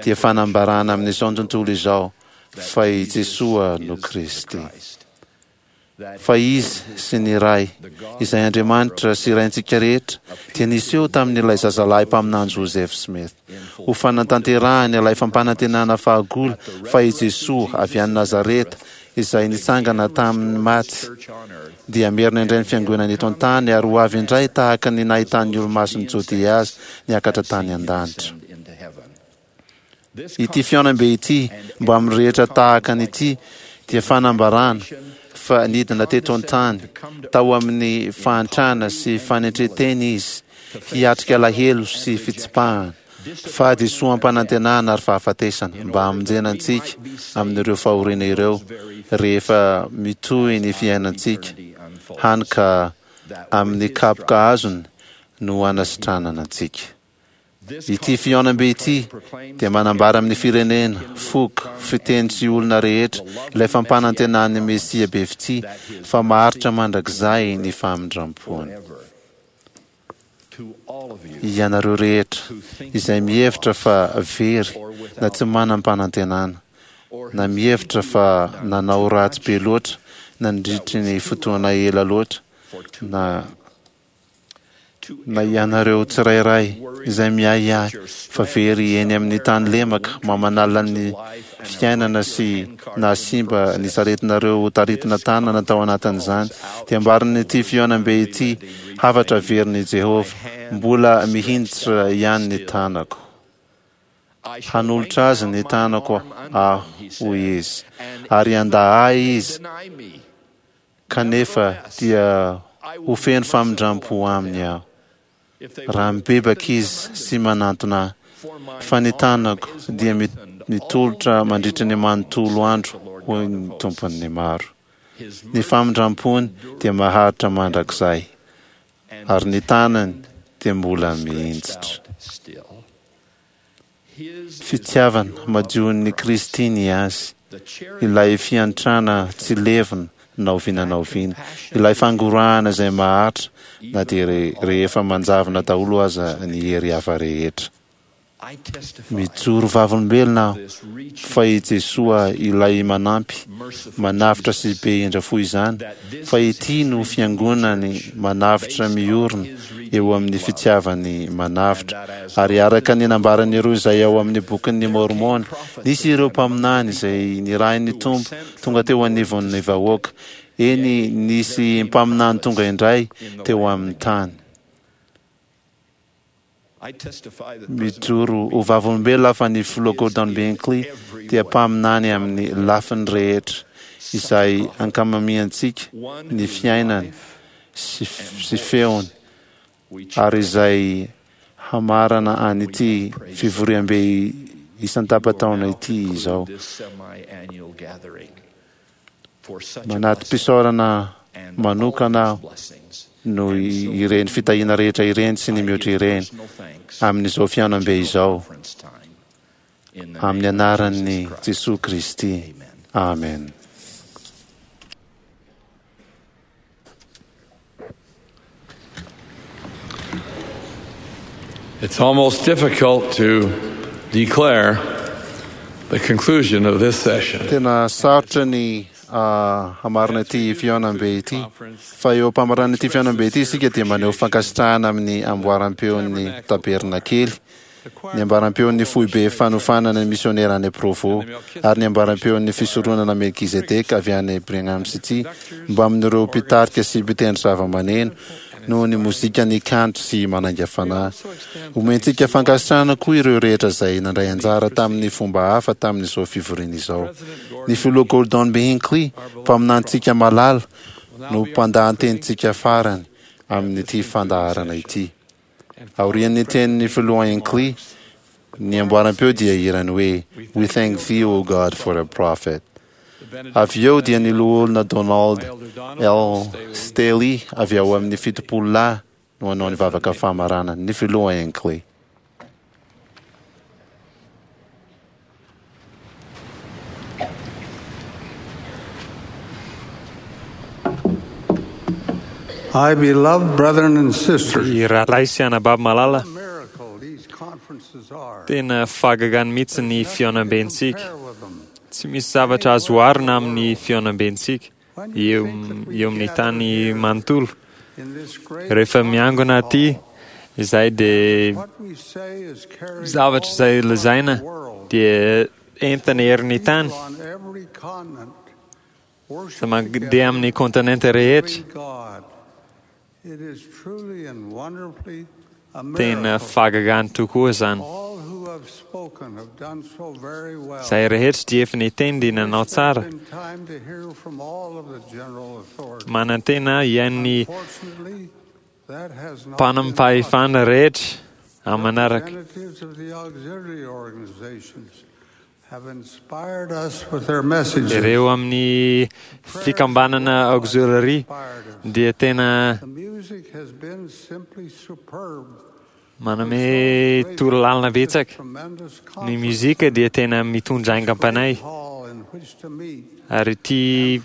S2: dia fanambarana amin'izao tontolo izao fa i Jesoa no Kristy. Fa Izy sy ny Ray, izay Andriamanitra sy Raintsika rehetra, dia niseho tamin'ilay zazalahy mpaminany Joseph Smith, ho fanatanterahany ilay fampanantenana fahagola fa i Jesoa avy any Nazareta, izay nitsangana tamin'ny maty, dia hamerina indray ny Fiangonany eto an-tany ary ho avy indray tahaka ny nahitan'ny Olomasin'i Jodea azy niakatra tany an-danitra. Ity fihaonambe ity, mbamin'ny rehetra tahaka an'ity, dia fanambarana fa nidina teto an-tany tao amin'ny fahantrana sy fanetren-tena Izy, hiatrika alahelo sy fitsipahana, fahadisoam-panantenana ary fahafatesana, mba hamonjena antsika amin'ireo fahoriana ireo rehefa mitohy ny fiainantsika, hany ka amin'ny kapoka azony no hanasitranana antsika. Ity fihaonambe ity dia manambara amin'ny firenena, foko, fiteny sy olona rehetra ilay fampanantenan'ny Mesia be fitia fa maharitra mandrakizay ny famindram-pony. Ianareo rehetra izay mihevitra fa very na tsy manam-panantenana, na mihevitra fa nanao ratsy be loatra nandritry ny fotoana ela loatra, na na ianareo tsirairay izay miahiahy fa very eny amin'ny tany lemaka mamanala ny fiainana sy nahasimba ny saretinareo ho taritina tanana tao anatin'izany, dia ambarin'ity fihaonambe ity hafatra averin'i Jehovah, Mbola mihinjitra ihany ny tanako. Hanolotra azy ny tanako aho, hoy izy, ary handà ahy izy, kanefa dia ho feno famindram-po aminy aho, raha mibebaka izy sy manantona ahy, fa ny tanako dia mitolotra mandritra ny manontolo andro, hoy ny Tompon'ny maro. Ny famindram-pony dia maharitra mandrakizay, ary ny tanany dia mbola mihinjitra. Fitiavana madion'i Kristy ny azy, ilay fiantrana tsy levona na oviana na oviana, ilay fangorahana izay maharitra na dia rehefa manjavona daholo aza ny hery hafa rehetra. Mijoro vavolombelona aho fa i Jesoa ilay manampy, manavotra sy be indra fo izany, fa ity no Fiangonany manavotra miorina eo amin'ny fitiavany manavotra. Ary araka ny nambaran'ireo izay ao amin'ny Bokin'ny Môrmôna, nisy ireo mpaminany izay nirahin'ny Tompo tonga teo anivon'ny vahoaka, eny, nisy mpaminany tonga indray teo amin'ny tany. Mijoro ho vavolombelona aho fa ny Filoha Gordon B. Hinckley dia mpaminany amin'ny lafiny rehetra izay ankamamiantsika ny fiainany sy feony ary izay hamarana an'ity fivoriambe isan-tapa-taona ity izao. Manati-pisaorana manokana aho noho ireny fitahiana rehetra ireny sy ny mihoatra ireny amin'izao fihaonambe izao. Amin'ny anaran'i Jesoa Kristy. Amen.
S14: It's almost difficult to declare the conclusion of this session.
S2: Tena sarotra ny hamarina ity fihaonambe ity. Fa eo am-pamarana ity fihaonambe ity isika dia maneho fankasitrahana amin'ny amboaram-peon'ny tabernakely, ny ambaram-peon'ny foibe fanofanana ny misionera any Provo, ary ny ambaram-peon'ny fisoronana Melkizedeka avy any Brigham City mbamin'ireo mpitarika sy mpitendry zavamaneno noho ny mozikany kanto sy manainga fanahy. Omentsika fankasitrahana koa ireo rehetra izay nandray anjara tamin'ny fomba hafa tamin'izao fivoriana izao. Ny Filoha Gordon B. Hinckley, mpaminanintsika malala, no mpandahan-tenintsika farany amin'ity fandaharana ity. Aorian'ny tenin'ny Filoha Hinckley, ny amboaram-peo dia hirany hoe We Thank Thee, O God, for a Prophet. Avy eo dia ny Loholona Donald L. Staley avy ao amin'ny Fitopololahy no hanao ny vavaka famaranana, ny Filoha Hinckley.
S10: My beloved brethren and sisters,
S13: Ry rahalahy sy anabavy malala, tena fahagagana mihitsy ny fihaonambentsika. Tsy misy zavatra azo oharina amin'ny fihaonambentsika eo eo amin'ny tany manontolo. Rehefa miangona aty izay dia zavatra izay lazaina dia entina herin'ny tany. Izay mandeha amin'ny kontinenta rehetra. Tena fahagagana tokoa izany. Izay rehetra dia efa niteny dia nanao tsara. Manantena hihaino ny mpanam-pahefana rehetra amin'ny manaraka. Ireo amin'ny fikambanana auxiliary dia tena manome torolalana betsaka. Ny mozika dia tena mitondra aingam-panahy. Ary ity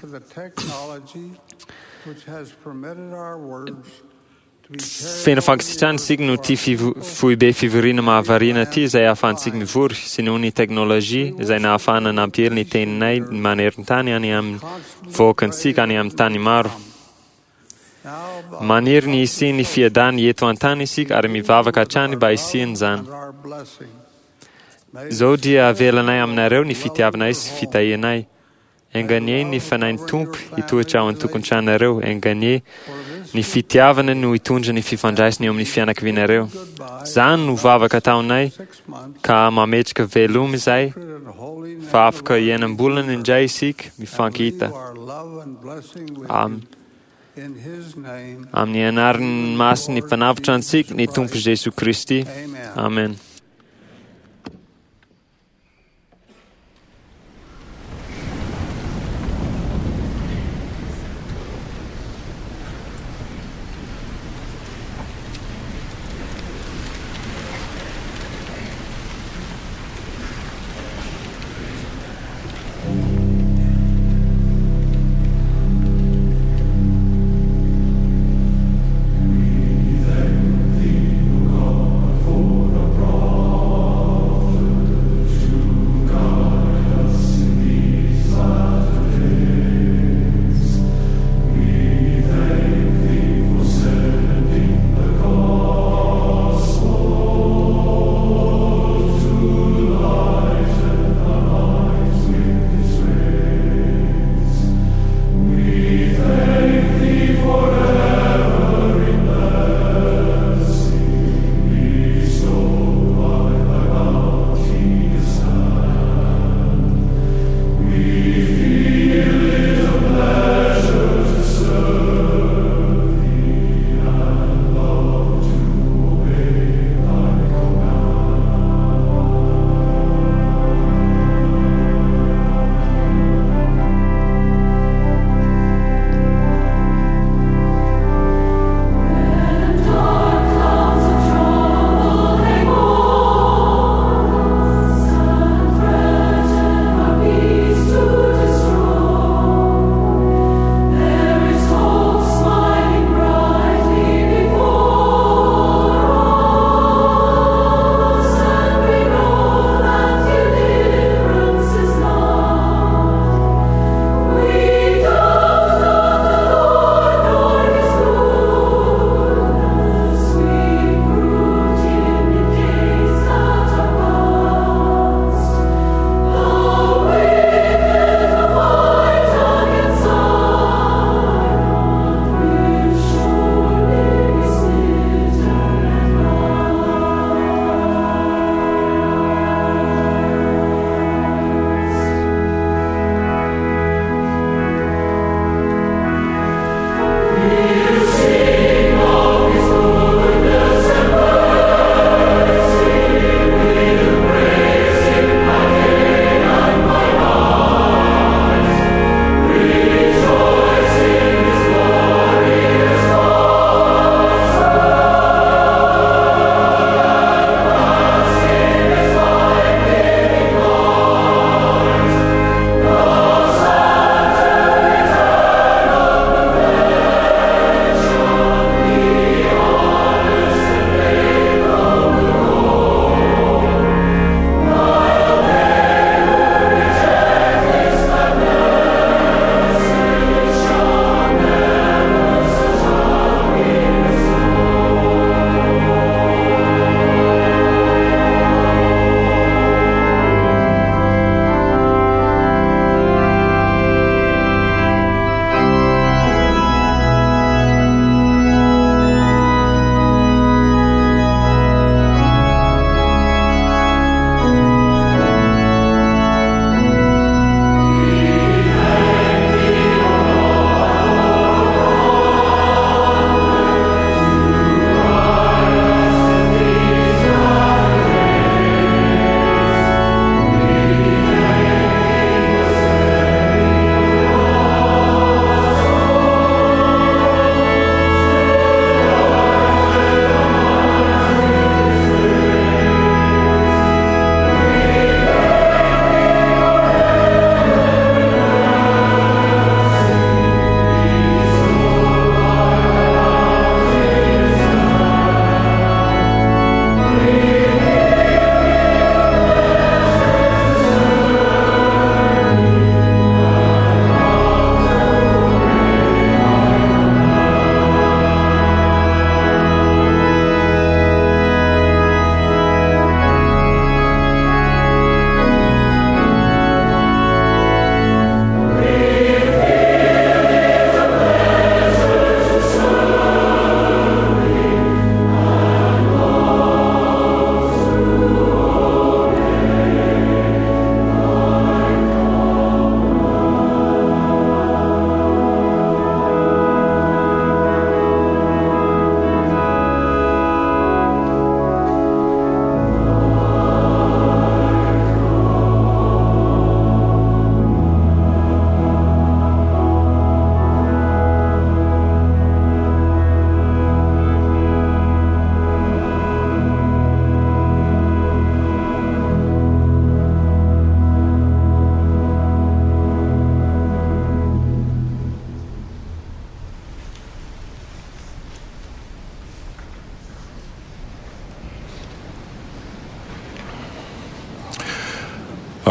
S13: Feno fankasitrahana isika noho ity foibe fivoriana mahavariana ity izay ahafahantsika mivory, sy noho ny teknolojia izay nahafahana nampiely ny teninay maneran-tany any amin'ny vahoakantsika any amin'ny tany maro. Maniry ny hisian'ny fiadanana eto an-tany isika ary mivavaka hatrany mba hisian'izany. Izao dia avelanay aminareo ny fitiavanay sy fitahianay. Enga anie ny Fanahin'ny Tompo hitoetra ao an-tokantranonareo, enga anie ny fitiavana no hitondra ny fifandraisana eo amin'ny fianakavianareo. Izany no vavaka ataonay ka mametraka veloma izay fa afaka enam-bolana indray isika mifankahita. Amin. Amin'ny anaran'ny masin'ny Mpanavotra antsika, ny Tompo Jesoa Kristy. Amen.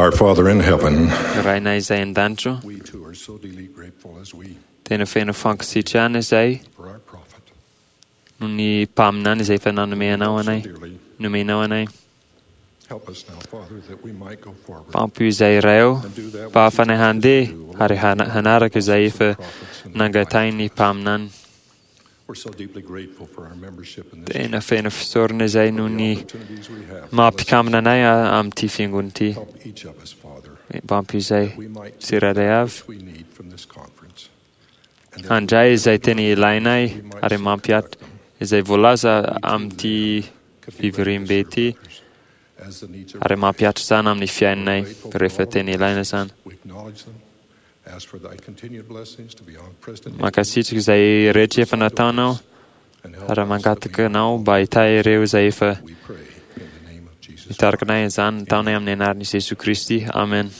S8: Our Father in heaven,
S13: Rainay izay an-danitra, tena feno fankasitrahana izay noho ny mpaminany izay efa nanome anao anay, nomenao anay.
S8: help us now, Father, that we might go forward
S13: Mpampio izay Ray ô, mba hahafanay handeha ary hana- hanaraka izay efa nangatahin'ny mpaminany.
S8: We're so deeply grateful for our membership in this
S13: Tena feno fisaorana izay noho ny maha-mpikambana anay a- amin'ity fiangonana ity.
S8: Help each of us, Father,
S13: Mpampio izay
S8: we might take
S13: tsirairay avy
S8: what we need from this conference.
S13: handray izay tena ilainay ary mampihatra izay voalaza amin'ity fivoriambe ity
S8: As the needs
S13: ary mampihatra izany amin'ny fiainanay rehefa tena ilaina izany.
S8: We acknowledge them. Ask for thy continued blessings to be on President
S13: Mankasitraka izay rehetra efa nataonao ary mangataka anao mba hitahy ireo izay efa nitarika anay izany nataonay amin'ny anaran'i Jesoa Kristy. Amen.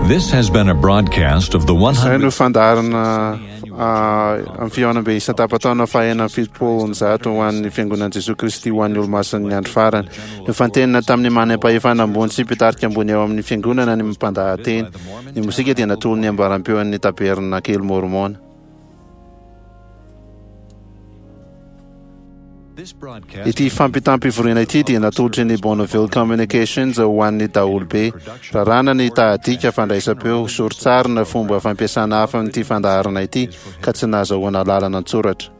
S1: This has been a broadcast of the
S2: Izay
S1: 100.
S2: no fandaharana amin'ny fihaonambe isan-tapataona fahenina 170 ho an'ny Fiangonan'i Jesoa Kristy ho an'ny Olomasin'ny Andro Farany. Nofantenina tamin'ny manam-pahefana ambony sy mpitarika ambony ao amin'ny fiangonana ny mpandahateny. Ny mozika dia natolony ambaram-peon'ny Tabernakely Mormona. Ity fampitam-pivoriana ity dia natolotry ny Bonneville Communications ho an'ny daholobe. Raràna ny tahadika fandraisam-peo, sori-tsary na fomba fampiasana hafa amin'ity fandaharana ity ka tsy nahazahoana alalana an-tsoratra.